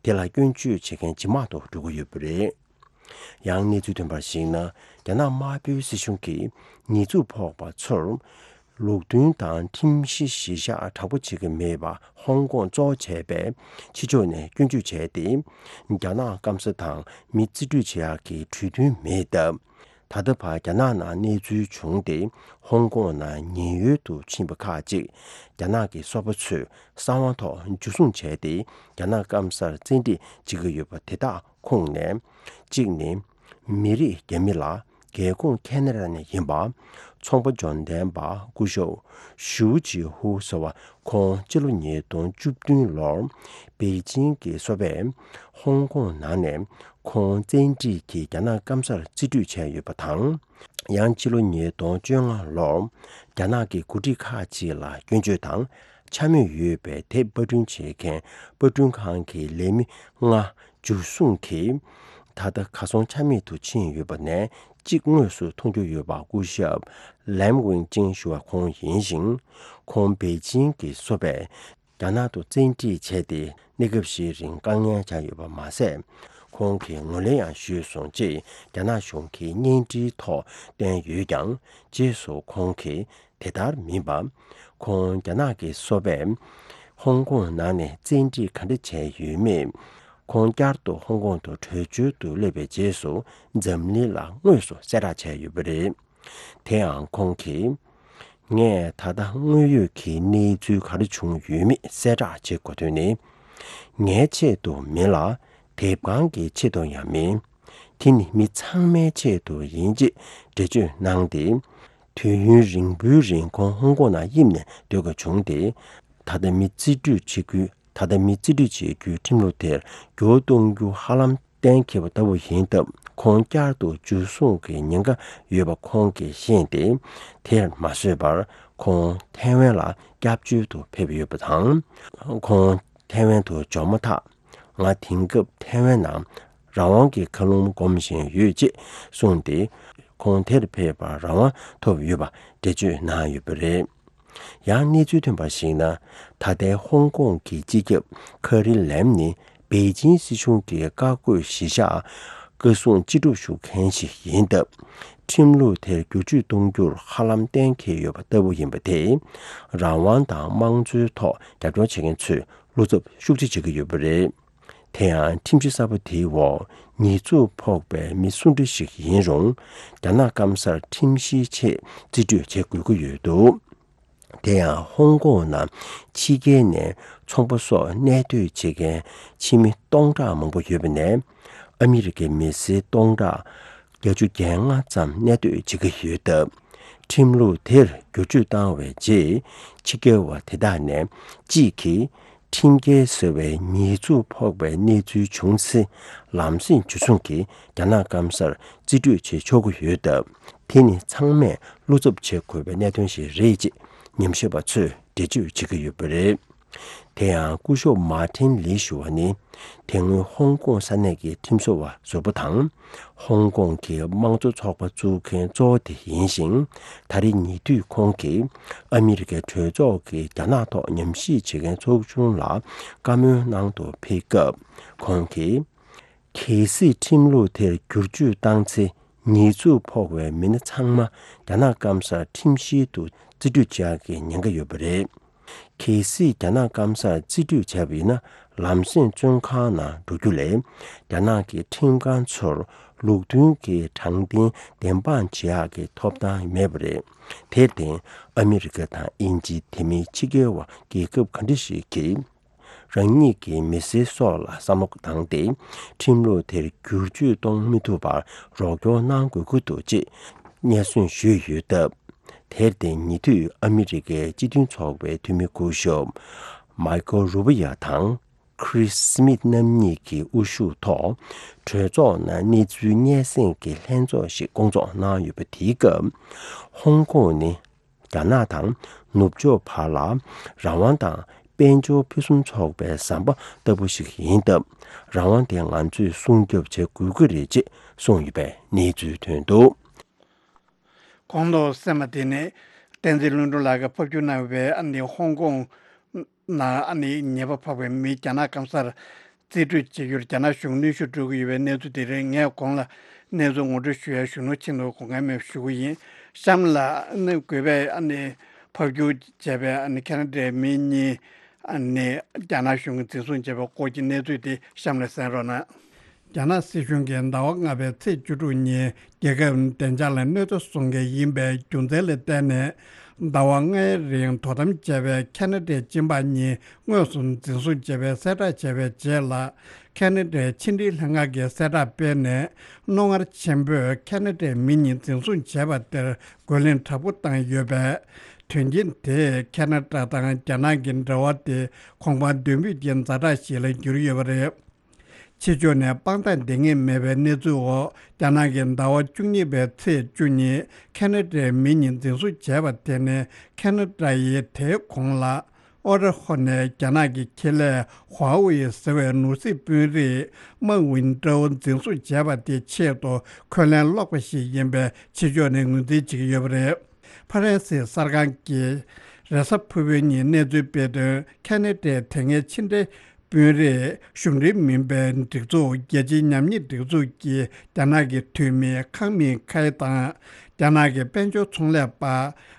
དེ་ལ་སྐྱོན་བརྗོད་བྱེད་མཁན་ཇེ་མང་དུ་འགྲོ་གི་ཡོད་པ་རེད། ཡང་གནས་ཚུལ་ཐོན་པར་གཞིགས་ན། རྒྱ་ནག་དམར་པོའི་སྲིད་གཞུང་གིས་ཉེས་འཛུགས་ཕོག་པ་ཚོར། ལུགས་མཐུན་དང་ཁྲིམས་གཞི་གཞིར་བཞག་དྲག་པོ་བྱེད་ཀྱི་མེད་པ་ཧོང་ཀོང་གཙོ་བོ་བྱས་པའི་ཕྱི་ཕྱོགས་ནས་སྐྱོན་བརྗོད་བྱས་ཏེ། རྒྱ་ནག་སྐམ་ས་དང་མི་རྩིས་སྤྲོད་བྱེད་ཡག་གི་གྲོས་མཐུན་མེད་སྟབས། ད་ལྟ་བར་རྒྱ་ནག་ནང་གནས་ཚུལ་བྱུང་སྟེ། ཧོང་ཀོང་ནང་ཉེན་གཡོལ་དུ་ཕྱིན་པ་ཁག་ཅིག་རྒྱ་ནག་གི་སོ་པ་ཚོས་གསང་བ་ཐོག་འཇུ་བཟུང་བྱས་ཏེ། རྒྱ་ནག་སྐམ་སར་བཙན་ཁྲིད་བྱེད་ཀྱི་ཡོད་པ་དེ་དག་ཁོངས་ནས། གཅིག་ནི། མི་རིགས་རྒྱ་མི་ལ་རྒྱལ་ཁོངས་ཁེ་ན་ཌ་ནས་ཡིན་པ། ཚོང་པ་འབྱོར་ལྡན་པ་སྐུ་ཞབས་ཞུའུ་ཅི་ཧུ་ཟེར་བ། ཁོང་སྤྱི་ལོ་ཉིས་སྟོང་བཅུ་བདུན་ལོར་པེ་ཅིང་གི་སོ་པས་ཧོང་ཀོང་ནང་ནས་ཁོང་བཙན་ཁྲིད་ཀྱིས་རྒྱ་ནག་སྐམ་སར་རྩིས་སྤྲོད་བྱས་ཡོད་པ་དང་། ཡང་སྤྱི་ལོ་ཉིས་སྟོང་བཅོ་ལྔ་ལོར་རྒྱ་ནག་གི་འགོ་ཁྲིད་ཁག་ཅིག་ལ་སྐྱོན་བརྗོད་དང་འཕྱ་སྨོད་ཡོད་པའི་དེབ་པར་སྐྲུན་བྱེད་མཁན་པར་སྐྲུན་ཁང་གི་ལས་མི་ལྔ་འཇུ་བཟུང་གིས། ད་ལྟ་གར་སོང་ཆ་མེད་དུ་ཕྱིན་ཡོད་པ་ནས་གཅིག་དངོས་སུ་མཐོང་རྒྱུ་ཡོད་པ་སྐུ་ཞབས་ལན་ཝིང་ཅིང་ཞུ་བ་ཁོང་ཡིན་ཞིང་། ཁོང་པེ་ཅིང་གི་སོ་པས་རྒྱ་ནག་ཏུ་བཙན་ཁྲིད་བྱས་ཏེ། གནས་སྐབས་ཤིག་རིང་དཀའ་ངལ་བྱུང་ཡོད་པ་མ་ཟད། ཁོང་གིས་ངོས་ལེན་ཡང་ཞུས་སོང་ཅེས་རྒྱ་ནག་གཞུང་གིས་བརྙན་འཕྲིན་ཐོག་བཏོན་ཡོད་ཀྱང་། རྗེས་སུ་ཁོང་གིས་དེ་ལྟར་མིན་པ། ཁོང་རྒྱ་ནག་གི་སོ་པས་ཧོང་ཀོང་ནང་ནས་བཙན་ཁྲིད་ག་འདྲ་བྱས་ཡོད་མེད། ཁོང་བསྐྱར་དུ་ཧོང་ཀོང་དུ་བྲོས་བྱོལ་དུ་སླེབས་པའི་རྗེས་སུ་འཛམ་གླིང་ལ་དངོས་སུ་གསལ་བསྒྲགས་བྱས་ཡོད་པ་རེད། དེའང་ཁོང་གིས། ངས་ད་ལྟ་དངོས་ཡོད་ཀྱི་གནས་ཚུལ་ག་རེ་བྱུང་ཡོད་མེད་གསལ་བསྒྲགས་བྱེད་དགོས་དོན་ནི། ངའི་ཆེད་དུ་མིན་ལ། དེབ་ཁང་གི་ཆེད་དུ་ཡང་མིན། དེ་ནི་མི་ཚང་མའི་ཆེད་དུ་ཡིན་ཅེས་འགྲེལ་བརྗོད་གནང་སྟེ། དུས་ཡུན་རིང་པོའི་རིང་ཁོང་ཧོང་ཀོང་ནང་གཡིབ་ནས་སྡོད་དགོས་བྱུང་སྟེ། ད་ལྟ་མི་རྩིས་སྤྲོད་བྱེད་རྒྱུའི། ད་ལྟ་མི་རྩིས་སྤྲོད་བྱེད་རྒྱུའི་ཁྲིམས་ལུགས་དེར་འགྱུར་བ་གཏོང་རྒྱུ་ཧ་ལམ་གཏན་འཁེལ་བ་ལྟ་བུ་ཡིན་སྟབས། ཁོང་བསྐྱར་དུ་འཇུ་བཟུང་གི་ཉེན་ཁ་ཡོད་པ་ཁོང་གིས་ཤེས་ཏེ། དེར་མ་བཟོད་པར་ཁོང་ཐའེ་ཝན་ལ་སྐྱབས་བཅོལ་དུ་ཕེབས་ཡོད་པ་དང་། ཁོང་ཐའེ་ཝན་དུ་འབྱོར་མ་ཐག་ང་དེང་སྐབས་ཐའེ་ཝན་ནང་ རང་དབང་གི་མཁའ་རླུང་སྒོམ་བཞིན་ཡོད་ཅེས་གསུངས་ཏེ། ཁོང་དེར་ཕེབས་པར་རང་དབང་ཐོབ་ཡོད་པ་འགྲེལ་བརྗོད་གནང་ཡོད་པ་རེད། ཡང་གནས་ཚུལ་ཐོན་པར་གཞིགས་ན། ད་ལྟའི་ཧོང་ཀོང་གི་སྤྱི་ཁྱབ་ཁ་རི་ལེམ་ནི་པེ་ཅིང་སྲིད་གཞུང་གི་བཀའ་བཀོད་གཞིར་བཞག་བཀའ་བཟུང་ཅི་སྒྲུབ་ཞུ་མཁན་ཞིག་ཡིན་སྟབས། ཁྲིམས་ལུགས་དེར་བསྒྱུར་བཅོས་གཏོང་རྒྱུར་ཧ་ལམ་གཏན་འཁེལ་ཡོད་པ་ལྟ་བུ་ཡིན་པ་དེས། རང་དབང་དང་དམངས་གཙོའི་ཐོག་རྒྱབ་སྐྱོར་བྱེད་མཁན་ཚོས་བློ་འཚབ་ཤུགས་ཆེ་བྱེད་ཀྱི་ཡོད་པ་རེད། དེ་ཡང་ཁྲིམས་གཞི་གསར་པ་དེའི་འོག་ཉེས་འཛུགས་ཕོག་པའི་མི་སུ་འདྲ་ཞིག་ཡིན་རུང་། རྒྱ་ནག་སྐམ་སར་ཁྲིམས་གཞིའི་ཆེད་རྩིས་སྤྲོད་བྱེད་དགོས་ཀྱི་ཡོད་འདུག་དེ་ཡང་ཧོང་ཀོང་ནང་ཕྱི་རྒྱལ་ནས་ཚོང་པ་སོགས་གནས་སྡོད་བྱེད་མཁན་ཕྱི་མི་སྟོང་ཕྲག་མང་པོ་ཡོད་པ་ནས། ཨ་མི་རི་ཀའི་མི་སེར་སྟོང་ཕྲག་བརྒྱད་ཅུ་གྱ་ལྔ་ཙམ་གནས་སྡོད་བྱེད་ཀྱི་ཡོད་སྟབས། ཁྲིམས་ལུགས་དེར་བསྒྱུར་བཅོས་བཏང་བའི་རྗེས། ཕྱི་རྒྱལ་བ་དེ་དག་ནས་གཅིག་གིས། ཁྲིམས་འགལ་ཟེར་བའི་ཉེས་འཛུགས་ཕོག་པའི་གནས་ཚུལ་བྱུང་ཚེ། ལམ་སེང་འཇུ་བཟུང་གིས་རྒྱ་ནག་སྐམ་སར་རྩིས་སྤྲོད་བྱེད་ཆོག་གི་ཡོད་སྟབས། དེ་ནི་ཚང་མས་བློ་འཚབ་བྱེད་དགོས་པའི་གནད་དོན་ཞིག་རེད་ཅེས་ཉམས་ཞིབ་པ་ཚོས་འགྲེལ་བརྗོད་བྱེད་ཀྱི་ཡོད་པ་རེད། དེ་ཡང་སྐུ་ཞབས་མཱ་ཏིན་ལི་ཞུ་བ་ནི། དེ་སྔོན་ཧོང་ཀོང་ས་གནས་ཀྱི་ཁྲིམས་བཟོ་བ་ཟུར་པ་དང་། ཧོང་ཀོང་གི་དམངས་གཙོ་ཚོགས་པ་བཙུགས་མཁན་གཙོ་བོ་དེ་ཡིན་ཞིང་། ད་རེས་ཉེ་དུས་ཁོང་གིས་ཨ་མི་རི་ཀའི་གྲོས་ཚོགས་ཀྱི་རྒྱ་ནག་ཐོག་ཉམས་ཞིབ་བྱེད་མཁན་ཚོགས་ཆུང་ལ་བཀའ་མོལ་གནང་དུ་ཕེབས་སྐབས། ཁོང་གིས། གལ་སྲིད་ཁྲིམས་ལུགས་དེར་བསྒྱུར་བཅོས་བཏང་ཚེ། ཉེས་འཛུགས་ཕོག་པའི་མི་སྣ་ཚང་མ་རྒྱ་ནག་སྐམ་སར་ཁྲིམས་བཤེར་དུ་རྩིས་སྤྲོད་བྱ་ཡག་གི་ཉེན་ཁ་ཡོད་པ་རེད། གལ་སྲིད་རྒྱ་ནག་སྐམ་སར་རྩིས་སྤྲོད་བྱས་པ་ཡིན་ན། ལམ་སེང་བཙོན་ཁང་ནང་འགྲོ་རྒྱུ་ལས། རྒྱ་ནག་གི་ཁྲིམས་ཁང་ཚོར་ལུགས་མཐུན་གྱི་དྲང་བདེན་བདེན་དཔང་བྱེད་ཡག་གི་ཐོབ་ཐང་མེད་པ་རེད། དེར་བརྟེན། ཨ་མི་རི་ཀ་དང་དབྱིན་ཇི། དེ་མིན་ཕྱི་རྒྱལ་བ་རྒྱལ་ཁབ་ག་འདྲ་ཞིག་གིས། རང་ཉིད་ཀྱི་མི་སེར་སོགས་ལ་བསམ་བློ་བཏང་སྟེ། ཁྲིམས་ལུགས་དེར་བསྒྱུར་བཅོས་གཏོང་མི་ཐུབ་པར་རོགས་སྐྱོར་གནང་དགོས་ཀྱི་འདུག་ཅེས་སྙན་སེང་ཞུས་ཡོད་སྟབས། དེར་བརྟེན། ཉེ་དུས་ཨ་མི་རི་ཀའི་སྤྱི་མཐུན་ཚོགས་པའི་འཐུས་མི་སྐུ་ཞབས་མའི་ཀལ་རུ་བི་ཡ་དང་། ཁྲིས་སི་མིད་རྣམ་གཉིས་ཀྱི་དབུ་བཞུགས་ཐོག་གྲོས་ཚོགས་ནང་གནས་ཚུལ་སྙན་སེང་གི་ལྷན་ཚོགས་ཤིག་བསྐོང་ཚོགས་གནང་ཡོད་པ། དེའི་སྐབས། ཧོང་ཀོང་ནི། རྒྱ་ནག་དང་ནུབ་ཕྱོགས་བར་ལ་རང་དབང་དང་དཔལ་འབྱོར་ཕུན་སུམ་ཚོགས་པའི་ཟམ་པ་ལྟ་བུ་ཞིག་ཡིན་སྟབས། རང་དབང་དེ་ང་ཚོས་སྲུང་སྐྱོབ་བྱེད་དགོས་ཀྱི་རེད་ཅེས་གསུངས་ཡོད་པའི་གནས་ཚུལ་ཐོན་འདུག་གོང་དུ་གསན་པ་དེ་ནི་བསྟན་འཛིན་ལྷུན་གྲུབ་ལགས་ཀྱིས་ཕབ་སྒྱུར་གནང་བའི་ཨ་ནི་ཧོང་ཀོང་ནང་ཨ་ནི་ཉེས་པ་ཕོག་པའི་མི་རྒྱ་ནག་སྐམ་སར་རྩིས་སྤྲོད་བྱེད་རྒྱུར་རྒྱ་ནག་གཞུང་གནོན་ཤུགས་སྤྲོད་ཀྱི་ཡོད་པའི་གནས་ཚུལ་དེ་རེད། ངས་གོང་ལ་གནས་ཚུལ་ངོ་སྤྲོད་ཞུ་ཡ་གཞོན་ནུ་ཆེད་དུ་དགོངས་འགལ་མེད་པ་ཞུ་གི་ཡིན། གཤམ་ལ་ཨ་ནི་དགོས་པའི་ཨ་ནི་ཕབ་སྒྱུར་བྱས་པའི་ཨ་ནི་ཁ་ན་ཌའི་མི་གཉིས་ཨ་ནི་རྒྱ་ནག་གཞུང་གིས་འཛིན་བཟུང་བྱས་པའི་སྐོར་གྱི་གནས་ཚུལ་དེ་གཤམ་ལ་གསན་རོགས་གནང་། རྒྱ་ནག་སྲིད་གཞུང་གིས་ཟླ་བ་ལྔ་པའི་ཚེས་བཅུ་དྲུག་ཉིན་རྒྱལ་ཁབ་བདེ་འཇགས་ལ་གནོད་འཚེ་བཟོ་མཁན་ཡིན་པའི་རྒྱུ་མཚན་ལ་བརྟེན་ནས། ཟླ་བ་ལྔའི་རིང་དོ་དམ་བྱས་པའི་ཁ་ན་ཌའི་གཅིན་པ་གཉིས་དངོས་སུ་འཛིན་བཟུང་བྱས་པའི་གསལ་བསྒྲགས་བྱས་པའི་རྗེས་ལ། ཁ་ན་ཌའི་ཕྱི་འབྲེལ་ལྷན་ཁང་གིས་གསལ་བསྒྲགས་སྤེལ་ནས། རྣོ་ངར་ཆེན་པོས་ཁ་ན་ཌའི་མི་གཉིས་འཛིན་བཟུང་བྱས་པ་དེར་རྒོལ་ལན་དྲག་པོ་བཏང་ཡོད་པས། དོན་རྐྱེན་དེས་ཁ་ན་ཌ་དང་རྒྱ་ནག་གི་འབྲེལ་བ་དེ་གོང་འཕེལ་འདོད་འབུད་ཀྱི་ཛ་དྲག་ཞིག་ལ་གྱུར་ཡོད་པ་རེད། ཕྱི་ཕྱོགས་ནས་དཔང་རྟགས་འདང་ངེས་མེད་པའི་གནས་ཚུལ་འོག་རྒྱ་ནག་གིས་ཟླ་བ་བཅུ་གཉིས་པའི་ཚེས་བཅུ་ཉིན་ཁ་ན་ཌའི་མི་གཉིས་འཛིན་བཟུང་བྱས་པ་དེ་ནི། ཁ་ན་ཌ་ཡིས་དེའི་གོང་ལ་ཨོ་ཊ་ཧོ་ནས་རྒྱ་ནག་གི་ཁེ་ལས་ཧྭ་ཝེ་ཟེར་བའི་ནོར་སྲིད་དཔོན་རིགས་མའོ་ཝིན་ཀྲའོ་འཛིན་བཟུང་བྱས་པ་དེའི་ཆེད་དུ་འཁོན་ལན་སློག་པ་ཞིག་ཡིན་པའི་ཕྱི་ཕྱོགས་ནས་ངོས་འཛིན་བྱེད་ཀྱི་ཡོད་པ་རེད། ཧྥ་རན་སིའི་གསར་ཁང་གིས་རེས་གཟའ་ཕུར་བུའི་ཉིན་གནས་ཚུལ་སྤེལ་དོན། ཁ་ན་ཌའི་དེ་སྔའི་ཕྱི་འབྲེལ་དཔོན་རིགས་གཞུང་འབྲེལ་མིན་པའི་སྒྲིག་འཛུགས། རྒྱལ་སྤྱིའི་ཉམས་ཉེས་སྒྲིག་འཛུགས་ཀྱི་རྒྱ་ནག་གི་འཐུས་མི་ཁང་མིང་ཁའེ་དང་། རྒྱ་ནག་གི་དཔལ་འབྱོར་ཚོང་ལས་པ་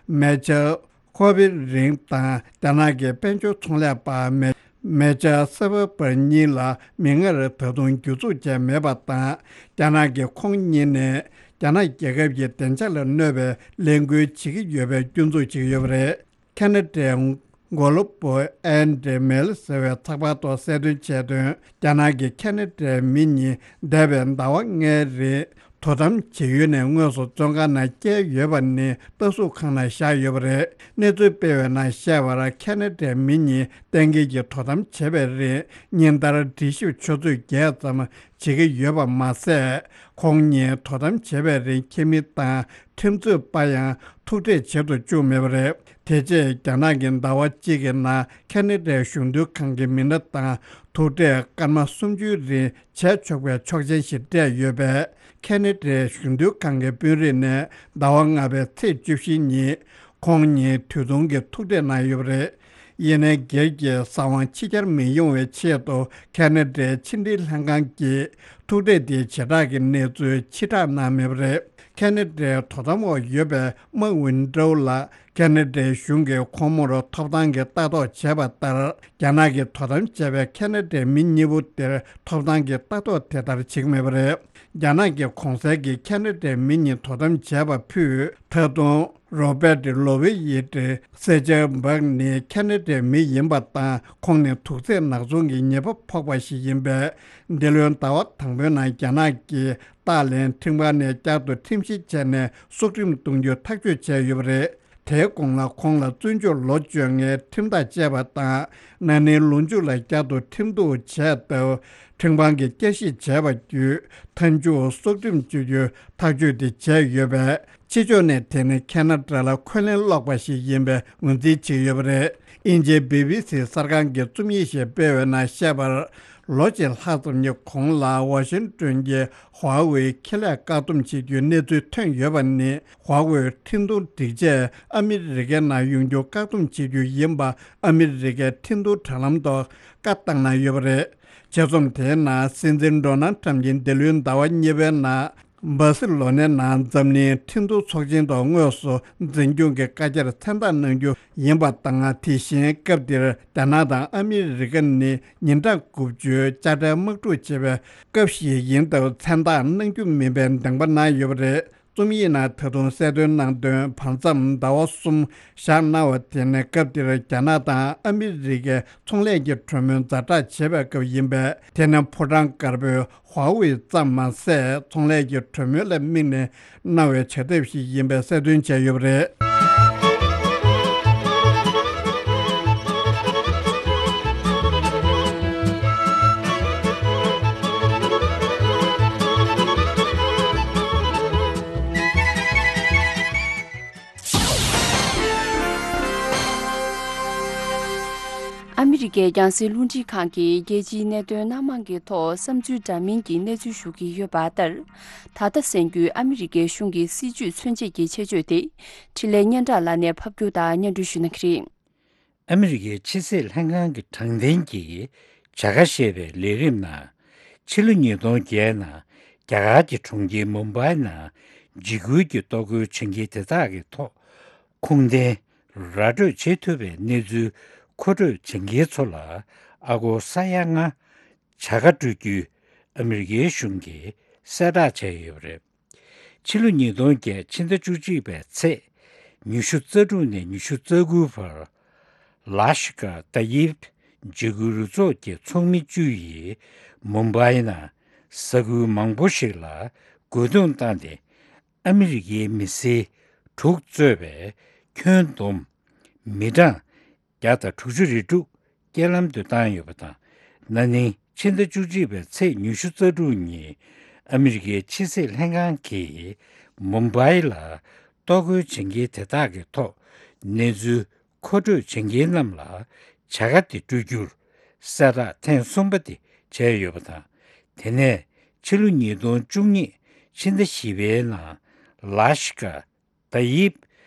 མེ་ཅར་ཁོ་བི་རིང་དང་། རྒྱ་ནག་གི་དཔལ་འབྱོར་ཚོང་ལས་པ་མེ་མེ་ཅར་སེ་བེ་པར་གཉིས་ལ་མིག་སྔར་ད་དུང་བསྒྱུར་འཛུགས་བྱས་མེད་པ་དང་། རྒྱ་ནག་གིས་ཁོང་གཉིས་ནས་རྒྱ་ནག་རྒྱལ་ཁབ་ཀྱི་བདེ་འཇགས་ལ་གནོད་པའི་ལས་འགུལ་བྱེད་ཀྱི་ཡོད་པའི་སྐྱོན་འཛུགས་བྱེད་ཀྱི་ཡོད་པ་རེད། ཁ་ན་ཌའི་གོ་ལོ་པོ་ཨན་ཌི་མེལ་ཟེར་བའི་ཚགས་པར་ཐོག་གསལ་སྟོན་བྱས་དོན། རྒྱ་ནག་གིས་ཁ་ན་ཌའི་མི་གཉིས་འདས་པའི་ཟླ་བ་ལྔའི་རིང་ དོ་དམ་བྱེད་ཡུལ་ནས་དངོས་སུ་བཙོན་ཁང་ནང་བསྐྱལ་ཡོད་པ་ནི་ལྟ་སྲུང་ཁང་ནང་བཞག་ཡོད་པ་རེད། གནས་ཚུལ་སྤེལ་བའི་ནང་བཤད་པར་ཁ་ན་ཌའི་མི་གཉིས་གཏན་འཁེལ་གྱི་དོ་དམ་བྱེད་པའི་རིང་ཉིན་ལྟར་འདྲི་ཞིབ་ཆུ་ཚོད་བརྒྱད་ཙམ་བྱེད་ཀྱི་ཡོད་པ་མ་ཟད། ཁོང་གཉིས་དོ་དམ་བྱེད་པའི་རིང་ཁྱིམ་མི་དང་ཁྲིམས་རྩོད་པ་ཡང་ཐུག་འཕྲད་བྱེད་དུ་བཅུག་མེད་པ་རེད། དེ་རྗེས་རྒྱ་ནག་གིས་ཟླ་བ་གཅིག་གི་ནང་ཁ་ན་ཌའི་གཞུང་དོན་ཁང་གི་མི་སྣ་དང་ཐུག་འཕྲད་སྐར་མ་སུམ་ཅུའི་རིང་བྱས་ཆོག་པའི་ཆོག་མཆན་ཞིག་སྤྲད་ཡོད་པས། ཁ་ན་ཌའི་གཞུང་དོན་ཁང་གི་དཔོན་རིགས་ནས་ཟླ་བ་ལྔ་པའི་ཚེས་བཅུ་བཞི་ཉིན་ཁོང་གཉིས་དུས་ཐུང་གི་ཐུག་འཕྲད་གནང་ཡོད་པ་རེད། ཡིན་ནའི་སྒེར་གྱི་ས་དབང་ཕྱི་གྱར་མི་ཡོང་བའི་ཆེད་དུ་ཁ་ན་ཌའི་ཕྱི་འབྲེལ་ལྷན་ཁང་གིས་ཐུག་འཕྲད་དེའི་བྱེ་བྲག་གི་གནས་ཚུལ་ཕྱིར་བསྒྲགས་གནང་མེད་པ་རེད། ཁ་ན་ཌའི་དོ་དམ་འོག་ཡོད་པའི་མཱ་ཝིན་ཀྲོའུ་ལ་ཁ་ན་ཌའི་གཞུང་གིས་ཁོང་མོར་ཐོབ་ཐང་གི་ལྟ་རྟོག་བྱས་པ་ལྟར། རྒྱ་ནག་གིས་དོ་དམ་བྱས་པའི་ཁ་ན་ཌའི་མི་གཉིས་པོ་དེར་ཐོབ་ཐང་གི་ལྟ་རྟོག་དེ་ལྟར་བྱེད་ཀྱི་མེད་པ་རེད། རྒྱ་ནག་གི་གོང་གསལ་གྱི་ཁ་ན་ཌའི་མི་གཉིས་དོ་དམ་བྱས་པ་ཕུད། ད་དུང་རོ་བེ་ཏི་ལོ་ཝེ་ཡི་ཏི་སེ་ཅར་སྦག་ནི་ཁ་ན་ཌའི་མི་ཡིན་པ་དང་། ཁོང་ནི་དུག་རྫས་ནག་ཚོང་གི་ཉེས་པ་ཕོག་པ་ཞིག་ཡིན་པས། འདི་ལོའི་ཟླ་བ་དང་པོའི་ནང་རྒྱ་ནག་གིས་ཏཱ་ལན་ཁྲིམས་ཁང་ནས་བསྐྱར་དུ་ཁྲིམས་བཤེར་བྱས་ནས་སྲོག་ཁྲིམས་གཏོང་རྒྱུ་ཐག་གཅོད་བྱས་ཡོད་པ་རེད། དེའི་གོང་ལ་ཁོང་ལ་བཙོན་འཇུག་ལོ་བཅོ་ལྔའི་ཁྲིམས་ཐག་བཅད་པ་དང་། ན་ནིང་ལོ་མཇུག་ལ་བསྐྱར་དུ་ཁྲིམས་གཏུག་བྱས་སྟབས། ཁྲིམས་ཁང་གིས་བསྐྱར་ཞིབ་བྱས་པ་བརྒྱུད། མཐའ་མཇུག་སྲོག་ཁྲིམས་གཅོད་རྒྱུ་ཐག་གཅོད་དེ་བྱས་ཡོད་པས། ཕྱི་ཕྱོགས་ནས་དེ་ནི་ཁ་ན་ཌ་ལ་འཁོན་ལན་སློག་པ་ཞིག་ཡིན་པའི་ངོས་འཛིན་བྱས་ཡོད་པ་རེད། དབྱིན་ཇིའི་བི་བི་སི་གསར་ཁང་གིས་རྩོམ་ཡིག་ཞིག་སྤེལ་བའི་ནང་བཤད་པར། ལོ་གཅིག་ལྷག་ཙམ་གྱི་གོང་ལ་ཝ་ཤིང་ཏོན་གྱི་ཧྭ་ཝེ་ཁེ་ལས་བཀག་སྡོམ་བྱེད་རྒྱུའི་གནས་ཚུལ་ཐོན་ཡོད་པ་ནི། ཧྭ་ཝེ་འཕྲིན་གཏོང་སྒྲིག་ཆས་ཨ་མི་རི་ཀའི་ནང་ཡོང་རྒྱུ་བཀག་སྡོམ་བྱེད་རྒྱུ་ཡིན་པ་ཨ་མི་རི་ཀའི་འཕྲིན་གཏོང་དྲ་ལམ་ཐོག་བཀའ་བཏང་གནང་ཡོད་པ་རེད། ཆེད་རྩོམ་དེའི་ནང་སྲིད་འཛིན་ཌོ་ནལ་ཁྲམ་གྱིས་འདི་ལོའི་ཟླ་བ་གཉིས་པའི་ནང་། སྦར་སི་ལོ་ནའི་ནང་འཛམ་གླིང་འཕྲིན་གཏོང་ཚོགས་ཆེན་ཐོག་དངོས་སུ་འཛིན་སྐྱོང་གི་བཀའ་རྒྱར་མཚན་རྟགས་གནང་རྒྱུ་ཡིན་པ་དང་། དེ་བཞིན་སྐབས་དེར་རྒྱ་ནག་དང་ཨ་མི་རི་ཀ་ནི་ཉིན་གྲངས་དགུ་བཅུའི་དཔྱ་ཁྲལ་དམག་འཁྲུག་བྱེད་པའི་སྐབས་ཤིག་ཡིན་སྟབས་མཚན་རྟགས་གནང་རྒྱུ་མིན་པའི་གདེང་པ་གནང་ཡོད་པ་རེད། རྩོམ་ཡིག་ནང་ད་དུང་གསལ་སྟོན་གནང་དོན། བར་མཚམས་ཟླ་བ་གསུམ་བཞག་གནང་བ་དེ་ནི་སྐབས་དེར་རྒྱ་ནག་དང་ཨ་མི་རི་ཀའི་ཚོང་ལས་ཀྱི་གྲོས་མོལ་ཛ་དྲག་བྱེད་པའི་སྐབས་ཡིན་པས། དེ་ནི་ཕོ་བྲང་དཀར་པོའི་ཧྭ་ཝེ་ཙམ་མ་ཟད། ཚོང་ལས་ཀྱི་གྲོས་མོལ་ལ་དམིགས་ནས་གནང་བའི་བྱ་ཐབས་ཤིག་ཡིན་པའི་གསལ་སྟོན་བྱས་ཡོད་པ་རེད། ཨ་མི་རི་ཀའི་རྒྱང་སྲིང་རླུང་འཕྲིན་ཁང་གིས་རྒྱལ་སྤྱིའི་གནད་དོན་སྣ་མང་གི་ཐོག་བསམ་ཚུལ་འདྲ་མིན་གྱི་གནས་ཚུལ་ཞུ་གི་ཡོད་པ་ལྟར། ད་ལྟ་གསན་རྒྱུའི་ཨ་མི་རི་ཀའི་གཞུང་གི་སྲིད་ཇུས་མཚོན་བྱེད་ཀྱི་ཆེད་བརྗོད་དེ། འཕྲིན་ལས་སྙན་གྲགས་ལགས་ནས་ཕབ་སྒྱུར་དང་སྙན་སྒྲོན་ཞུ་གནང་གི་རེད། ཨ་མི་རི་ཀའི་ཕྱི་སྲིད་ལྷན་ཁང་གི་དྲང་བདེན་གྱི་བྱ་དགའ་ཞེས་པའི་ལས་རིམ་ནང་། ཕྱི་ལོ་ཉིས་སྟོང་བརྒྱད་ནང་རྒྱ་གར་གྱི་གྲོང་ཁྱེར་མུམ་བྷའི་ནང་འཇིགས་སྐུལ་གྱི་གཏོར་རྒོལ་བྱེད་མཁན་དེ་དག་གི་ཐོག་ཁུངས་ལྡན་ར་སྤྲོད་བྱེད་ཐུབ་པའི་གནས་ཚུལ་མཁོ་སྤྲོད་བྱེད་མཁན་ཚོ་ལ་ཨ་སྒོར་ས་ཡ་ལྔ་བྱ་དགའ་སྤྲོད་རྒྱུའི་ཨ་མི་རི་ཀའི་གཞུང་གིས་གསལ་བསྒྲགས་བྱས་ཡོད་པ་རེད། ཕྱི་ལོ་ཉིས་སྟོང་བརྒྱད་ཕྱི་ཟླ་བཅུ་གཅིག་པའི་ཚེས་ཉི་ཤུ་རྩ་དྲུག་ནས་ཉི་ཤུ་རྩ་དགུ་བར། ལ་ཤི་ཀ་ཏ་ཡིབ་འཇིགས་སྐུལ་རུ་ཚོགས་ཀྱི་ཚོགས་མི་བཅུ་ཡིས་མུམ་བྷའི་ནང་ས་ཁུལ་མང་པོ་ཞིག་ལ་རྒོལ་རྡུང་བཏང་སྟེ། ཨ་མི་རི་ཀའི་མི་སེར་དྲུག་གཙོས་པའི་ཁྱོན་བསྡོམས་མི་གྲངས་བརྒྱ་དང་དྲུག་ཅུ་རེ་དྲུག་རྐྱེན་ལམ་དུ་བཏང་ཡོད་པ་དང་། ན་ནིང་ཕྱི་ཟླ་བཅུ་གཅིག་པའི་ཚེས་ཉི་ཤུ་རྩ་དྲུག་ཉིན་ཨ་མི་རི་ཀའི་ཕྱི་སྲིད་ལྷན་ཁང་གིས་མུམ་བྷའི་ལ་གཏོར་རྒོལ་བྱེད་མཁན་དེ་དག་གི་ཐོག་གནས་ཚུལ་མཁོ་སྤྲོད་བྱེད་མཁན་རྣམས་ལ་བྱ་དགའ་དེ་སྤྲོད་རྒྱུར་གསལ་བསྒྲགས་ཐེངས་གསུམ་པ་དེ་བྱས་ཡོད་པ་དང་། དེ་ནས་ཕྱི་ལོ་ཉིས་སྟོང་བཅུ་གཉིས་ཕྱི་ཟླ་བཞི་པའི་ནང་ལ་ཤི་ཀ་ཏ་ཡིབ་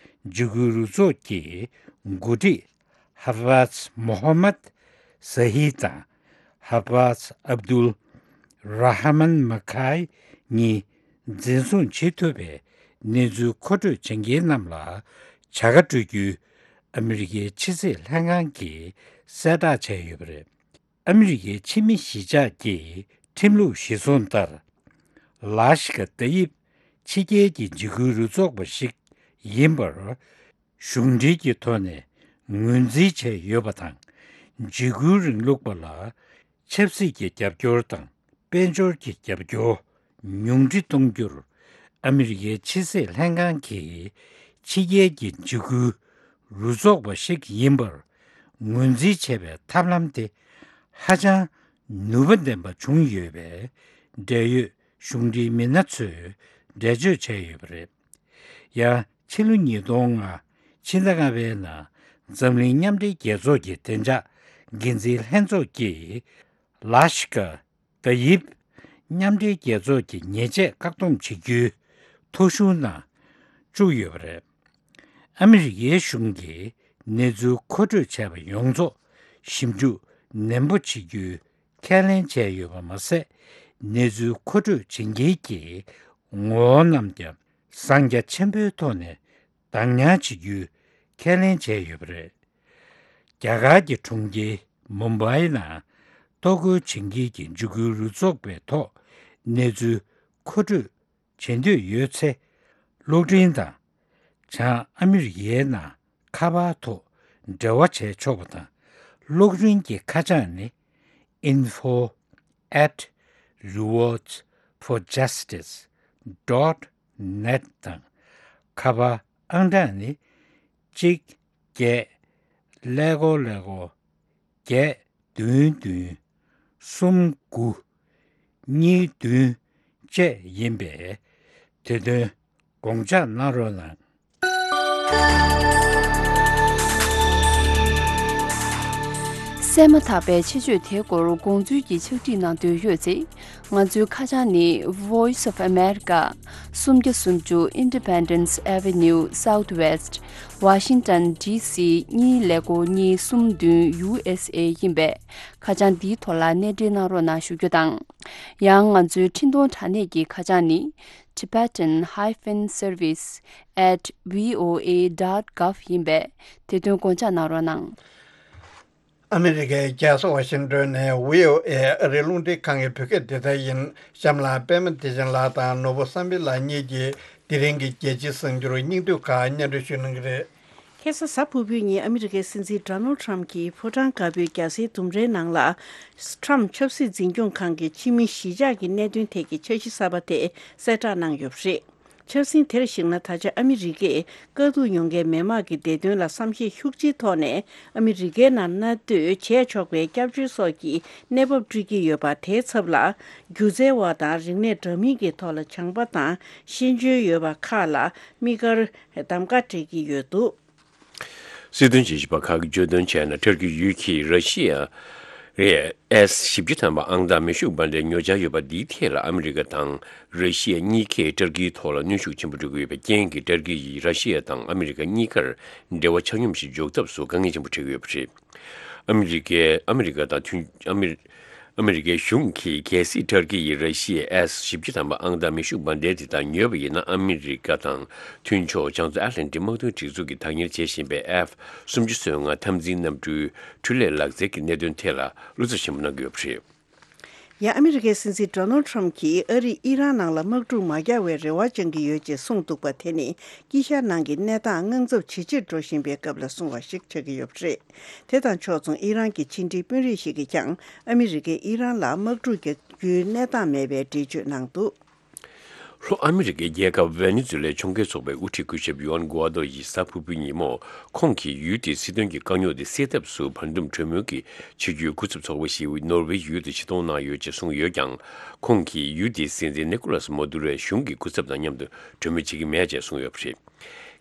འཇིགས་སྐུལ་རུ་ཚོགས་ཀྱི་འགོ་ཁྲིད་ཧ་ཧྥཱཛ་མོ་ཧ་མད་ཟ་ཧི་དང་ཧ་ཧྥཱཛ་ཨབ་དུལ་ར་ཧ་མན་མ་ཁའི་གཉིས་འཛིན་བཟུང་བྱེད་ཐུབ་པའི་གནས་ཚུལ་མཁོ་སྤྲོད་བྱེད་མཁན་རྣམས་ལ་བྱ་དགའ་སྤྲོད་རྒྱུའི་ཨ་མི་རི་ཀའི་ཕྱི་སྲིད་ལྷན་ཁང་གིས་གསལ་བསྒྲགས་བྱས་ཡོད་པ་རེད། ཨ་མི་རི་ཀའི་ཕྱི་མི་གཞིས་ཆགས་ཀྱི་ཁྲིམས་ལུགས་གཞིར་བཟུང་ལྟར། ལ་ཤི་ཀ་ཏ་ཡིབ་ཕྱི་རྒྱལ་གྱི་འཇིགས་སྐུལ་རུ་ཚོགས་པ་ཞིག་ཡིན་པར། གཞུང་འབྲེལ་གྱི་ཐོག་ནས་ངོས་འཛིན་བྱས་ཡོད་པ་དང་། འཇིགས་སྐུལ་རིང་ལུགས་པ་ལ་ཆབ་སྲིད་ཀྱི་རྒྱབ་སྐྱོར་དང་དཔལ་འབྱོར་གྱི་རྒྱབ་སྐྱོར་ཉུང་འཕྲི་གཏོང་རྒྱུར་ ཨ་མི་རི་ཀའི་ཕྱི་སྲིད་ལྷན་ཁང་གིས་ཕྱི་རྒྱལ་གྱི་འཇིགས་སྐུལ་རུ་ཚོགས་པ་ཞིག་ཡིན་པར་ངོས་འཛིན་བྱས་པའི་ཐབས་ལམ་དེ་ཧ་ཅང་ནུས་པ་ལྡན་པ་བྱུང་ཡོད་པས། འབྲེལ་ཡོད་གཞུང་འབྲེལ་མི་སྣ་ཚོས་འགྲེལ་བརྗོད་བྱས་ཡོད་པ་རེད། ཡང་ཕྱི་ལོ་ཉིས་སྟོང་ལྔ་ཕྱི་ཟླ་ལྔ་པའི་ནང་འཛམ་གླིང་མཉམ་འབྲེལ་རྒྱལ་ཚོགས་ཀྱི་བདེ་འཇགས་འགན་འཛིན་ལྷན་ཚོགས་ཀྱིས་ལ་ཤི་ཀ་ཏ་ཡིབ་མཉམ་འབྲེལ་རྒྱལ་ཚོགས་ཀྱི་ཉེས་ཆད་བཀག་སྡོམ་བྱེད་རྒྱུའི་ཐོ་གཞུང་ནང་བཅུག་ཡོད་པ་རེད། ཨ་མི་རི་ཀའི་གཞུང་གིས་གནས་ཚུལ་མཁོ་སྤྲོད་བྱས་པ་ཡོངས་རྫོགས་ཞིབ་འཇུག་ནན་པོ་བྱེད་རྒྱུའི་ཁས་ལེན་བྱས་ཡོད་པ་མ་ཟད། གནས་ཚུལ་མཁོ་སྤྲོད་བྱེད་མཁན་གྱི་ངོ་བོ་རྣམས་ཀྱང་གསང་རྒྱ་ཆེན་པོའི་ཐོག་ནས་གདམ་ཉར་བྱེད་རྒྱུའི་ཁས་ལེན་བྱས་ཡོད་པ་རེད། རྒྱ་གར་གྱི་གྲོང་ཁྱེར་མུམ་བྷའི་ནང་གཏོར་རྒོལ་བྱེད་མཁན་གྱི་འཇིགས་སྐུལ་རུ་ཚོགས་པའི་ཐོག་གནས་ཚུལ་མཁོ་སྤྲོད་བྱེད་འདོད་ཡོད་ཚེ། གློག་འཕྲིན་དང་། བྱང་ཨ་མི་རི་ཀའི་ནང་ཁ་པར་ཐོག་འབྲེལ་བ་བྱས་ཆོག་པ་དང་། གློག་འཕྲིན་གྱི་ཁ་བྱང་ནི། info at rewards for justice dot net དང་། ཁ་པར་ཨང་གྲངས་ནི། གཅིག་བརྒྱད་ཀླད་ཀོར་ཀླད་ཀོར་བརྒྱད་བདུན་བདུན་གསུམ་དགུ་གཉིས་བདུན་བཅས་ཡིན་པས། དེ་དོན་དགོངས་འཇགས་གནང་རོགས་གནང་། གསན་མ་ཐག་པའི་ཆེད་བརྗོད་དེའི་སྐོར་དགོངས་ཚུལ་གྱི་ཕྱག་བྲིས་གནང་འདོད་ཡོད་ཚེ། ང་ཚོའི་ཁ་བྱང་ནི། Voice of America། སུམ་བརྒྱ་སུམ་ཅུ་Independence Avenue Southwest། Washington D C གཉིས་ཀླད་ཀོར་གཉིས་གསུམ་བདུན་U S A ཡིན་པས། ཁ་བྱང་འདིའི་ཐོག་ལ་གནས་འབྲེལ་གནང་རོགས་གནང་ཞུ་རྒྱུ་དང་། ཡང་ང་ཚོའི་འཕྲིན་གཏོང་དྲ་གནས་ཀྱི་ཁ་བྱང་ནི། Tibetan hyphen service at V O A dot gov ཡིན་པས། དེ་དོན་དགོངས་འཇགས་གནང་རོགས་གནང་། ཨ་མི་རི་ཀའི་རྒྱལ་ས་ཝ་ཤིང་ཏོན་ནས་བྷི་ཨོ་ཨེ་ཨ་རིའི་རླུང་འཕྲིན་ཁང་གི་བོད་སྐད་སྡེ་ཚན་ཡིན། གཤམ་ལ་པད་མ་བདེ་ཆེན་ལགས་དང་ནོར་བུ་བསམ་འཕེལ་ལགས་གཉིས་ཀྱིས་དེ་རིང་གི་རྒྱལ་སྤྱིའི་གསར་འགྱུར་སྙིང་བསྡུས་ཁག་སྙན་སྒྲོན་ཞུ་གནང་གི་རེད། ཁ་སང་གཟའ་ཕུར་བུའི་ཉིན་ཨ་མི་རི་ཀའི་སྲིད་འཛིན་ཌོ་ནལ་ཌི་ཊརམ་གྱིས་ཕོ་བྲང་དཀར་པོའི་རྒྱལ་སའི་ལྡུམ་རའི་ནང་ལ། ཊརམ་ཆབ་སྲིད་འཛིན་སྐྱོང་ཁང་གི་ཕྱི་མི་གཞིས་ཆགས་ཀྱི་གནད་དོན་ཐད་ཀྱི་འཆར་གཞི་གསར་པ་དེ་གསལ་བསྒྲགས་གནང་ཡོད་པ་རེད། འཆར་ཟིན་དེར་གཞིགས་ན། ད་ཆ་ཨ་མི་རི་ཀས་དཀའ་སྡུག་མྱོང་མཁན་མི་དམངས་ཀྱི་བདེ་དོན་ལ་བསམ་ཤེས་ཤུགས་ཆེའི་ཐོག་ནས་ཨ་མི་རི་ཀའི་ནང་གནས་སྡོད་བྱས་ཆོག་པའི་སྐྱབས་བཅོལ་སོགས་ཀྱི་གནས་བབ་སྤྲོད་ཀྱི་ཡོད་པ། དེའི་ཚབ་ལ་སྒྱུ་རྩལ་བ་དང་རིག་གནས་འདྲ་མིན་གྱི་ཐོག་ལ་སྦྱངས་པ་དང་ཤེས་འཇོན་ཡོད་པ་ཁག་ལ་དམིགས་བཀར་གདམ་ག་སྤྲད་ཀྱི་ཡོད་འདུག། སྲིད་དོན་བརྗོད་གཞི་པ་ཁག་གིས་བརྗོད་དོན་བྱས་ན། ཏུར་ཀི་ཡུལ་གྱིས་ར་ཤི་ཡ་ཨེ་ཨེས་བཞི་བཅུ་ཐམ་པ་ཨང་རྟགས་མེ་ཤུགས་འབར་མདེལ་ཉོ་འཆར་ཡོད་པ་འདིའི་ཐད་ལ་ཨ་མི་རི་ཀ་དང་ར་ཤི་ཡ་གཉིས་ཀས་ཏུར་ཀིའི་ཐོག་ལ་གནོན་ཤུགས་ཆེན་པོ་སྤྲོད་ཀྱི་ཡོད་པའི་རྐྱེན་གྱིས། ཏུར་ཀི་ཡིས་ར་ཤི་ཡ་དང་ཨ་མི་རི་ཀ་གཉིས་ཀར་འབྲེལ་བ་ཆ་སྙོམས་ཤིག་འཇོག་ཐབས་སུ་དཀའ་ངལ་ཆེན་པོ་འཕྲད་ཀྱི་ཡོད་པ་རེད། ཨ་མི་རི་ཀའི་ཨ་མི་རི་ཀ་དང་མཐུན་ཨ་མི་ཨ་མི་རི་ཀའི་གཞུང་གིས། གལ་སྲིད་ཏུར་ཀི་ཡིས་ར་ཤི་ཡའི་ཨེས་བཞི་བཅུ་ཐམ་པ་ཨང་རྟགས་མེ་ཤུགས་འབར་མདེལ་དེ་དག་ཉོས་པ་ཡིན་ན། ཨ་མི་རི་ཀ་དང་མཐུན་ཕྱོགས་བྱང་མཚོ་ཨེཊ་ལན་ཊིག་དམག་དོན་སྒྲིག་འཛུགས་ཀྱིས་བདག་གཉེར་བྱེད་བཞིན་པའི་ཨེཕ་སུམ་ཅུ་སོ་ལྔ་འཐབ་འཛིང་གནམ་གྲུའི་འཕྲུལ་ལས་ལག་རྩལ་གྱི་གནད་དོན་ཐད་ལ་བློ་འཚབ་ཆེན་པོ་གནང་གི་ཡོད་པ་རེད། ཡང་ཨ་མི་རི་ཀའི་སྲིད་འཛིན་ཌོ་ནལ་ཌི་ཊརམ་གྱིས་ཨ་རིས་ཨི་རན་ནང་ལ་དམག་འཁྲུག་མ་རྒྱག་པའི་རེ་བ་བཅང་གི་ཡོད་ཅེས་གསུངས་འདུག་པ། དེ་ནི་དཀྱིལ་ཤར་ནང་གི་གནས་སྟངས་དངངས་འཚབ་ཇེ་ཆེར་འགྲོ་བཞིན་པའི་སྐབས་ལ་གསུངས་པ་ཞིག་ཆགས་ཀྱི་ཡོད་པ་རེད། དེ་དང་ཕྱོགས་མཚུངས་ཨི་རན་གྱི་ཕྱི་འབྲེལ་དཔོན་རིགས་ཤིག་གིས་ཀྱང་ཨ་མི་རི་ཀས་ཨི་རན་ལ་དམག་འཁྲུག་རྒྱག་རྒྱུའི་གནས་སྟངས་མེད་པའི་འགྲེལ་བརྗོད་གནང་འདུག། ལྷོ་ཨ་མི་རི་ཀའི་རྒྱལ་ཁབ་ཝེ་ནེ་ཛུ་ལའི་ཕྱོགས་འགལ་ཚོགས་པའི་དབུ་ཁྲིད་སྐུ་ཞབས་ཡུའན་གུའ་དོ་ཡིས་གཟའ་ཕུར་བུའི་ཉིན་མོ། ཁོང་གིས་ཡུལ་དེའི་སྲིད་དོན་གྱི་དཀའ་རྙོག་དེ་སེལ་ཐབས་སུ་བར་འདུམ་གྲོས་མོལ་གྱི་བྱེད་རྒྱུའི་སྐུ་ཚབ་ཚོགས་པ་ཞིག་ནོར་ཝེ་ཡུལ་དུ་ཆེད་གཏོང་གནང་ཡོད་ཅེས་གསུངས་ཡོད་ཀྱང་། ཁོང་གིས་ཡུལ་དེའི་སྲིད་འཛིན་ནི་ཀོ་ལཱས་མ་དུ་རོའི་གཞུང་གི་སྐུ་ཚབ་དང་མཉམ་དུ་གྲོས་མོལ་བྱེད་ཀྱི་མེད་ཅེས་གསུངས་ཡོད་པ་རེད།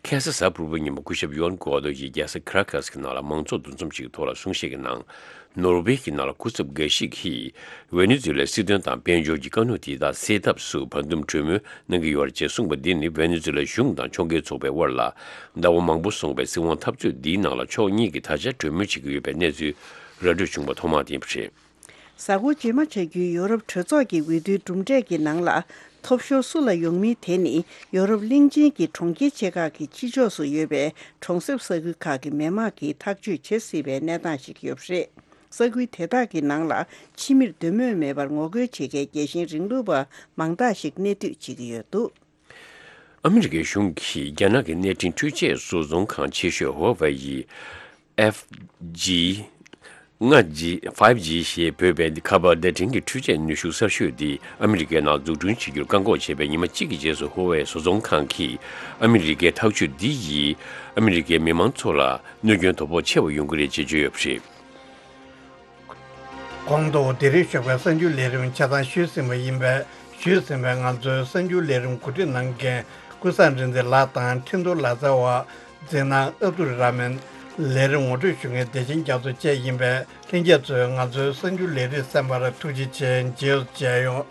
ཁ་སང་གཟའ་ཕུར་བུའི་ཉིན་མོ་སྐུ་ཞབས་ཡུའན་གུའ་དོ་ཡིས་རྒྱལ་ས་ཁ་ར་ཀཱས་ཀྱི་ནང་ལ་མང་ཚོགས་འདུ་འཛོམས་ཤིག་གི་ཐོག་ལ་གསུང་བཤད་ཀྱི་ནང་། ནོར་ཝེ་གྱི་ནང་ལ་སྐུ་ཚབ་འགའ་ཞིག་གིས་ཝེ་ནེ་ཛུ་ལའི་སྲིད་དོན་དང་དཔལ་འབྱོར་གྱི་དཀའ་རྙོག་དེ་དག་སེལ་ཐབས་སུ་བར་འདུམ་གྲོས་མོལ་གནང་གི་ཡོད་ཅེས་གསུངས་པ་འདི་ནི་ཝེ་ནེ་ཛུ་ལའི་གཞུང་དང་ཕྱོགས་འགལ་ཚོགས་པའི་དབར་ལ་ཟླ་བ་མང་པོ་སོང་བའི་སྲིད་དབང་འཐབ་རྩོད་འདིའི་ནང་ལ་ཕྱོགས་གཉིས་ཀྱིས་ད་ཆ་གྲོས་མོལ་བྱེད་ཀྱི་ཡོད་པའི་གནས་ཚུལ་ར་སྤྲོད་བྱུང་བ་ཐོག་མ་དེ་ཡིན་པ་རེད། གཟའ་འཁོར་རྗེས་མ་ཆགས་རྒྱུའི་ཡོ་རོབ་གྲོས་ཚོགས་ཀྱི་འོས་བསྡུའི་གྲུབ་འབྲས་ཀྱི་ནང་ལ། ཐོབ་ཤོར་སུ་ལ་ཡོང་མིན་དེ་ནི་ཡོ་རོབ་གླིང་ཆེན་གྱི་གྲོང་ཁྱེར་ཆེ་ཁག་གི་ཕྱི་ཕྱོགས་སུ་ཡོད་པའི་གྲོང་གསེབ་ས་ཁུལ་ཁག་གི་མི་དམངས་ཀྱིས་ཐག་གཅོད་བྱེད་སྲིད་པའི་གནས་སྟངས་ཤིག་ཡོད་པ་རེད། ས་ཁུལ་དེ་དག་གི་ནང་ལ་ཕྱི་མིར་འདོད་མོས་མེད་པར་ངོ་རྒོལ་བྱེད་མཁན་རྒྱལ་ཞེན་རིང་ལུགས་པ་མང་དག་ཞིག་གནས་སྡོད་བྱེད་ཀྱི་ཡོད་འདུག། ཨ་མི་རི་ཀའི་གཞུང་གིས་རྒྱ་ནག་གི་གནས་འཕྲིན་འཕྲུལ་ཆས་བཟོ་ཚོང་ཁང་ཆེ་ཤོས་ཧོ་ཝེ་ཡི་ཨེཕ་ཇི་ ལྔ་ཇི། ཕའིབ་ཇི་ཞེས་འབོད་པའི་ཁ་པར་བརྡ་འཕྲིན་གྱི་འཕྲུལ་ཆས་ནུས་ཤུགས་གསར་ཤོས་འདི་ཨ་མི་རི་ཀའི་ནང་འཛུགས་སྐྲུན་བྱེད་རྒྱུར་བཀག་འགོག་བྱས་པའི་ཉི་མ་གཅིག་གི་རྗེས་སུ། ཧུ་ཝེ་བཟོ་ཚོང་ཁང་གིས་ཨ་མི་རི་ཀའི་ཐག་གཅོད་འདི་ཡིས་ཨ་མི་རི་ཀའི་མི་མང་ཚོ་ལ་གནོད་སྐྱོན་དོ་ཕོག་ཆེ་བ་ཡོང་གི་རེད་ཅེས་བརྗོད་ཡོད་པ་རེད། གོང་དུ་དེ་རིང་ཞོགས་པའི་གསར་འགྱུར་ལས་རིམ་ཆ་ཚང་ཞུས་ཟིན་པ་ཡིན་པས། ཞུས་ཟིན་པའི་ང་ཚོའི་གསར་འགྱུར་ལས་རིམ་གོ་སྒྲིག་གནང་མཁན་ཀུན་བཟང་མགྲིན་བརྩེ་ལགས་དང་། འཕྲིན་གཏོང་ལག་རྩལ་བ་འཛིན་གནང་ཨབ་དུ་ར་མན། ལས་རིམ་ངོ་སྤྲོད་ཞུ་མཁན་བདེ་ཆེན་རྒྱ་མཚོ་བཅས་ཡིན་པས། ལྷན་རྒྱས་ཚོས་ང་ཚོའི་གསར་འགྱུར་ལས་རིམ་གསན་པར་ཐུགས་རྗེ་ཆེ། མཇལ་མཇལ་ཡོང་།